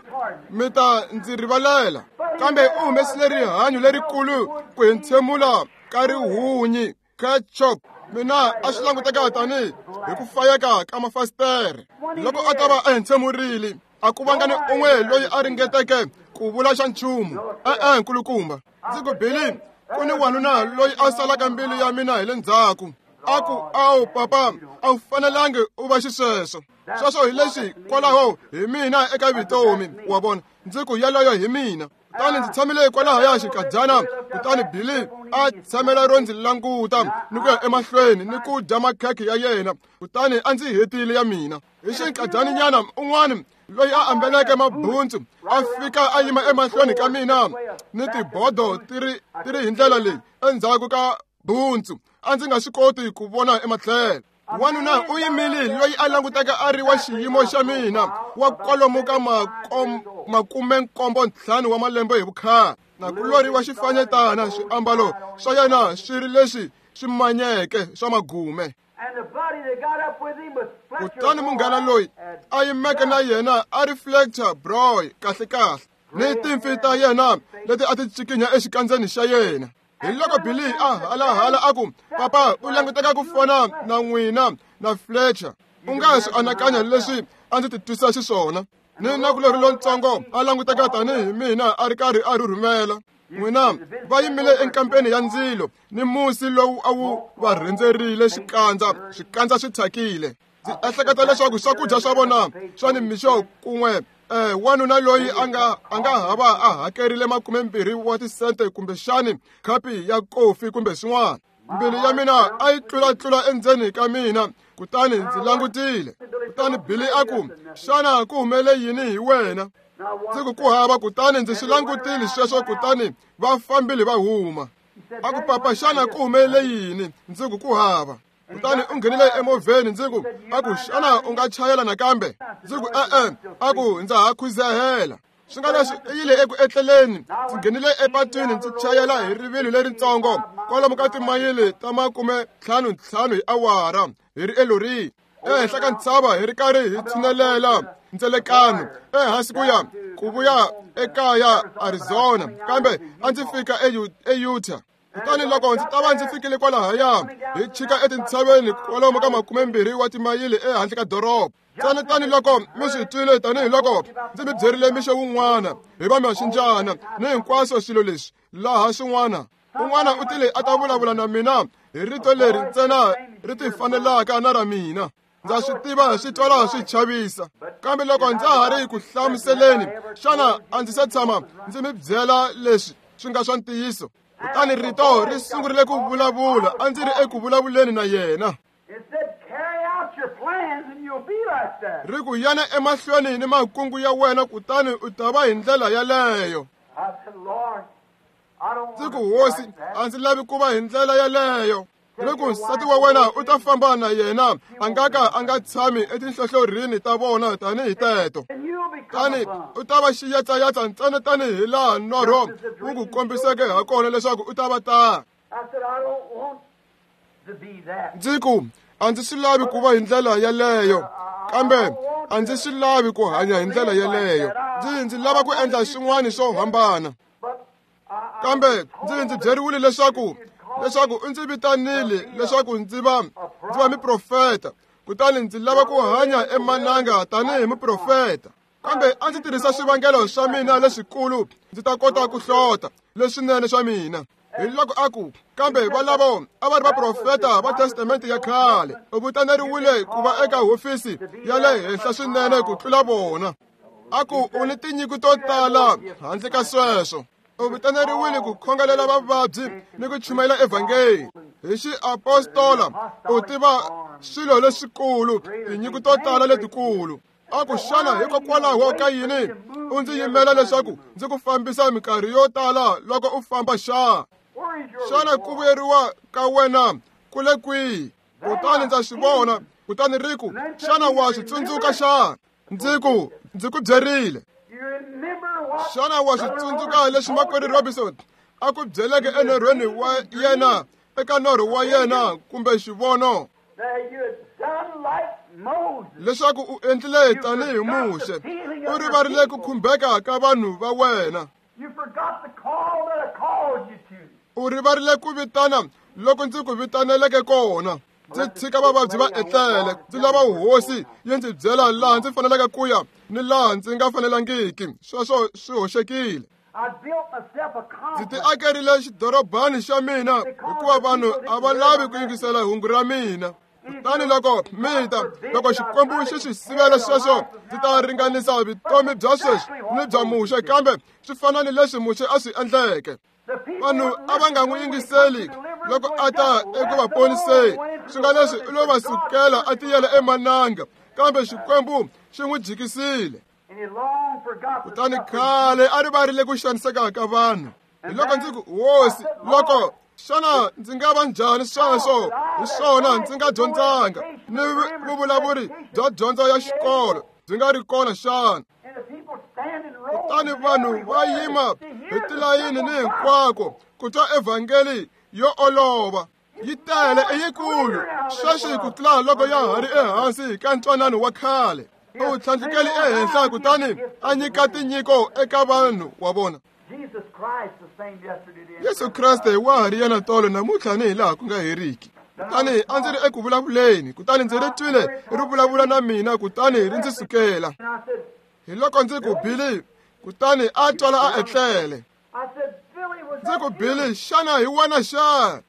mi ta ndzi rivalela, kambe u humesile rihanyo lerikulu ku hentshemula ka rihunyi ketchup. Mina a swi languteka tanihi hi ku fayeka ka mafasitere. Loko a ta va a hentshemurile, a ku vanga ni un'we loyi a ringeteke ku vula xa nchumu. E-e, nkulukumba, ndzi ku Billy, ku ni wanuna loyi a salaka mbilu ya mina hi le ndzhaku. A ku, awu papa, a wu fanelangi u va xisweswo. Sweswo hi leswi kwalaho hi mina eka vutomi, wa vona. Ndzi ku yeleyo hi mina. Kutani ndzi tshamile kwalahaya xinkadyana, kutani Billy a tshamela ro ndzi languta ni ku ya emahlweni ni ku dya makhekhe ya yena, kutani a ndzi hetile ya mina. Hi xinkadyaninyana un'wana loyi a ambeleke mabuntsu a fika a yima emahlweni ka mina ni tibodo ti ri ti ri hi ndlela leyi endzhaku ka buntsu. A ndzi nga swi koti ku vona ematlhelo. Wanuna u yimile loyi a languteka a ri wa xiyimo xa mina, wa kwalomu ka makumenkombo ntlhanu wa malembe hi vukhale, na kulori wa xifanyetana, swiambalo swa yena swi ri leswi swi manyeke swa magume. Kutani munghana loyi a yimeke na yena a ri Fletcher Broy kahle kahle, ni timpfi ta yena leti a ti cikinya exikandzeni xa yena. Hi loko Billy a halahala a ku, papa, u languteka ku fana na n'wina na Fletcher. U nga swi anakanya leswi a ndzi titwisa xiswona. Ni nakulorhi lontsongo a languteka tanihi mina a ri karhi a rhurhumela. N'wina va yimile enkampeni ya ndzilo ni musi lowu a wu va rhendzerile xikandza, swikandza swi thyakile. Ndzi ehleketa leswaku swakudya swa vona swa nimixo kun'we eh wanuna loyi a nga a nga hava a hakerile makumembirhi wa tisente kumbexani khapi ya kofi kumbe swin'wana. Mbilu ya mina a yi tlulatlula endzeni ka mina, kutani ndzi langutile. Kutani Billy a ku, xana ku humele yini hi wena? Ndzi ku ku hava. Kutani ndzi swi langutile sweswo, kutani va fambile va huma. A ku, papa, xana ku humelele yini? Ndzi ku ku hava. Kutani u nghenile emovheni. Ndzi ku, a ku, xana u nga chayela nakambe? Ndzi ku, e-e. A ku, ndza ha khuzehela. Swi nga leswi i yile eku etleleni. Ndzi nghenile epatwini ndzi chayela hi rivilo leritsongo kwalomu ka timayili ta makume ntlhanu ntlhanu hi awara hi ri elorini. Ehenhla ka ntshava hi ri karhi hi tshinelela ndzelekano ehansi ku ya ku vuya ekaya Arizona, kambe a ndzi fika eUtah. Kutani loko ndzi ta va ndzi fikile kwalahaya, hi chika etintshaveni kwalomu ka makumembirhi wa timayili ehandle ka doroba. Tsana tanihiloko mi swi twile, tanihiloko ndzi mi byerile mixo wun'wana hi va maxinjana ni hinkwaswo swilo leswi laha swin'wana. Un'wana u tile a ta vulavula na mina hi rito leri ntsena ri ti fanelaka na ra mina. Ndza swi tiva swi twala swi chavisa, kambe loko ndza ha ri ku hlamuseleni, xana a ndzi se tshama ndzi mi byela leswi swi nga swa ntiyiso? Kutani rito ri sungurile ku vulavula, a ndzi ri eku vulavuleni na yena. Ri ku yana emahlweni ni makungu ya wena, kutani u ta va hi ndlela yaleyo. Ndzi ku, Hosi, a ndzi lavi ku va hi ndlela yaleyo. Ri ku nsati wa wena u ta famba na yena, a nga ka a nga tshami etinhlohlorini ta vona tanihi teto. Tani u ta va xiyatsayatsa ntsena tanihi laha norho wu ku kombiseke ha kona leswaku u ta va ta. Ndzi ku, a ndzi swi lavi ku va hi ndlela yaleyo, kambe a ndzi swi lavi ku hanya hi ndlela yaleyo. Ndzi ndzi lava ku endla swin'wana swo hambana. Kambe ndzi ndzi byeriwile leswaku leswaku u ndzi vitanile leswaku ndzi va ndzi va muprofeta, kutani ndzi lava ku hanya emananga tanihi muprofeta. Kambe a ndzi tirhisa swivangelo swa mina leswikulu, ndzi ta kota ku hlota leswinene swa mina. Hi loko a ku, kambe valavo a va ri vaprofeta va testamente ya khale, u vitaneriwile ku va eka hofisi ya le henhla swinene ku tlula vona. A ku, u ni tinyiko to tala handle ka sweswo. U vitaneriwile ku khongelela vavabyi ni ku chumayela evhangeli. Hi xiapostola u tiva swilo leswikulu, tinyiko to tala letikulu. A ku, xana hikokwalaho ka yini u ndzi yimela leswaku ndzi ku fambisa minkarhi yo tala loko u famba xa? Xana ku vuyeriwa ka wena ku le kwihi? Kutani ndza swi vona, kutani ri ku, xana wa swi tsundzuka xana? Ndzi ku, ndzi ku byerile. Xana wa swi tsundzuka leswi makwerhu Robinson a ku byeleke enorhweni wa yena, eka norho wa yena kumbe xivono, leswaku u endlile tanihi Muxe, u rivarile ku khumbeka ka vanhu va wena, u rivarile ku vitana loko ndzi ku vitaneleke kona. Ndzi tshika vavabyi va etlele, ndzi lava hosi yi ndzi byela laha ndzi faneleke ku ya ni laha ndzi nga fanelangiki. Sweswo swi hoxekile. Ndzi ti akerile xidorobani xa mina hikuva vanhu a va lavi ku yingisela hungu ra mina. Kutani loko mi ta, loko Xikwembu xi swi sivela sweswo, ndzi ta ringanisa vutomi bya sweswi ni bya Muxe, kambe swi fana ni leswi Muxe a swi endleke. Vanhu a va nga n'wi yingiseli loko a ta eku va poniseni, swi nga leswi u lo va sukela a tiyela emananga, kambe Xikwembu xi n'wi jikisile. Kutani khale a rivarile ku xaniseka ka vanhu. Hi loko ndzi ku, Hosi, loko xana ndzi nga va njhani sweswo? Hi swona ndzi nga dyondzanga ni vuvulavuri bya dyondzo ya xikolo byi nga ri kona xana? Kutani vanhu va yima hi tilayini ni hinkwako ku twa evhangeli yo olova. Yi tele i yikulu sweswi ku tlula loko ya ha ri ehansi ka ntwanano wa khale. U tlhandlukele ehenhla kutani a nyika tinyiko eka vanhu wa vona. Yesu Kreste wa ha ri yena tolo namuntlha ni hi laha ku nga heriki. Kutani a ndzi ri eku vulavuleni, kutani ndzi ri twile ri vulavula na mina, kutani ri ndzi sukela. Hi loko ndzi ku, Billy, kutani a twala a etlele. Ndzi ku, Billy, xana hi wena xa?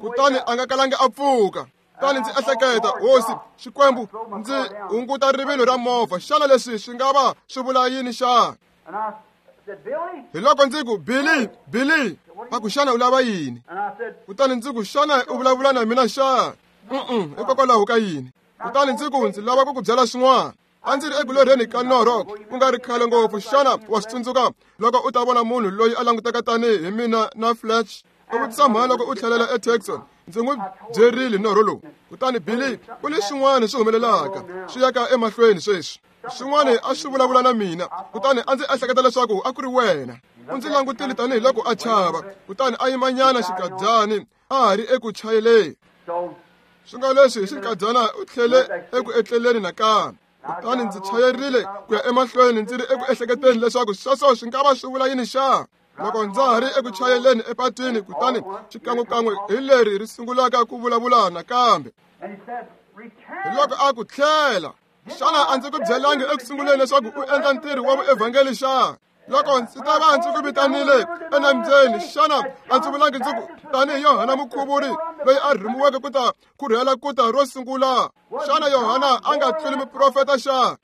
Kutani a nga kalanga a pfuka. Kutani ndzi ehleketa, Hosi Xikwembu, ndzi hunguta rivilo ra movha, xana leswi swi nga va swi vula yini xana? Hi loko ndzi ku, Billy, Billy, a ku, xana u lava yini? Kutani ndzi ku, xana u vulavula na mina xana? Mm-mm, hikokwalaho ka yini? Kutani ndzi ku, ndzi lava ku ku byela swin'wana. A ndzi ri eku lorheni ka norho ku nga ri khale ngopfu. Xana wa swi tsundzuka loko u ta vona munhu loyi a languteka tanihi hi mina na Fletch? U vutisa mhani loko u tlhelela eTexon. Ndzi n'wi byerile norho lowu. Kutani Billy, ku ni swin'wana swi humelelaka swi yaka emahlweni sweswi. Swin'wana a swi vulavula na mina, kutani a ndzi ehleketa leswaku a ku ri wena. U ndzi langutile tanihiloko a chava, kutani a yimanyana xikadyani a ha ri eku chayeleni. Swi nga leswi hi xinkadyana u tlhele eku etleleni nakambe. Kutani ndzi chayerile ku ya emahlweni ndzi ri eku ehleketeni leswaku sweswo swi nga va swi vula yini xa. Loko ndza ha ri eku chayeleni epatwini, kutani xikan'wekan'we hi leri ri sungulaka ku vulavula nakambe. Hi loko a ku tlhela, xana a ndzi ku byelangi eku sunguleni leswaku u endla ntirho wa vuevhangeli xa? Loko ndzi ta va ndzi ku vitanile enambyeni, xana a ndzi vulangi ndzi ku tanihi Yohana Mukhuvuri loyi a rhumiweke ku ta kurhela ku ta ro sungula? Xana Yohana a nga tluli muprofeta xa?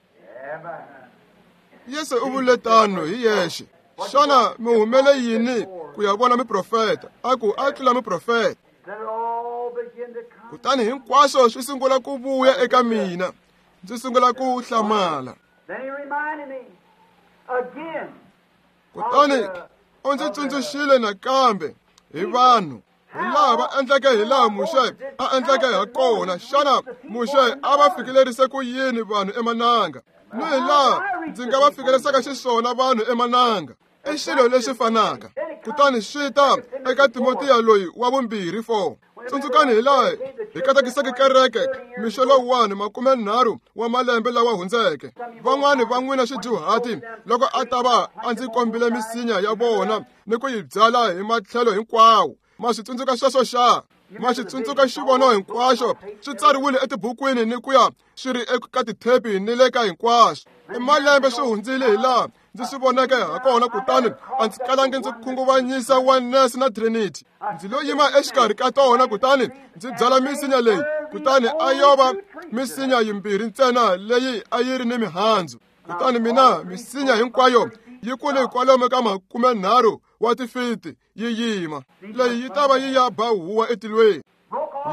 Yesu u vule tano hi yexe. Xana mi humele yini ku ya vona muprofeta? A ku a tlula muprofeta. Kutani hinkwaswo swi sungula ku vuya eka mina. Ndzi sungula ku hlamala. Kutani u ndzi tsundzuxile nakambe hi vanhu, hi laha va endleke hi laha Muxe a endleke ha kona. Xana Muxe a va fikelerise ku yini vanhu emananga? Ni hi laha ndzi nga va fikelerisaka xiswona vanhu emananga. I xilo lexi fanaka. Kutani swi ta eka Timotiya loyi wa vumbirhi four. Tsundzukani hi laha hi katekiseke kereke mixo lowuwani makume nharhu wa malembe lawa hundzeke. Van'wani va n'wina swidyuhati loko a ta va a ndzi kombile misinya ya vona ni ku yi byala hi matlhelo hinkwawo. Ma swi tsundzuka sweswo xa? Ma swi tsundzuka xivono hinkwaxo swi tsariwile etibukwini ni ku ya swi ri eka tithepi ni le ka hinkwaswo. I malembe swi hundzile hi laha ndzi swi voneke ha kona, kutani a ndzi kalangi ndzi khunguvanyisa Oneness na Trinity. Ndzi lo yima exikarhi ka tona, kutani ndzi byala misinya leyi, kutani a yo va misinya yimbirhi ntsena leyi a yi ri ni mihandzu. Kutani mina misinya hinkwayo yi kule kwalomu ka makume nharhu wa tifiti yi yima. Leyi yi ta va yi ya ba huwa etilweni.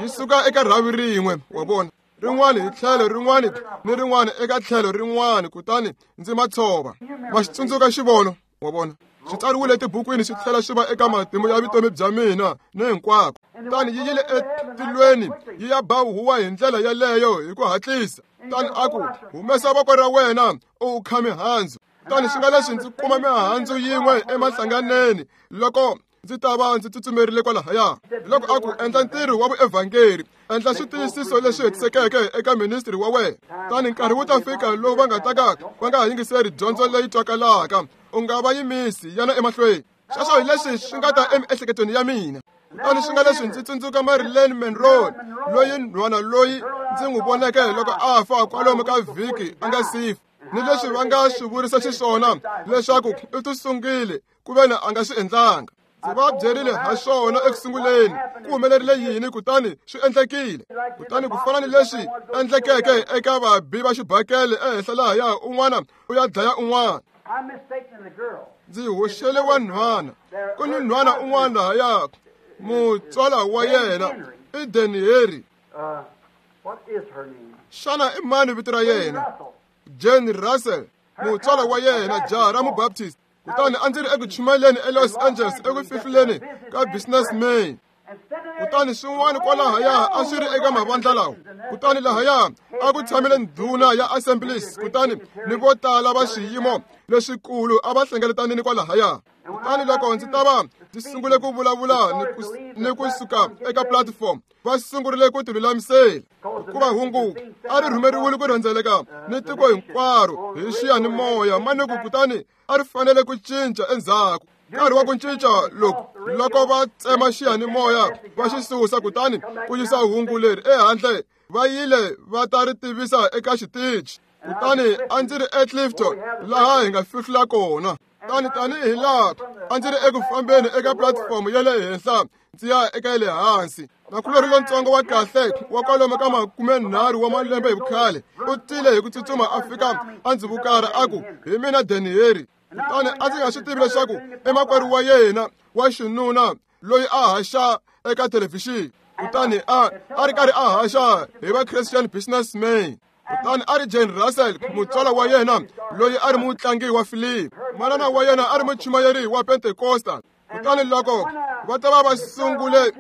Yi suka eka rhavi rin'we, wa vona, rin'wana hi tlhelo rin'wana ni rin'wana eka tlhelo rin'wana, kutani ndzi ma tshova. Ma xi tsundzuka xivono, wa vona. Swi tsariwile etibukwini swi tlhela swi va eka matimu ya vutomi bya mina ni hinkwako. Kutani yi yile etilweni yi ya ba huwa hi ndlela yaleyo hi ku hatlisa. Kutani a ku, humesa voko ra wena u kha mihandzu. Kutani swi nga leswi ndzi kuma mihandzu yin'we emahlanganeni loko ndzi ta va ndzi tsutsumerile kwalahaya. Loko a ku endla ntirho wa vuevhangeri, endla switiyisiso leswi hetisekeke eka ministry wa wena. Kutani nkarhi wu ta fika lowu va nga ta ka va nga ha yingiseri dyondzo leyi twakalaka. U nga va yimisi, yana emahlweni. Sweswo hi leswi swi nga ta emiehleketweni ya mina. Kutani swi nga leswi ndzi tsundzuka Marilyn Monroe, loyi nhwana loyi ndzi n'wi voneke loko a fa kwalomu ka vhiki a nga si fa. Ni leswi va nga swi vurisa xiswona leswaku u tisungile ku veni a nga swi endlanga. Ndzi va byerile ha swona eku sunguleni, ku humelerile yini, kutani swi endlekile. Kutani ku fana ni leswi endlekeke eka vabi va xibakele ehenhla lahaya, un'wana u ya dlaya un'wana. Ndzi hoxele wa nhwana. Ku ni nhwana un'wana lahaya, mutswala wa yena i Danny Henry. Xana i mani vito ra yena? Jane Russell, mutswala wa yena, jaha ra Mubaptist. Kutani a ndzi ri eku chumayeleni eLos Angeles eku fihluleni ka Businessman. Kutani swin'wana kwalahaya a swi ri eka mavandla lawa. Kutani lahaya a ku tshamile ndhuna ya Assemblies, kutani ni vo tala va swiyimo leswikulu a va hlengeletanini kwalahaya. Kutani loko ndzi ta va ndzi sungule ku vulavula ni ku, ni ku suka eka platform, va sungurile ku tilulamisela, hikuva hungu a ri rhumeriwile ku rhendzeleka ni tiko hinkwaro hi xiyanimoya manuku, kutani a ri fanele ku cinca endzhaku. Nkarhi wa ku cinca loko loko va tsema xiyanimoya va xi susa, kutani ku yisa hungu leri ehandle, va yile va ta ri tivisa eka xitichi. Kutani a ndzi ri eClifton laha hi nga fihlula kona. Kutani tanihi laha a ndzi ri eku fambeni eka platform ya le henhla ndzi ya eka ya le hansi, nakulorhi lontsongo wa kahle wa kwalomu ka makume nharhu wa malembe hi vukhale u tile hi ku tsutsuma a fika a ndzi vukara a ku, hi mina Danny Henry. Kutani a ndzi nga swi tivi leswaku i makwerhu wa yena wa xinuna loyi a haxa eka thelevhixini. Kutani a a ri karhi a haxa hi va Christian Businessman. Kutani a ri Jane Russell, mutswala wa yena loyi a ri mutlangi wa filimi. Manana wa yena a ri muchumayeri wa Pentecostal. Kutani loko va ta va va sungule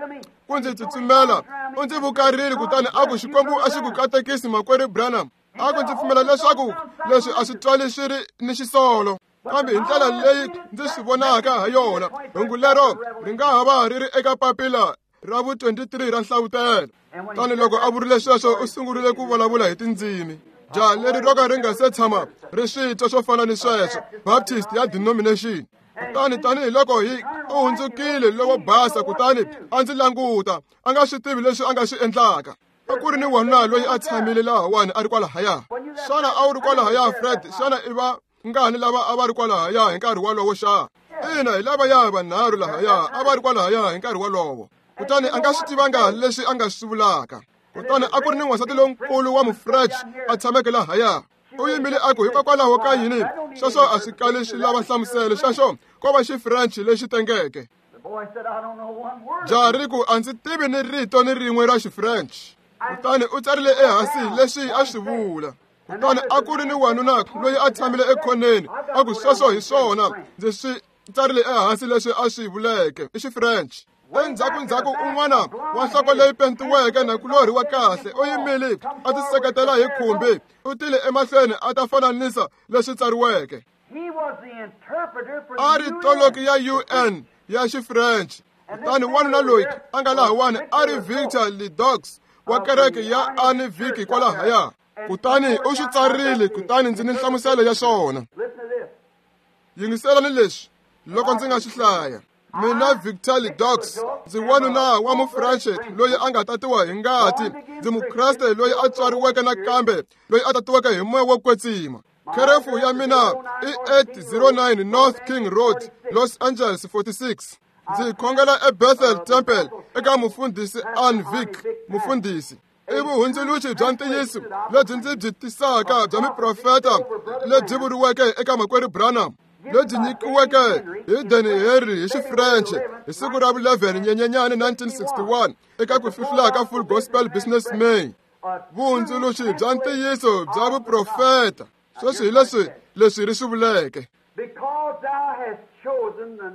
ku ndzi tsutsumela, u ndzi vukarile, kutani a ku, Xikwembu a xi ku katekisi makwerhu Branham. A ku ndzi pfumela leswaku leswi a swi twali swi ri ni xisolo, kambe hi ndlela leyi ndzi swi vonaka ha yona, hungu lero ri nga ha va ri ri eka papila ra vu twenty-three ra nhlavutelo. Tani loko a vurile sweswo u sungurile ku vulavula hi tindzimi. Jaha leri ro ka ri nga se tshama ri swi twa swo fana ni sweswo, Baptist ya denomination. Kutani tanihiloko hi u hundzukile lowo basa, kutani a ndzi languta, a nga swi tivi leswi a nga swi endlaka. A ku ri ni wanuna loyi a tshamile lahawani a ri kwalahaya. Xana a wu ri kwalahaya, Fred? Xana i va ngani lava a va ri kwalahaya hi nkarhi wolowo xa? Ina, hi lavaya vanharhu lahaya a va ri kwalahaya hi nkarhi wolowo. Kutani a nga swi tivanga leswi a nga swi vulaka. Kutani a ku ri ni n'wansati lonkulu wa mu-French a tshameke lahaya. U yimile a ku, hikokwalaho ka yini sweswo a swi kali swi lava nhlamuselo, sweswo ko va xi-French lexi tengeke. Jaha ri ku, a ndzi tivi ni rito ni rin'we ra xi-French. Kutani u tsarile ehansi leswi a swi vula. Kutani a ku ri ni wanuna loyi a tshamile ekhoneni, a ku sweswo hi swona, ndzi swi tsarile ehansi leswi a swi vuleke i xi-French. Endzhaku-ndzhaku un'wana wa nhloko leyi pentiweke nakulorhi wa kahle u yimile a tiseketela hi khumbi, u tile emahlweni a ta fananisa leswi tsariweke. A ri toloki ya U N ya xi-French. Kutani wanuna loyi a nga lahawani a ri Victor Ledoux wa kereke ya Anne Vic kwalahaya. Kutani u swi tsarile, kutani ndzi ni nhlamuselo ya swona. Yingiselani leswi loko ndzi nga swi hlaya. Mina Victor Ledoux, ndzi wanuna wa mu-French loyi a nga tatiwa hi ngati, ndzi Mukreste loyi a tswariweke nakambe, loyi a tatiweke hi moya wo kwetsima. Kherefu ya mina i eight zero nine North King Road, Los Angeles forty-six. Ndzi khongela eBethel Temple eka mufundhisi Anne Vic, mufundhisi. I vuhundzuluxi bya ntiyiso lebyi ndzi byi tisaka bya miprofeta lebyi vuriweke eka makwerhu Branham, lebyi nyikiweke hi Danny Henry hi xi-French hi siku ra vu eleven Nyenyenyani nineteen sixty-one eka ku fihlula ka Full Gospel Business May. Vuhundzuluxi bya ntiyiso bya vuprofeta. Sweswi hi leswi leswi ri swi vuleke.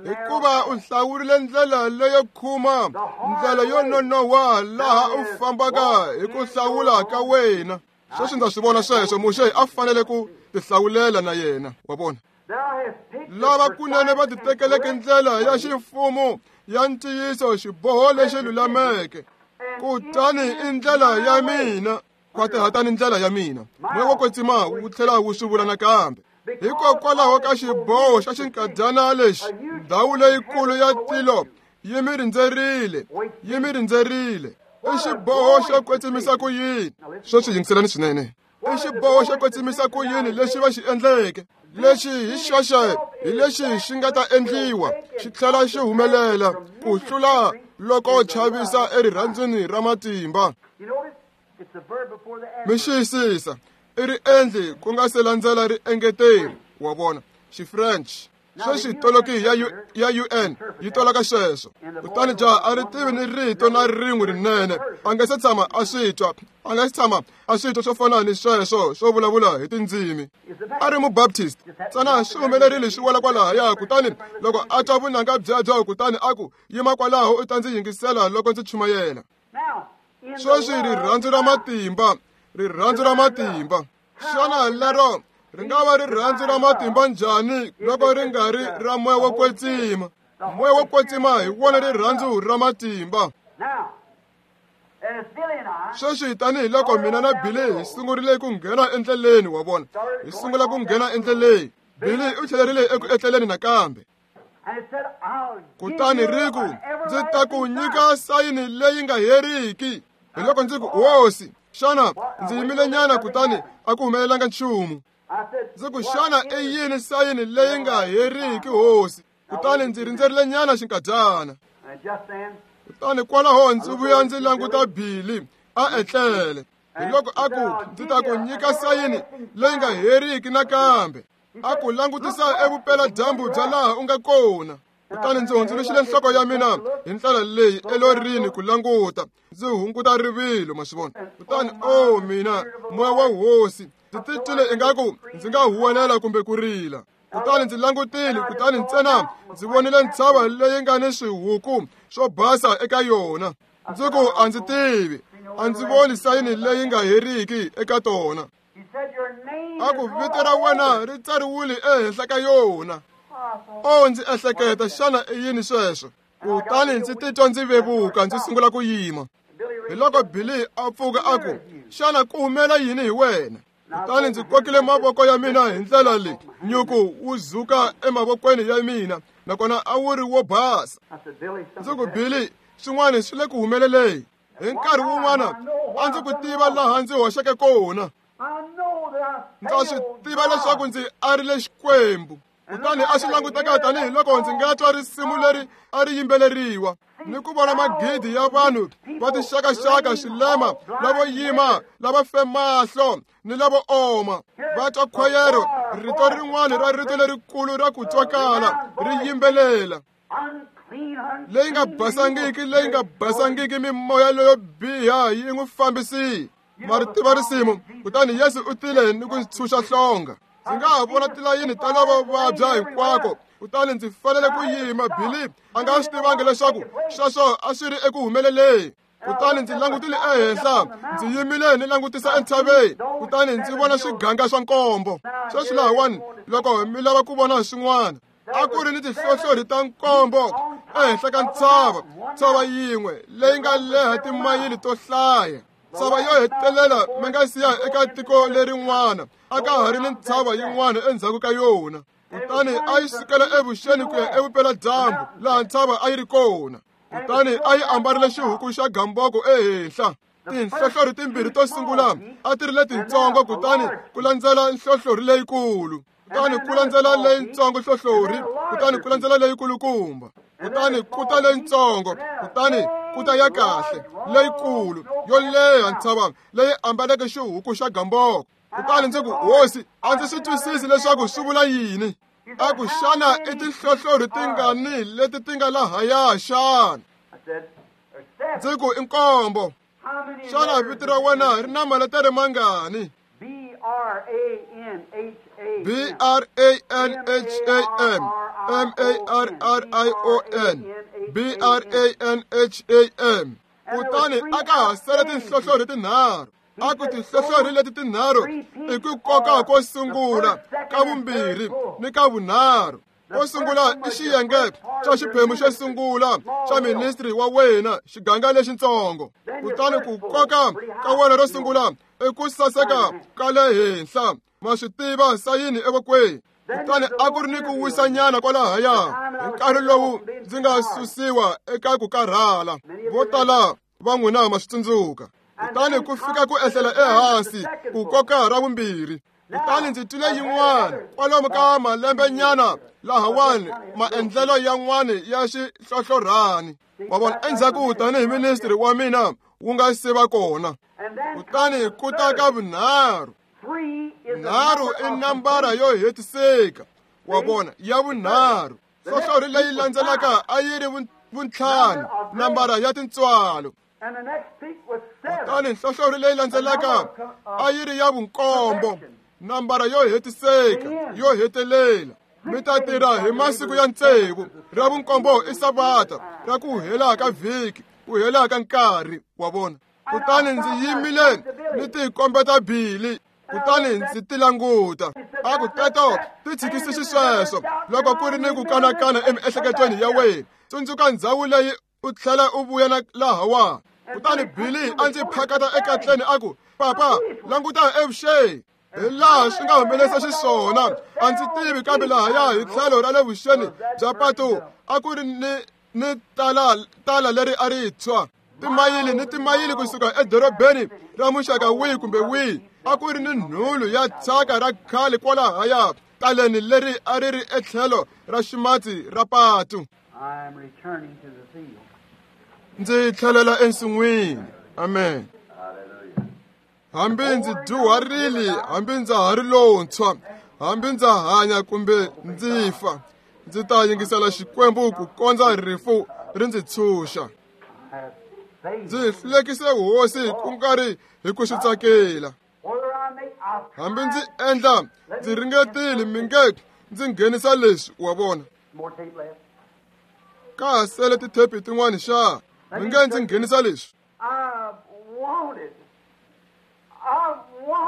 Hikuva u hlawurile ndlela leyo khuma, ndlela yo nonoha laha u fambaka hi ku hlawula ka wena. Sweswi ndza swi vona sweswo, Muxe a fanele ku tihlawulela na yena, wa vona. Lava kunene va titekeleke ndlela ya ximfumo ya ntiyiso, xiboho lexi lulameke. Kutani i ndlela ya mina, khwatihatani ndlela ya mina. Moya wo kwetsima wu tlhela wu swi vula nakambe. Hikokwalaho ka xiboho xa xinkadyana lexi, ndhawu leyikulu ya tilo yi mi rindzerile, yi mi rindzerile. I xiboho xo kwetsimisa ku yini? Sweswi yingiselani swinene. I xiboho xo kwetsimisa ku yini lexi va xi endleke? Lexi hi xoxe hi lexi xi nga ta endliwa, xi tlhela xi humelela ku hlula loko chavisa erirhandzwini ra matimba. Mi xiyisisa, i ri endli ku nga se landzela ri engeteri, wa vona, xi-French. Sweswi toloki ya U, ya U N yi toloka sweswo. Kutani jaha a ri tivi ni rito na rin'we rinene, a nga se tshama a swi twa, a nga se tshama a swi twa swo fana ni sweswo swo vulavula hi tindzimi. A ri mu-Baptist, ntsena swi humelerile swi wela kwalahaya. Kutani loko a twa vunanga byebyo, kutani a ku, yima kwalaho u ta ndzi yingisela loko ndzi chumayela. Sweswi rirhandzu ra matimba, rirhandzu ra matimba. Xana lero ri nga va rirhandzu ra matimba njhani loko ri nga ri ra moya wo kwetsima? Moya wo kwetsima hi wona rirhandzu ra matimba. Sweswi tanihiloko mina na Billy hi sungurile ku nghena endleleni, wa vona, hi sungula ku nghena endleleni. Billy u tlhelerile eku etleleni nakambe. Kutani ri ku, ndzi ta ku nyika sayini leyi nga heriki. Hi loko ndzi ku, hosi, xana ndzi yimile nyana kutani a ku humelelanga nchumu. Ndzi ku, xana i yini sayini leyi nga heriki, hosi? Kutani ndzi rindzerile nyana xinkadyana. Kutani kwalaho ndzi vuya ndzi languta Billy a etlele. Hi loko a ku, ndzi ta ku nyika sayini leyi nga heriki nakambe. A ku langutisa evupeladyambu bya laha u nga kona. Kutani ndzi hundzuluxile nhloko ya mina hi ndlela leyi elorini ku languta, ndzi hunguta rivilo, ma swi vona. Kutani o mina, moya wa hosi, ndzi titwile ingaku ndzi nga huwelela kumbe ku rila. Kutani ndzi langutile, kutani ntsena ndzi vonile ntshava leyi nga ni swihuku swo basa eka yona. Ndzi ku, a ndzi tivi, a ndzi voni sayini leyi nga heriki eka tona. A ku, vito ra wena ri tsariwile ehenhla ka yona. O, ndzi ehleketa, xana i yini sweswo? Kutani ndzi titwa ndzi vevuka, ndzi sungula ku yima. Hi loko Billy a pfuka a ku, xana ku humela yini hi wena? Kutani ndzi kokile mavoko ya mina hi ndlela leyi, nyuku wu zuka emavokweni ya mina, nakona a wu ri wo basa. Ndzi ku, Billy, swin'wana swi le ku humeleleni. Hi nkarhi wun'wana a ndzi ku tiva laha ndzi hoxeke kona. Ndza swi tiva leswaku ndzi arile Xikwembu. Kutani a swi languteka tanihiloko ndzi nga twa risimu leri a ri yimbeleriwa, ni ku vona magidi ya vanhu va tinxakaxaka, swilema, lavo yima, lava fe mahlo ni lavo oma, va twa khwayero, rito rin'wana ra rito lerikulu ra ku twakala ri yimbelela, leyi nga basangiki, leyi nga basangiki, mimoya leyo biha yi n'wi fambisile. Ma ri tiva risimu. Kutani Yesu u tile ni ku ntshunxa hlonga. Ndzi nga ha vona tilayini ta lavo vabya hinkwako, kutani ndzi fanele ku yima. Billy a nga swi tivangi leswaku sweswo a swi ri eku humeleleni. Kutani ndzi langutile ehenhla, ndzi yimile ni langutisa entshaveni, kutani ndzi vona swiganga swa nkombo. Sweswi lahawani, loko mi lava ku vona swin'wana, a ku ri ni tinhlohlorhi ta nkombo ehenhla ka ntshava, ntshava yin'we leyi nga leha timayili to hlaya. Ntshava yo hetelela mi nga siya eka tiko lerin'wana, a ka ha ri ni ntshava yin'wana endzhaku ka yona. Kutani a yi sukela evuxeni ku ya evupeladyambu laha ntshava a yi ri kona. Kutani a yi ambarile xihuku xa gamboko ehenhla. Tinhlohlorhi timbirhi to sungula a ti ri letintsongo, kutani ku landzela nhlohlorhi leyikulu, kutani ku landzela leyintsongo nhlohlorhi, kutani ku landzela leyikulukumba, kutani ku ta leyintsongo, kutani ku ta ya kahle leyikulu yo leha ntshava leyi ambaleke xihuku xa gamboko. Kutani ndzi ku, Hosi, a ndzi swi twisisi leswaku swi vula yini. A ku, xana i tinhlohlorhi tingani leti ti nga lahaya xana? Ndzi ku, i nkombo. Xana vito ra wena ri na maletere mangani? B R A N H A B R A N H A M M A R R I O N B R A N H A M. Kutani a ka ha sele tinhlohlorhi tinharhu. A ku tinhlohlorhi leti tinharhu i ku koka ko sungula, ka vumbirhi ni ka vunharhu. Ko sungula i xiyenge xa xiphemu xo sungula xa ministry wa wena, xiganga lexintsongo. Kutani ku koka ka wena ro sungula i ku saseka ka le henhla, ma swi tiva, sayini evokweni. Kutani a ku ri ni ku wisanyana kwalahaya hi nkarhi lowu ndzi nga susiwa eka ku karhala. Vo tala va n'wina ma swi tsundzuka. Kutani ku fika ku ehlela ehansi ku koka ra vumbirhi. Kutani ndzi twile yin'wana kwalomu ka malembenyana lahawani, maendlelo yan'wana ya xihlohlorhani. Wa vona, endzhaku tanihi ministry wa mina wu nga se va kona. Kutani ku ta ka vunharhu. Nharhu i nambara yo hetiseka, wa vona, ya vunharhu. Nhlohlorhi leyi landzelaka a yi ri vuntlhanu, nambara ya tintswalo. Kutani nhlohlorhi leyi landzelaka a yi ri ya vunkombo, nambara yo hetiseka, yo hetelela. Mi ta tirha hi masiku ya tsevu, ra vunkombo i Savata, ra ku hela ka vhiki, ku hela ka nkarhi, wa vona. Kutani ndzi yimile ni tikombeta Billy, kutani ndzi ti languta. A ku, teto ti tshikisi xisweswo loko ku ri ni ku kanakana emiehleketweni ya wena. Tsundzuka ndzhawu leyi u tlhela u vuya na lahawa. Kutani Billy a ndzi phakata ekatleni a ku, Papa, languta evuxeni. Hi laha swi nga humelerisa xiswona, a ndzi tivi, kambe lahaya hi tlhelo ra le vuxeni bya patu a ku ri ni ni tala tala leri a ri tshwa, timayili ni timayili kusuka edorobeni ra muxaka wihi kumbe wihi. A ku ri ni nhulu ya thyaka ra khale kwalahaya taleni leri a ri ri etlhelo ra ximatsi ra patu. Ndzi tlhelela ensin'wini. Amen. Hambi ndzi dyuharile, hambi ndza ha ri lontshwa, hambi ndza hanya kumbe ndzi fa, ndzi ta yingisela Xikwembu ku kondza rifu ri ndzi tshunxa. Ndzi hlulekise Hosi ku nga ri hi ku swi tsakela. Hambi ndzi endla, ndzi ringetile, mi nge ndzi nghenisa leswi, wa vona. Ka ha sele tithepi tin'wana xa, mi nge ndzi nghenisa leswi.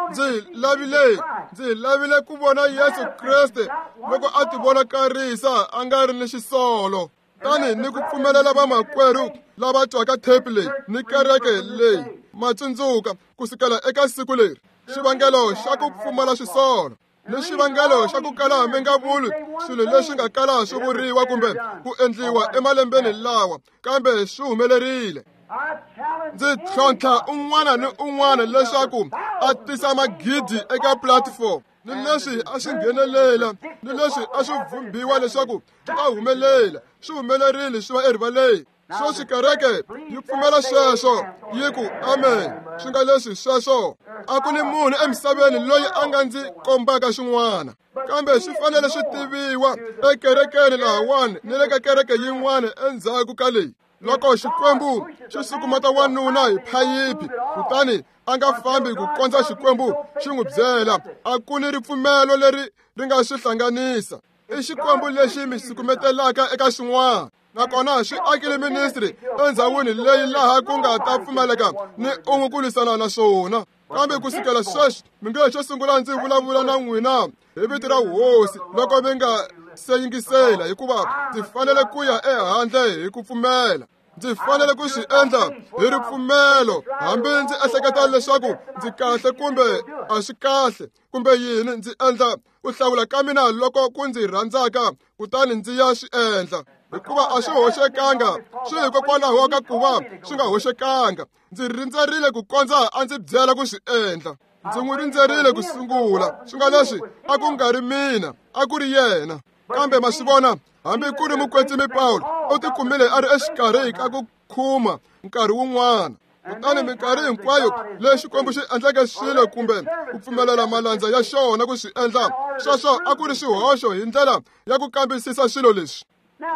Ndzi lavile, ndzi lavile ku vona Yesu Kreste loko a ti vonakarisa a nga ri ni xisolo. Kutani ni ku pfumelela vamakwerhu lava twaka thepi leyi ni kereke leyi ma tsundzuka ku sukela eka siku leri xivangelo xa ku pfumala swisolo ni xivangelo xa ku kala mi nga vuli swilo leswi nga kala swi vuriwa kumbe ku endliwa emalembeni lawa kambe swi humelerile. Ndzi tlhontlha un'wana ni un'wana leswaku a tisa magidi eka platform ni leswi a swi nghenelela ni leswi a swi vhumbiwa leswaku swi ta humelela swi humelerile swi va erivaleni. Sweswi kereke yi pfumela sweswo yi ku amen swi nga leswi sweswo a ku ni munhu emisaveni loyi a nga ndzi kombaka xin'wana kambe swi fanele swi tiviwa ekerekeni lahawani ni le ka kereke yin'wana endzhaku ka leyi. Loko Xikwembu xi sukumeta wanuna hi phayiphi kutani a nga fambi ku kondza Xikwembu xi n'wi byela a ku ni ripfumelo leri ri nga swi hlanganisa. I Xikwembu lexi mi sukumetelaka eka xin'wana nakona swi akile ministry endzhawini leyi laha ku nga ta pfumeleka ni un'we ku lwisana na swona. Kambe ku sukela sweswi mi nge xo sungula ndzi vulavula na n'wina hi vito ra hosi loko mi nga se yingisela hikuva ndzi fanele ku ya ehandle hi ku pfumela. Ndzi fanele ku swi endla hi ripfumelo hambi ndzi ehleketa leswaku ndzi kahle kumbe a swi kahle kumbe yini ndzi endla ku hlawula ka mina loko ku ndzi rhandzaka kutani ndzi ya swi endla hikuva a swi hoxekanga swi hikokwalaho ka ku va swi nga hoxekanga. Ndzi rindzerile ku kondza a ndzi byela ku swi endla. Ndzi n'wi rindzerile ku sungula swi nga leswi a ku nga ri mina a ku ri yena. Kambe ma swi vona hambi ku ri mukwetsimi Pawulo u tikumile a ri exikarhi ka ku khuma nkarhi wun'wana. Kutani minkarhi hinkwayo leyi Xikwembu xi endleke swilo kumbe ku pfumelela malandza ya xona ku swi endla sweswo a ku ri swihoxo hi ndlela ya ku kambisisa swilo leswi.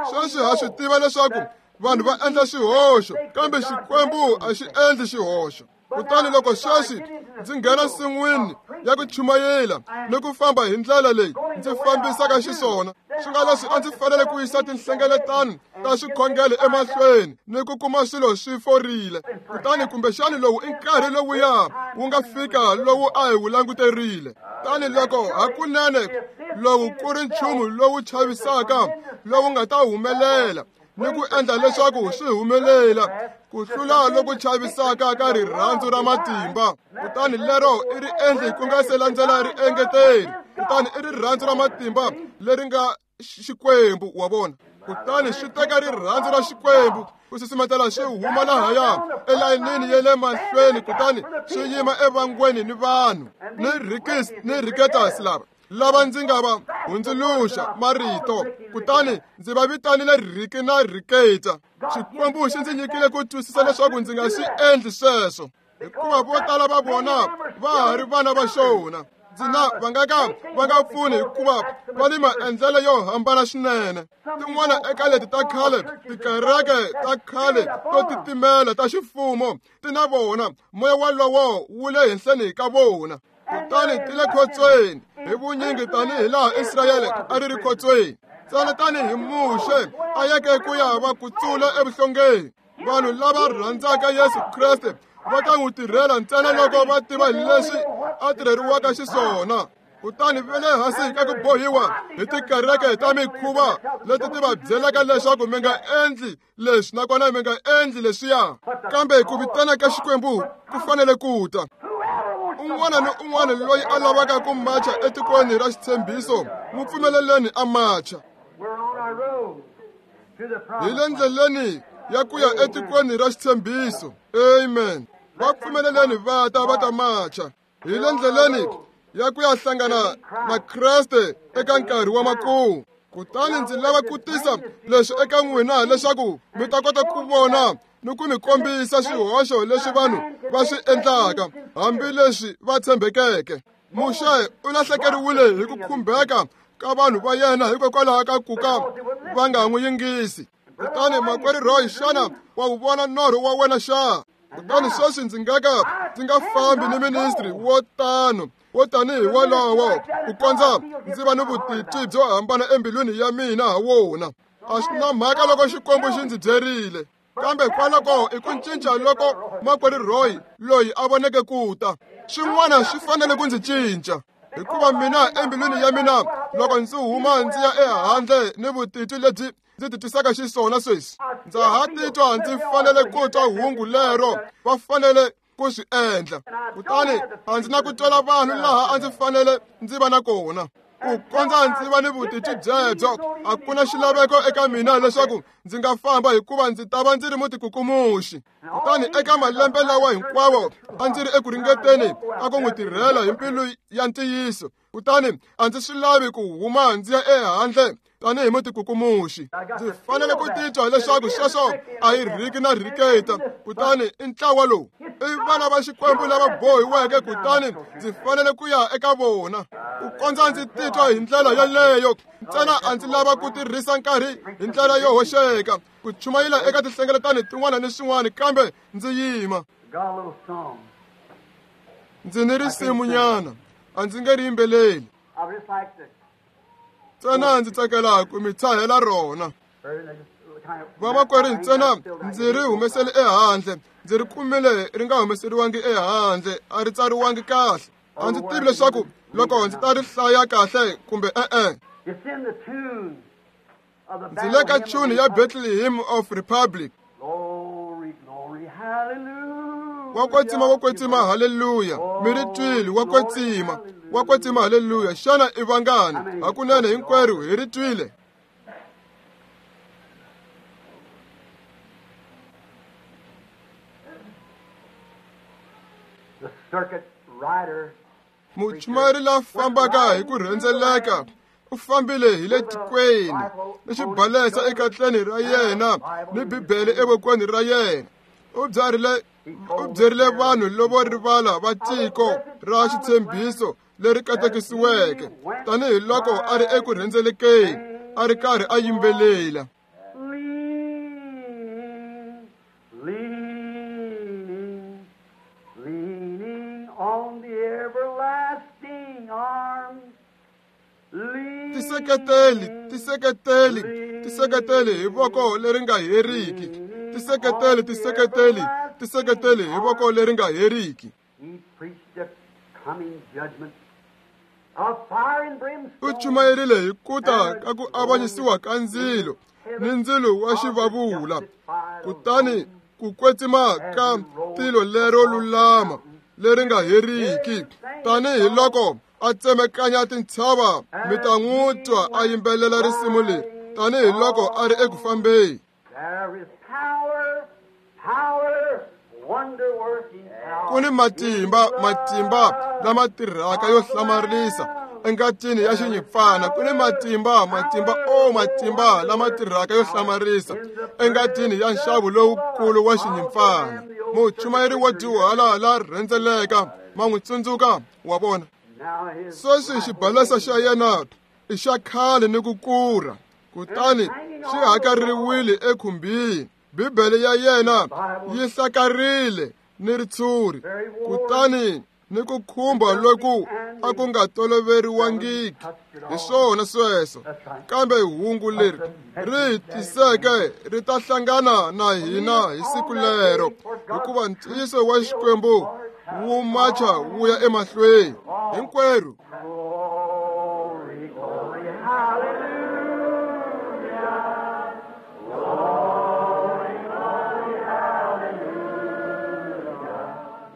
Sweswi ha swi tiva leswaku vanhu va endla swihoxo kambe Xikwembu a xi endli xihoxo. Kutani loko sweswi ndzi nghena nsin'wini ya ku chumayela ni ku famba hi ndlela leyi ndzi fambisaka xiswona swi nga leswi a ndzi fanele ku yisa tinhlengeletano ta swikhongelo emahlweni ni ku kuma swilo swi forile. Kutani kumbexani lowu i nkarhi lowuya wu nga fika lowu a hi wu languterile. Tani loko hakunene lowu ku ri nchumu lowu chavisaka lowu nga ta humelela ni ku endla leswaku swi humelela ku hlula loku chavisaka ka rirhandzu ra matimba. Kutani lero i ri endli ku nga se landzela ri engeteri. Kutani i rirhandzu ra matimba leri nga Xikwembu wa vona. Kutani swi teka rirhandzu ra Xikwembu ku susumetela swi huma lahaya elayinini ya le mahlweni kutani swi yima evangweni ni vanhu ni Rikis ni Riketas lava lava ndzi nga va hundzuluxa marito kutani ndzi va vitanile Riki na Riketa. Xikwembu xi ndzi nyikile ku twisisa leswaku ndzi nga swi endli sweswo hikuva vo tala va vona va ha ri vana va xona. Ndzi na va nga ka va nga pfuni hikuva va ni maendlelo yo hambana swinene. Tin'wana eka leti ta khale tikereke ta khale to titimela ta ximfumo ti na vona moya walowo wu le henhleni ka vona. Kutani ti le khotsweni hi vunyingi tanihi laha Israyele a ri ri khotsweni ntsena tanihi Muxe a yeke ku ya va kutsula evuhlongeni. Vanhu lava rhandzaka Yesu Kreste va ta n'wi tirhela ntsena loko va tiva leswi a tirheriwaka xiswona. Kutani va le hansi ka ku bohiwa hi tikereke ta mikhuva leti ti va byelaka leswaku mi nga endli leswi nakona mi nga endli leswiya. Kambe ku vitana ka Xikwembu ku fanele ku ta. Un'wana ni un'wana loyi a lavaka ku macha etikweni ra xitshembiso n'wi pfumeleleni a macha. Hi le ndleleni ya ku ya etikweni ra xitshembiso. Amen. Va pfumeleleni va ta va ta macha. Hi le ndleleni ya ku ya hlangana na Kreste eka nkarhi wa makumu. Kutani ndzi lava ku tisa leswi eka n'wina leswaku mi ta kota ku vona ni ku mi kombisa swihoxo leswi vanhu va swi endlaka hambileswi va tshembekeke. Muxe u lahlekeriwile hi ku khumbeka ka vanhu va yena hikokwalaho ka ku ka va nga n'wi yingisi. Kutani makwerhu Roy, xana wa wu vona norho wa wena xa? Kutani sweswi ndzi nga ka ndzi nga fambi ni ministry wo tano wo tanihi wolowo ku kondza ndzi va ni vutitwi byo hambana embilwini ya mina ha wona. A swi na mhaka loko Xikwembu xi ndzi byerile. Kambe kwaloko i ku cinca loko makwerhu Roy loyi a voneke ku ta. Swin'wana swi fanele ku ndzi cinca. Hikuva mina embilwini ya mina loko ndzi huma ndzi ya ehandle ni vutitwi lebyi ndzi titwisaka xiswona sweswi, ndza ha titwa ndzi fanele ku twa hungu lero, va fanele ku swi endla. Kutani a ndzi na ku twela vanhu laha a ndzi fanele ndzi va na kona. Ku kondza ndzi va ni vutitwi byebyo, a ku na xilaveko eka mina leswaku ndzi nga famba hikuva ndzi ta va ndzi ri mutikukumuxi. Kutani eka malembe lawa hinkwawo a ndzi ri eku ringeteni ka ku n'wi tirhela hi mbilu ya ntiyiso. Kutani a ndzi swi lavi ku huma ndzi ya ehandle tanihi mutikukumuxi. Ndzi fanele ku titwa leswaku sweswo a hi rhiki na rhiketa. Kutani i ntlawa lowu i vana va Xikwembu lava bohiweke, kutani ndzi fanele ku ya eka vona. Ku kondza ndzi titwa hi ndlela yeleyo ntsena a ndzi lava ku tirhisa nkarhi hi ndlela yo hoxeka ku chumayela eka tinhlengeletano tin'wana ni swin'wana, kambe ndzi yima. Ndzi ni risimunyana, a ndzi nge ri yimbeleli, ntsena ndzi tsakela ku mi tshahela rona. Vamakwerhu, ntsena ndzi ri humesele ehandle, ndzi ri kumile ri nga humeseriwangi ehandle, a ri tsariwangi kahle. A ndzi tivi leswaku loko ndzi ta ri hlaya kahle kumbe e-e. Ndzi le ka tune ya Bethlehem of Republic. Wa kwetsima, wa kwetsima, haleluya. Mi ri twile, wa kwetsima, wa kwetsima, haleluya. Xana i vangani? Hakunene hinkwerhu hi ri twile. Muchumayeri la fambaka hi ku rhendzeleka u fambile hi le tikweni ni xibalesa ekatleni ra yena ni Bibele evokweni ra yena. U byarile u byerile vanhu lovo rivala va tiko ra xitshembiso leri katekisiweke, tanihiloko a ri eku rhendzelekeni a ri karhi a yimbelela. Tiseketeli, tiseketeli, tiseketeli hi voko leri nga heriki. Tiseketeli, tiseketeli, tiseketeli hi voko leri nga heriki. U chumayerile hi ku ta ka ku avanyisiwa ka ndzilo ni ndzilo wa xivavula, kutani ku kwetsima ka tilo lero lulama leri nga heriki. Tanihiloko a tsemekanya tintshava, mi ta n'wi twa a yimbelela risimu leri tanihiloko a ri eku fambeni. Ku ni matimba, matimba lama tirhaka yo hlamarisa engatini ya xinyimpfana. Ku ni matimba, matimba, o matimba lama tirhaka yo hlamarisa engatini ya nxavo lowukulu wa xinyimpfana. Muchumayeri wo dyuhala la rhendzeleka, ma n'wi tsundzuka, wa vona. Sweswi xibalesa xa yena i xa khale ni ku kura, kutani xi hakariwile ekhumbini. Bibele ya yena yi hlakarile ni ritshuri, kutani ni ku khumba loku a ku nga toloveriwangiki. Hi swona sweswo, kambe hungu leri ri hi tiseke ri ta hlangana na hina hi siku lero, hikuva ntiyiso wa Xikwembu wu macha wu ya emahlweni hinkwerhu.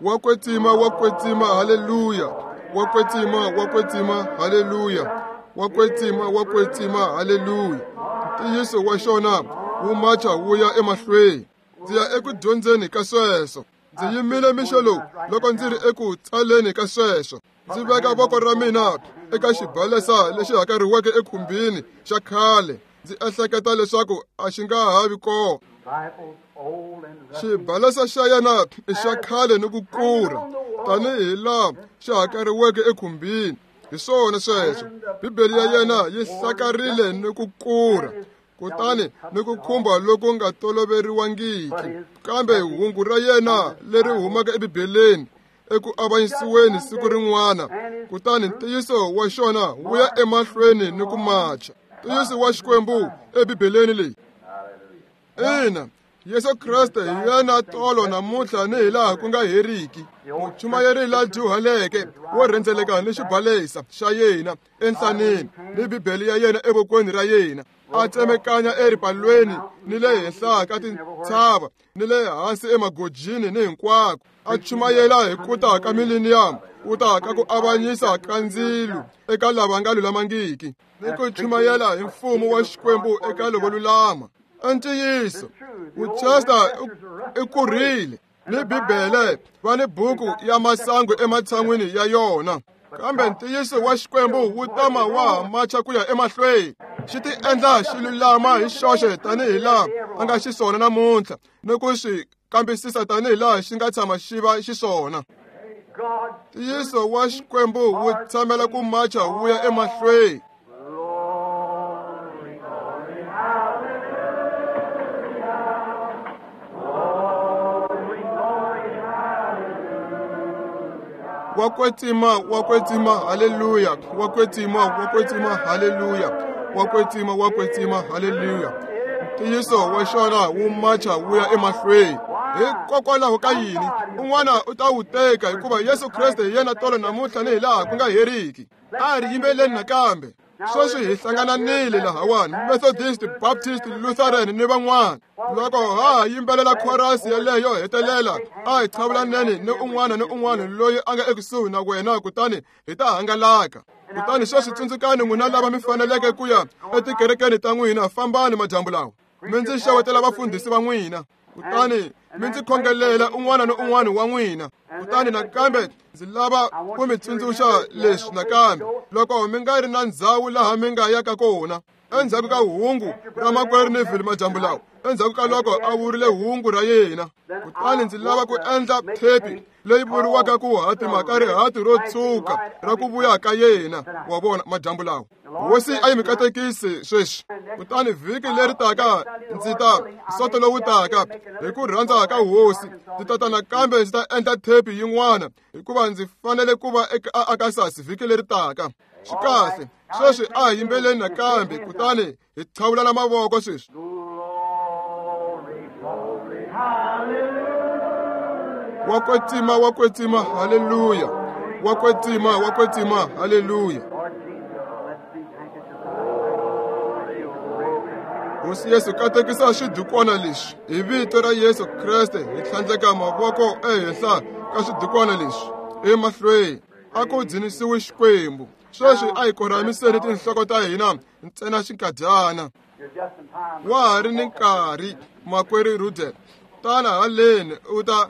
Wa kwetsima, wa kwetsima, haleluya. Wa kwetsima, wa kwetsima, haleluya. Wa kwetsima, wa kwetsima, haleluya. Ntiyiso wa xona wu macha wu ya emahlweni. Ndzi ya eku dyondzeni ka sweswo. Ndzi yimile mixo lowu loko ndzi ri eku tsaleni ka sweswo. Ndzi veka voko ra mina eka xibalesa lexi hakariweke ekhumbini xa khale. Ndzi ehleketa leswaku a xi nga ha vi kona. Xibalesa xa yena i xa khale ni ku kura, tanihi laha xi hakariweke ekhumbini. Hi swona sweswo, Bibele ya yena yi hlakarile ni ku kura, kutani ni ku khumba loku nga toloveriwangiki. Kambe hungu ra yena leri humaka eBibeleni eku avanyisiweni siku rin'wana, kutani ntiyiso wa xona wu ya emahlweni ni ku macha. Ntiyiso wa Xikwembu eBibeleni leyi. Ina, Yesu Kreste hi yena tolo namuntlha ni hilaha ku nga heriki. Muchumayeri la dyuhaleke wo rhendzeleka ni xibalesa xa yena enhlaneni ni Bibele ya yena evokweni ra yena, a tsemekanya eripalweni ni le henhla ka tintshava ni le hansi emagojini ni hinkwako, a chumayela hi ku ta ka mileniyamu, ku ta ka ku avanyisa ka ndzilo eka lava nga lulamangiki, ni ku chumayela hi mfumo wa Xikwembu eka lavo lulama. Ntiyiso, Winchester i kurile ni Bibele va ni buku ya masangu ematshan'wini ya yona, kambe ntiyiso wa Xikwembu wu tama wa ha macha ku ya emahlweni. Xi ti endla xi lulama hi xoxe tanihi laha a nga xiswona namuntlha, ni ku swi kambisisa tanihi laha xi nga tshama xi va xiswona. Ntiyiso wa Xikwembu wu tshamela ku macha wu ya emahlweni. Wa kwetsima, wa kwetsima, haleluya. Wa kwetsima, wa kwetsima, haleluya. Wa kwetsima, wa kwetsima, haleluya. Ntiyiso wa xona wu macha wu ya emahlweni. Hikokwalaho ka yini? Un'wana u ta wu teka, hikuva Yesu Kreste hi yena tolo namuntlha ni hilaha ku nga heriki. A ri yimbeleni nakambe. Sweswi hi hlangananile lahawani, Methodist, Baptist, Lutheran ni van'wana. Loko ha yimbelela chorus yeleyo hetelela, a hi chavulaneni ni un'wana ni un'wana loyi a nga ekusuhi na wena, kutani hi ta hangalaka. Kutani sweswi tsundzukani n'wina lava mi faneleke ku ya etikerekeni ta n'wina, fambani madyambu lawa, mi ndzi xewetela vafundhisi va n'wina, kutani mi ndzi khongelela un'wana ni un'wana wa n'wina. Kutani nakambe ndzi lava ku mi tsundzuxa leswi nakambe, loko mi nga ri na ndzhawu laha mi nga yaka kona endzhaku ka hungu ra makwerhu Neville madyambu lawa, endzhaku ka loko a vurile hungu ra yena, kutani ndzi lava ku endla thepi leyi vuriwaka ku hatima ka rihati ro tshuka ra ku vuya ka yena, wa vona, madyambu lawa. Hosi a yi mi katekisi sweswi. Kutani vhiki leri taka ndzi ta soto lowu taka hi ku rhandza ka Hosi, ndzi ta ta nakambe ndzi ta endla thepi yin'wana, hikuva ndzi fanele ku va eka Arkansas vhiki leri taka. Swi kahle, sweswi a hi yimbeleni nakambe, kutani hi qhavulana mavoko sweswi. Wa kwetsima, wa kwetsima, haleluya. Wa kwetsima, wa kwetsima, haleluya. Hosi Yesu, katekisa xidukwana lexi hi vito ra Yesu Kreste. Hi tlhandleka mavoko ehenhla ka xidukwana lexi emahlweni. A ku dzunisiwe Xikwembu. Sweswi a hi korhamiseni tinhloko ta hina ntsena xinkadyana. Wa ha ri ni nkarhi, makwerhu Rudel, tana haleni u ta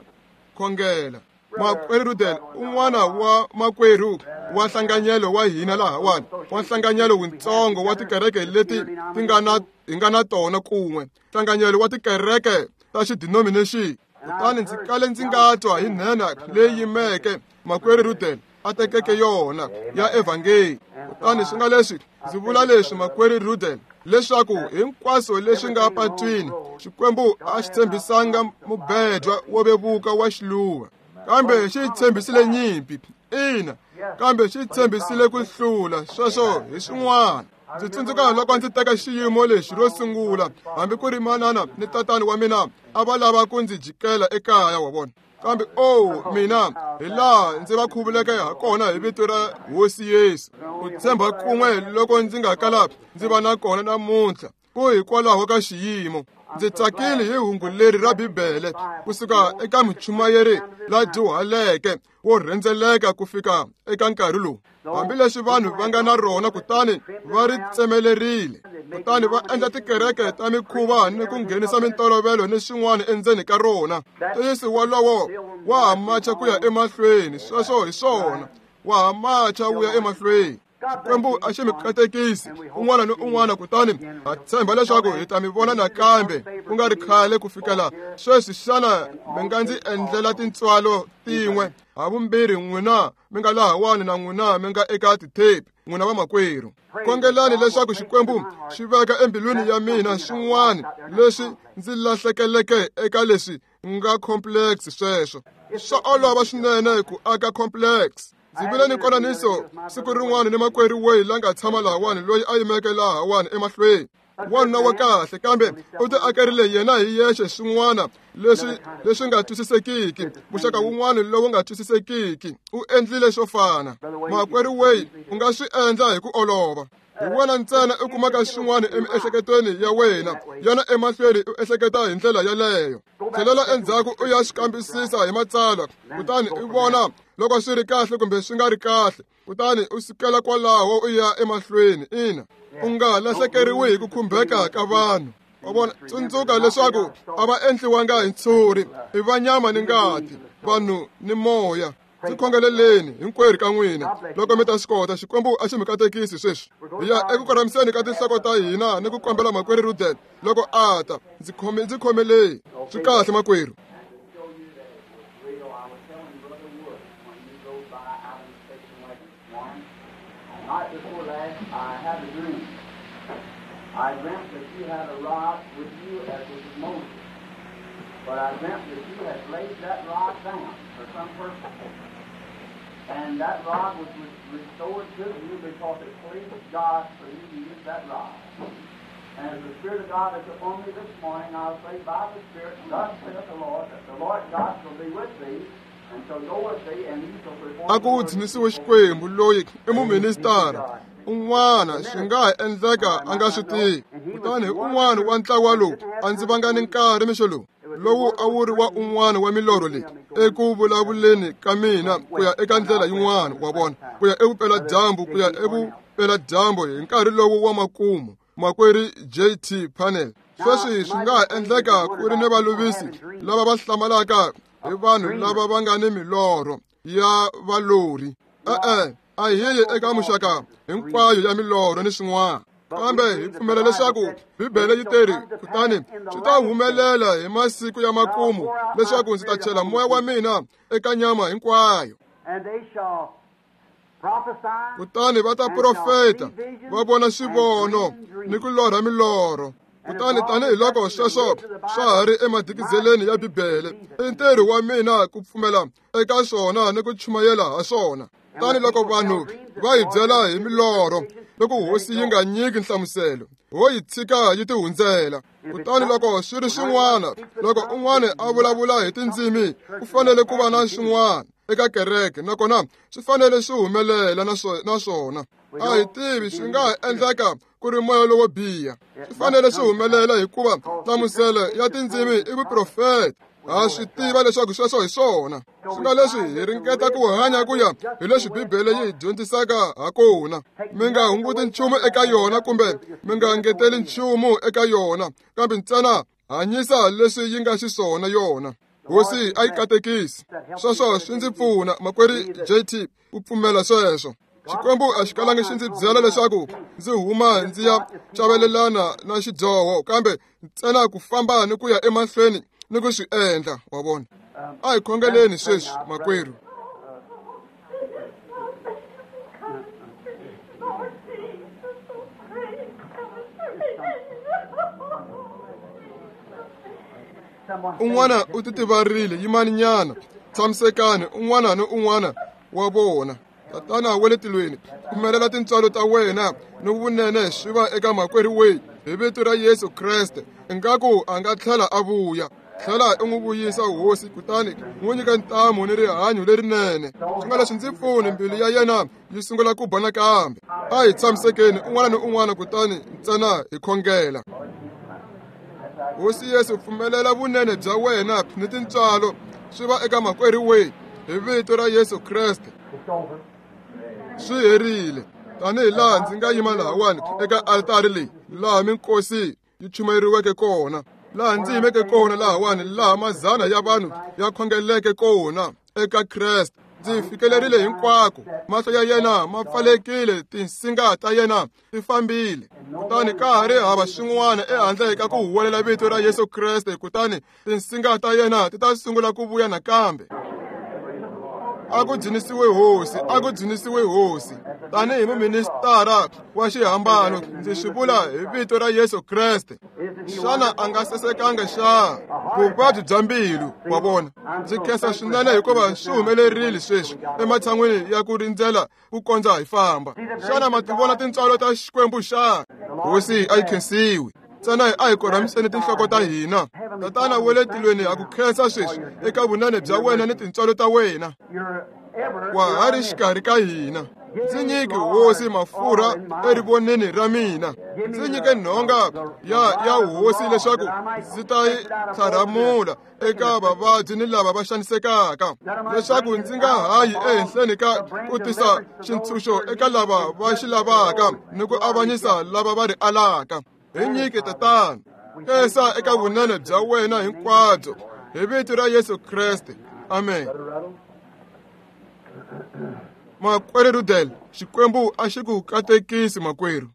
khongela. Makwerhu Rudel, un'wana wa makwerhu wa nhlanganyelo wa hina lahawani, wa nhlanganyelo wutsongo wa tikereke leti ti nga na hi nga na tona kun'we, nhlanganyelo wa tikereke ta xidenomination. Kutani ndzi kale ndzi nga twa hi nhenha leyi yimeke makwerhu Rudel a tekeke yona ya evhangeli. Kutani swi nga leswi ndzi vula leswi, makwerhu Rudel, leswaku hinkwaswo leswi nga patwini, Xikwembu a xi tshembisanga mubedwa wo vevuka wa xiluva, kambe xi tshembisile nyimpi. Ina, kambe xi tshembisile ku hlula. Sweswo hi swin'wana. Ndzi tsundzuka loko ndzi teka xiyimo lexi ro sungula, hambi ku ri manana ni tatani wa mina a va lava ku ndzi jikela ekaya, wa vona. Kambe oh mina, hi laha ndzi va khuvuleke ha kona hi vito ra Hosi Yesu. Ku tshemba kun'we loko ndzi nga kala ndzi va na kona namuntlha, ku hikwalaho ka xiyimo. Ndzi tsakile hi hungu leri ra Bibele kusuka eka muchumayeri la dyuhaleke wo rhendzeleka ku fika eka nkarhi lowu, hambileswi vanhu va nga na rona, kutani va ri tsemelerile, kutani va endla tikereke ta mikhuva ni ku nghenisa mintolovelo ni swin'wana endzeni ka rona. Ntiyiso wolowo wa ha macha ku ya emahlweni. Sweswo hi swona, wa ha macha wu ya emahlweni. Xikwembu a xi mi katekisi un'wana ni un'wana, kutani ha tshemba leswaku hi ta mi vona nakambe ku nga ri khale. Ku fikela sweswi, xana mi nga ndzi endlela tintswalo tin'we havumbirhi, n'wina mi nga lahawani na n'wina mi nga eka tithepi, n'wina vamakwerhu? Khongelani leswaku Xikwembu xi veka embilwini ya mina swin'wana leswi ndzi lahlekeleke eka leswi nga complex. Sweswo swa olova swinene ku aka complex. Ndzi vile ni nkonaniso siku rin'wana ni makwerhu weyi la nga tshama lahawani, loyi a yimeke lahawani emahlweni. Wanuna wa kahle, kambe u ti akerile yena hi yexe swin'wana leswi leswi nga twisisekiki, muxaka wun'wana lowu nga twisisekiki. U endlile swo fana. Makwerhu Way, u nga swi endla hi ku olova. Hi wena ntsena u kumaka swin'wana emiehleketweni ya wena, yana emahlweni u ehleketa hi ndlela yaleyo. Tlhelela endzhaku u ya swi kambisisa hi matsalwa, kutani u vona loko swi ri kahle kumbe swi nga ri kahle, kutani u sukela kwalaho u ya emahlweni. Ina, u nga lahlekeriwi hi ku khumbeka ka vanhu. Wa vona, tsundzuka leswaku a va endliwanga hi ntshuri, i va nyama ni ngati, vanhu ni moya. Ndzi khongeleleni hinkwerhu ka n'wina loko mi ta swi kota. Xikwembu a xi mi katekisi sweswi. Hi ya eku korhamiseni ka tinhloko ta hina ni ku kombela makwerhu Rudel loko a ta. Ndzi khome ndzi khomeleni. Swi kahle makwerhu. I dreamt that you had a rod with you as was Moses, but I dreamt that you had laid that rod down for some purpose, and that rod was restored to you because it pleased God for you to use that rod. And as the Spirit of God is upon me this morning, I'll say by the Spirit, thus saith the Lord, that the Lord God shall be with thee, and shall go with thee, and you shall perform. A ku dzunisiwe Xikwembu loyi i muministara un'wana swi nga ha endleka a nga swi tivi. Kutani un'wana wa ntlawa lowu a ndzi vanga ni nkarhi mixo lowu lowu a wu ri wa un'wana wa milorho leyi eku vulavuleni ka mina ku ya eka ndlela yin'wana, wa vona, ku ya evupeladyambu, ku ya evupeladyambu hi nkarhi lowu wa makumu. Makwerhu J T Panel. Sweswi swi nga ha endleka ku ri ni valuvisi lava va hlamalaka hi vanhu lava va nga ni milorho ya valori. E-e, a hi yi eka muxaka hinkwayo ya milorho ni swin'wana, kambe hi pfumela leswaku Bibele yi teri, kutani swi ta humelela hi masiku ya makumu leswaku ndzi ta chela moya wa mina eka nyama hinkwayo. Kutani va ta profeta, va vona swivono ni ku lorha milorho. Kutani tanihiloko sweswo swa ha ri emadikizeleni ya Bibele, i ntirho wa mina ku pfumela eka swona ni ku chumayela ha swona. Tani loko vanhu va hi byela hi milorho, loko hosi yi nga nyiki nhlamuselo, ho yi tshika yi tihundzela. Kutani loko swi ri swin'wana, loko un'wana a vulavula hi tindzimi, ku fanele ku va na swin'wana eka kereke, nakona swi fanele swi humelela na swona. A hi tivi, swi nga ha endleka ku ri moya lowo biha. Swi fanele swi humelela hikuva nhlamuselo ya tindzimi i vuprofeta. Ha swi tiva leswaku sweswo hi swona. Swi nga leswi hi ringeta ku hanya ku ya hi leswi Bibele yi hi dyondzisaka ha kona. Mi nga hunguti nchumu eka yona kumbe mi nga ngeteli nchumu eka yona, kambe ntsena hanyisa leswi yi nga xiswona yona. Hosi a yi katekisi. Sweswo swi ndzi pfuna, makwerhu J T, ku pfumela sweswo. Xikwembu a xi kalangi xi ndzi byela leswaku ndzi huma ndzi ya chavelelana na xidyoho, kambe ntsena ku famba ni ku ya emahlweni ni ku swi endla, wa vona. A hi khongeleni sweswi, makwerhu. Un'wana u titivarile, yimani nyana, tshamisekani, un'wana ni un'wana wa vona. Tatana wa le tilweni, pfumelela tintswalo ta wena ni vunene swi va eka makwerhu Way hi vito ra Yesu Kreste. Ingaku a nga tlhela a vuya. Tlhela u n'wi vuyisa hosi, kutani n'wi nyika ntamu ni rihanyo lerinene. Swi nga leswi ndzi pfuni, mbilu ya yena yi sungula ku ba nakambe. A hi tshamisekeni un'wana ni un'wana, kutani ntsena hi khongela. Hosi Yesu, pfumelela vunene bya wena ni tintswalo swi va eka makwerhu Way hi vito ra Yesu Kreste. Swi herile. Tanihi laha ndzi nga yima lahawani eka altari leyi, laha minkosi yi chumayeriweke kona, laha ndzi yimeke kona lahawani, laha mazana ya vanhu ya khongeleke kona eka Kreste. Ndzi fikelerile hinkwako. Mahlo ya yena ma pfalekile, tinsinga ta yena ti fambile. Kutani ka ha ri hava swin'wana ehandle ka ku huwelela vito ra Yesu Kreste, kutani tinsinga ta yena ti ta sungula ku vuya nakambe. A ku dzunisiwe Hosi, a ku dzunisiwe Hosi. Tanihi muministara wa xihambano, ndzi swi vula hi vito ra Yesu Kreste. Xana a nga sasekanga xa? Vuvabyi bya mbilu, wa vona. Ndzi khensa swinene hikuva swi humelerile sweswi ematshan'wini ya ku rindzela ku kondza hi famba. Xana ma ti vona tintswalo ta Xikwembu xa? Hosi a yi khensiwi. Ntsena a hi korhamiseni tinhloko ta hina. Tatana wa le tilweni, ha ku khensa sweswi eka vunene bya wena ni tintswalo ta wena. Wa ha ri xikarhi ka hina. Ndzi nyike Hosi mafurha erivoneni ra mina. Ndzi nyike nhonga ya ya Hosi leswaku ndzi ta yi tlharamula eka vavabyi ni lava va xanisekaka, leswaku ndzi nga hayi ehenhleni ka ku tisa xintshunxo eka lava va xi lavaka ni ku avanyisa lava va ri alaka. Hi nyike Tatana, khensa eka vunene bya wena hinkwabyo, hi vito ra Yesu Kreste. Amen. Makwerhu Rudel, Xikwembu a xi ku katekisi makwerhu.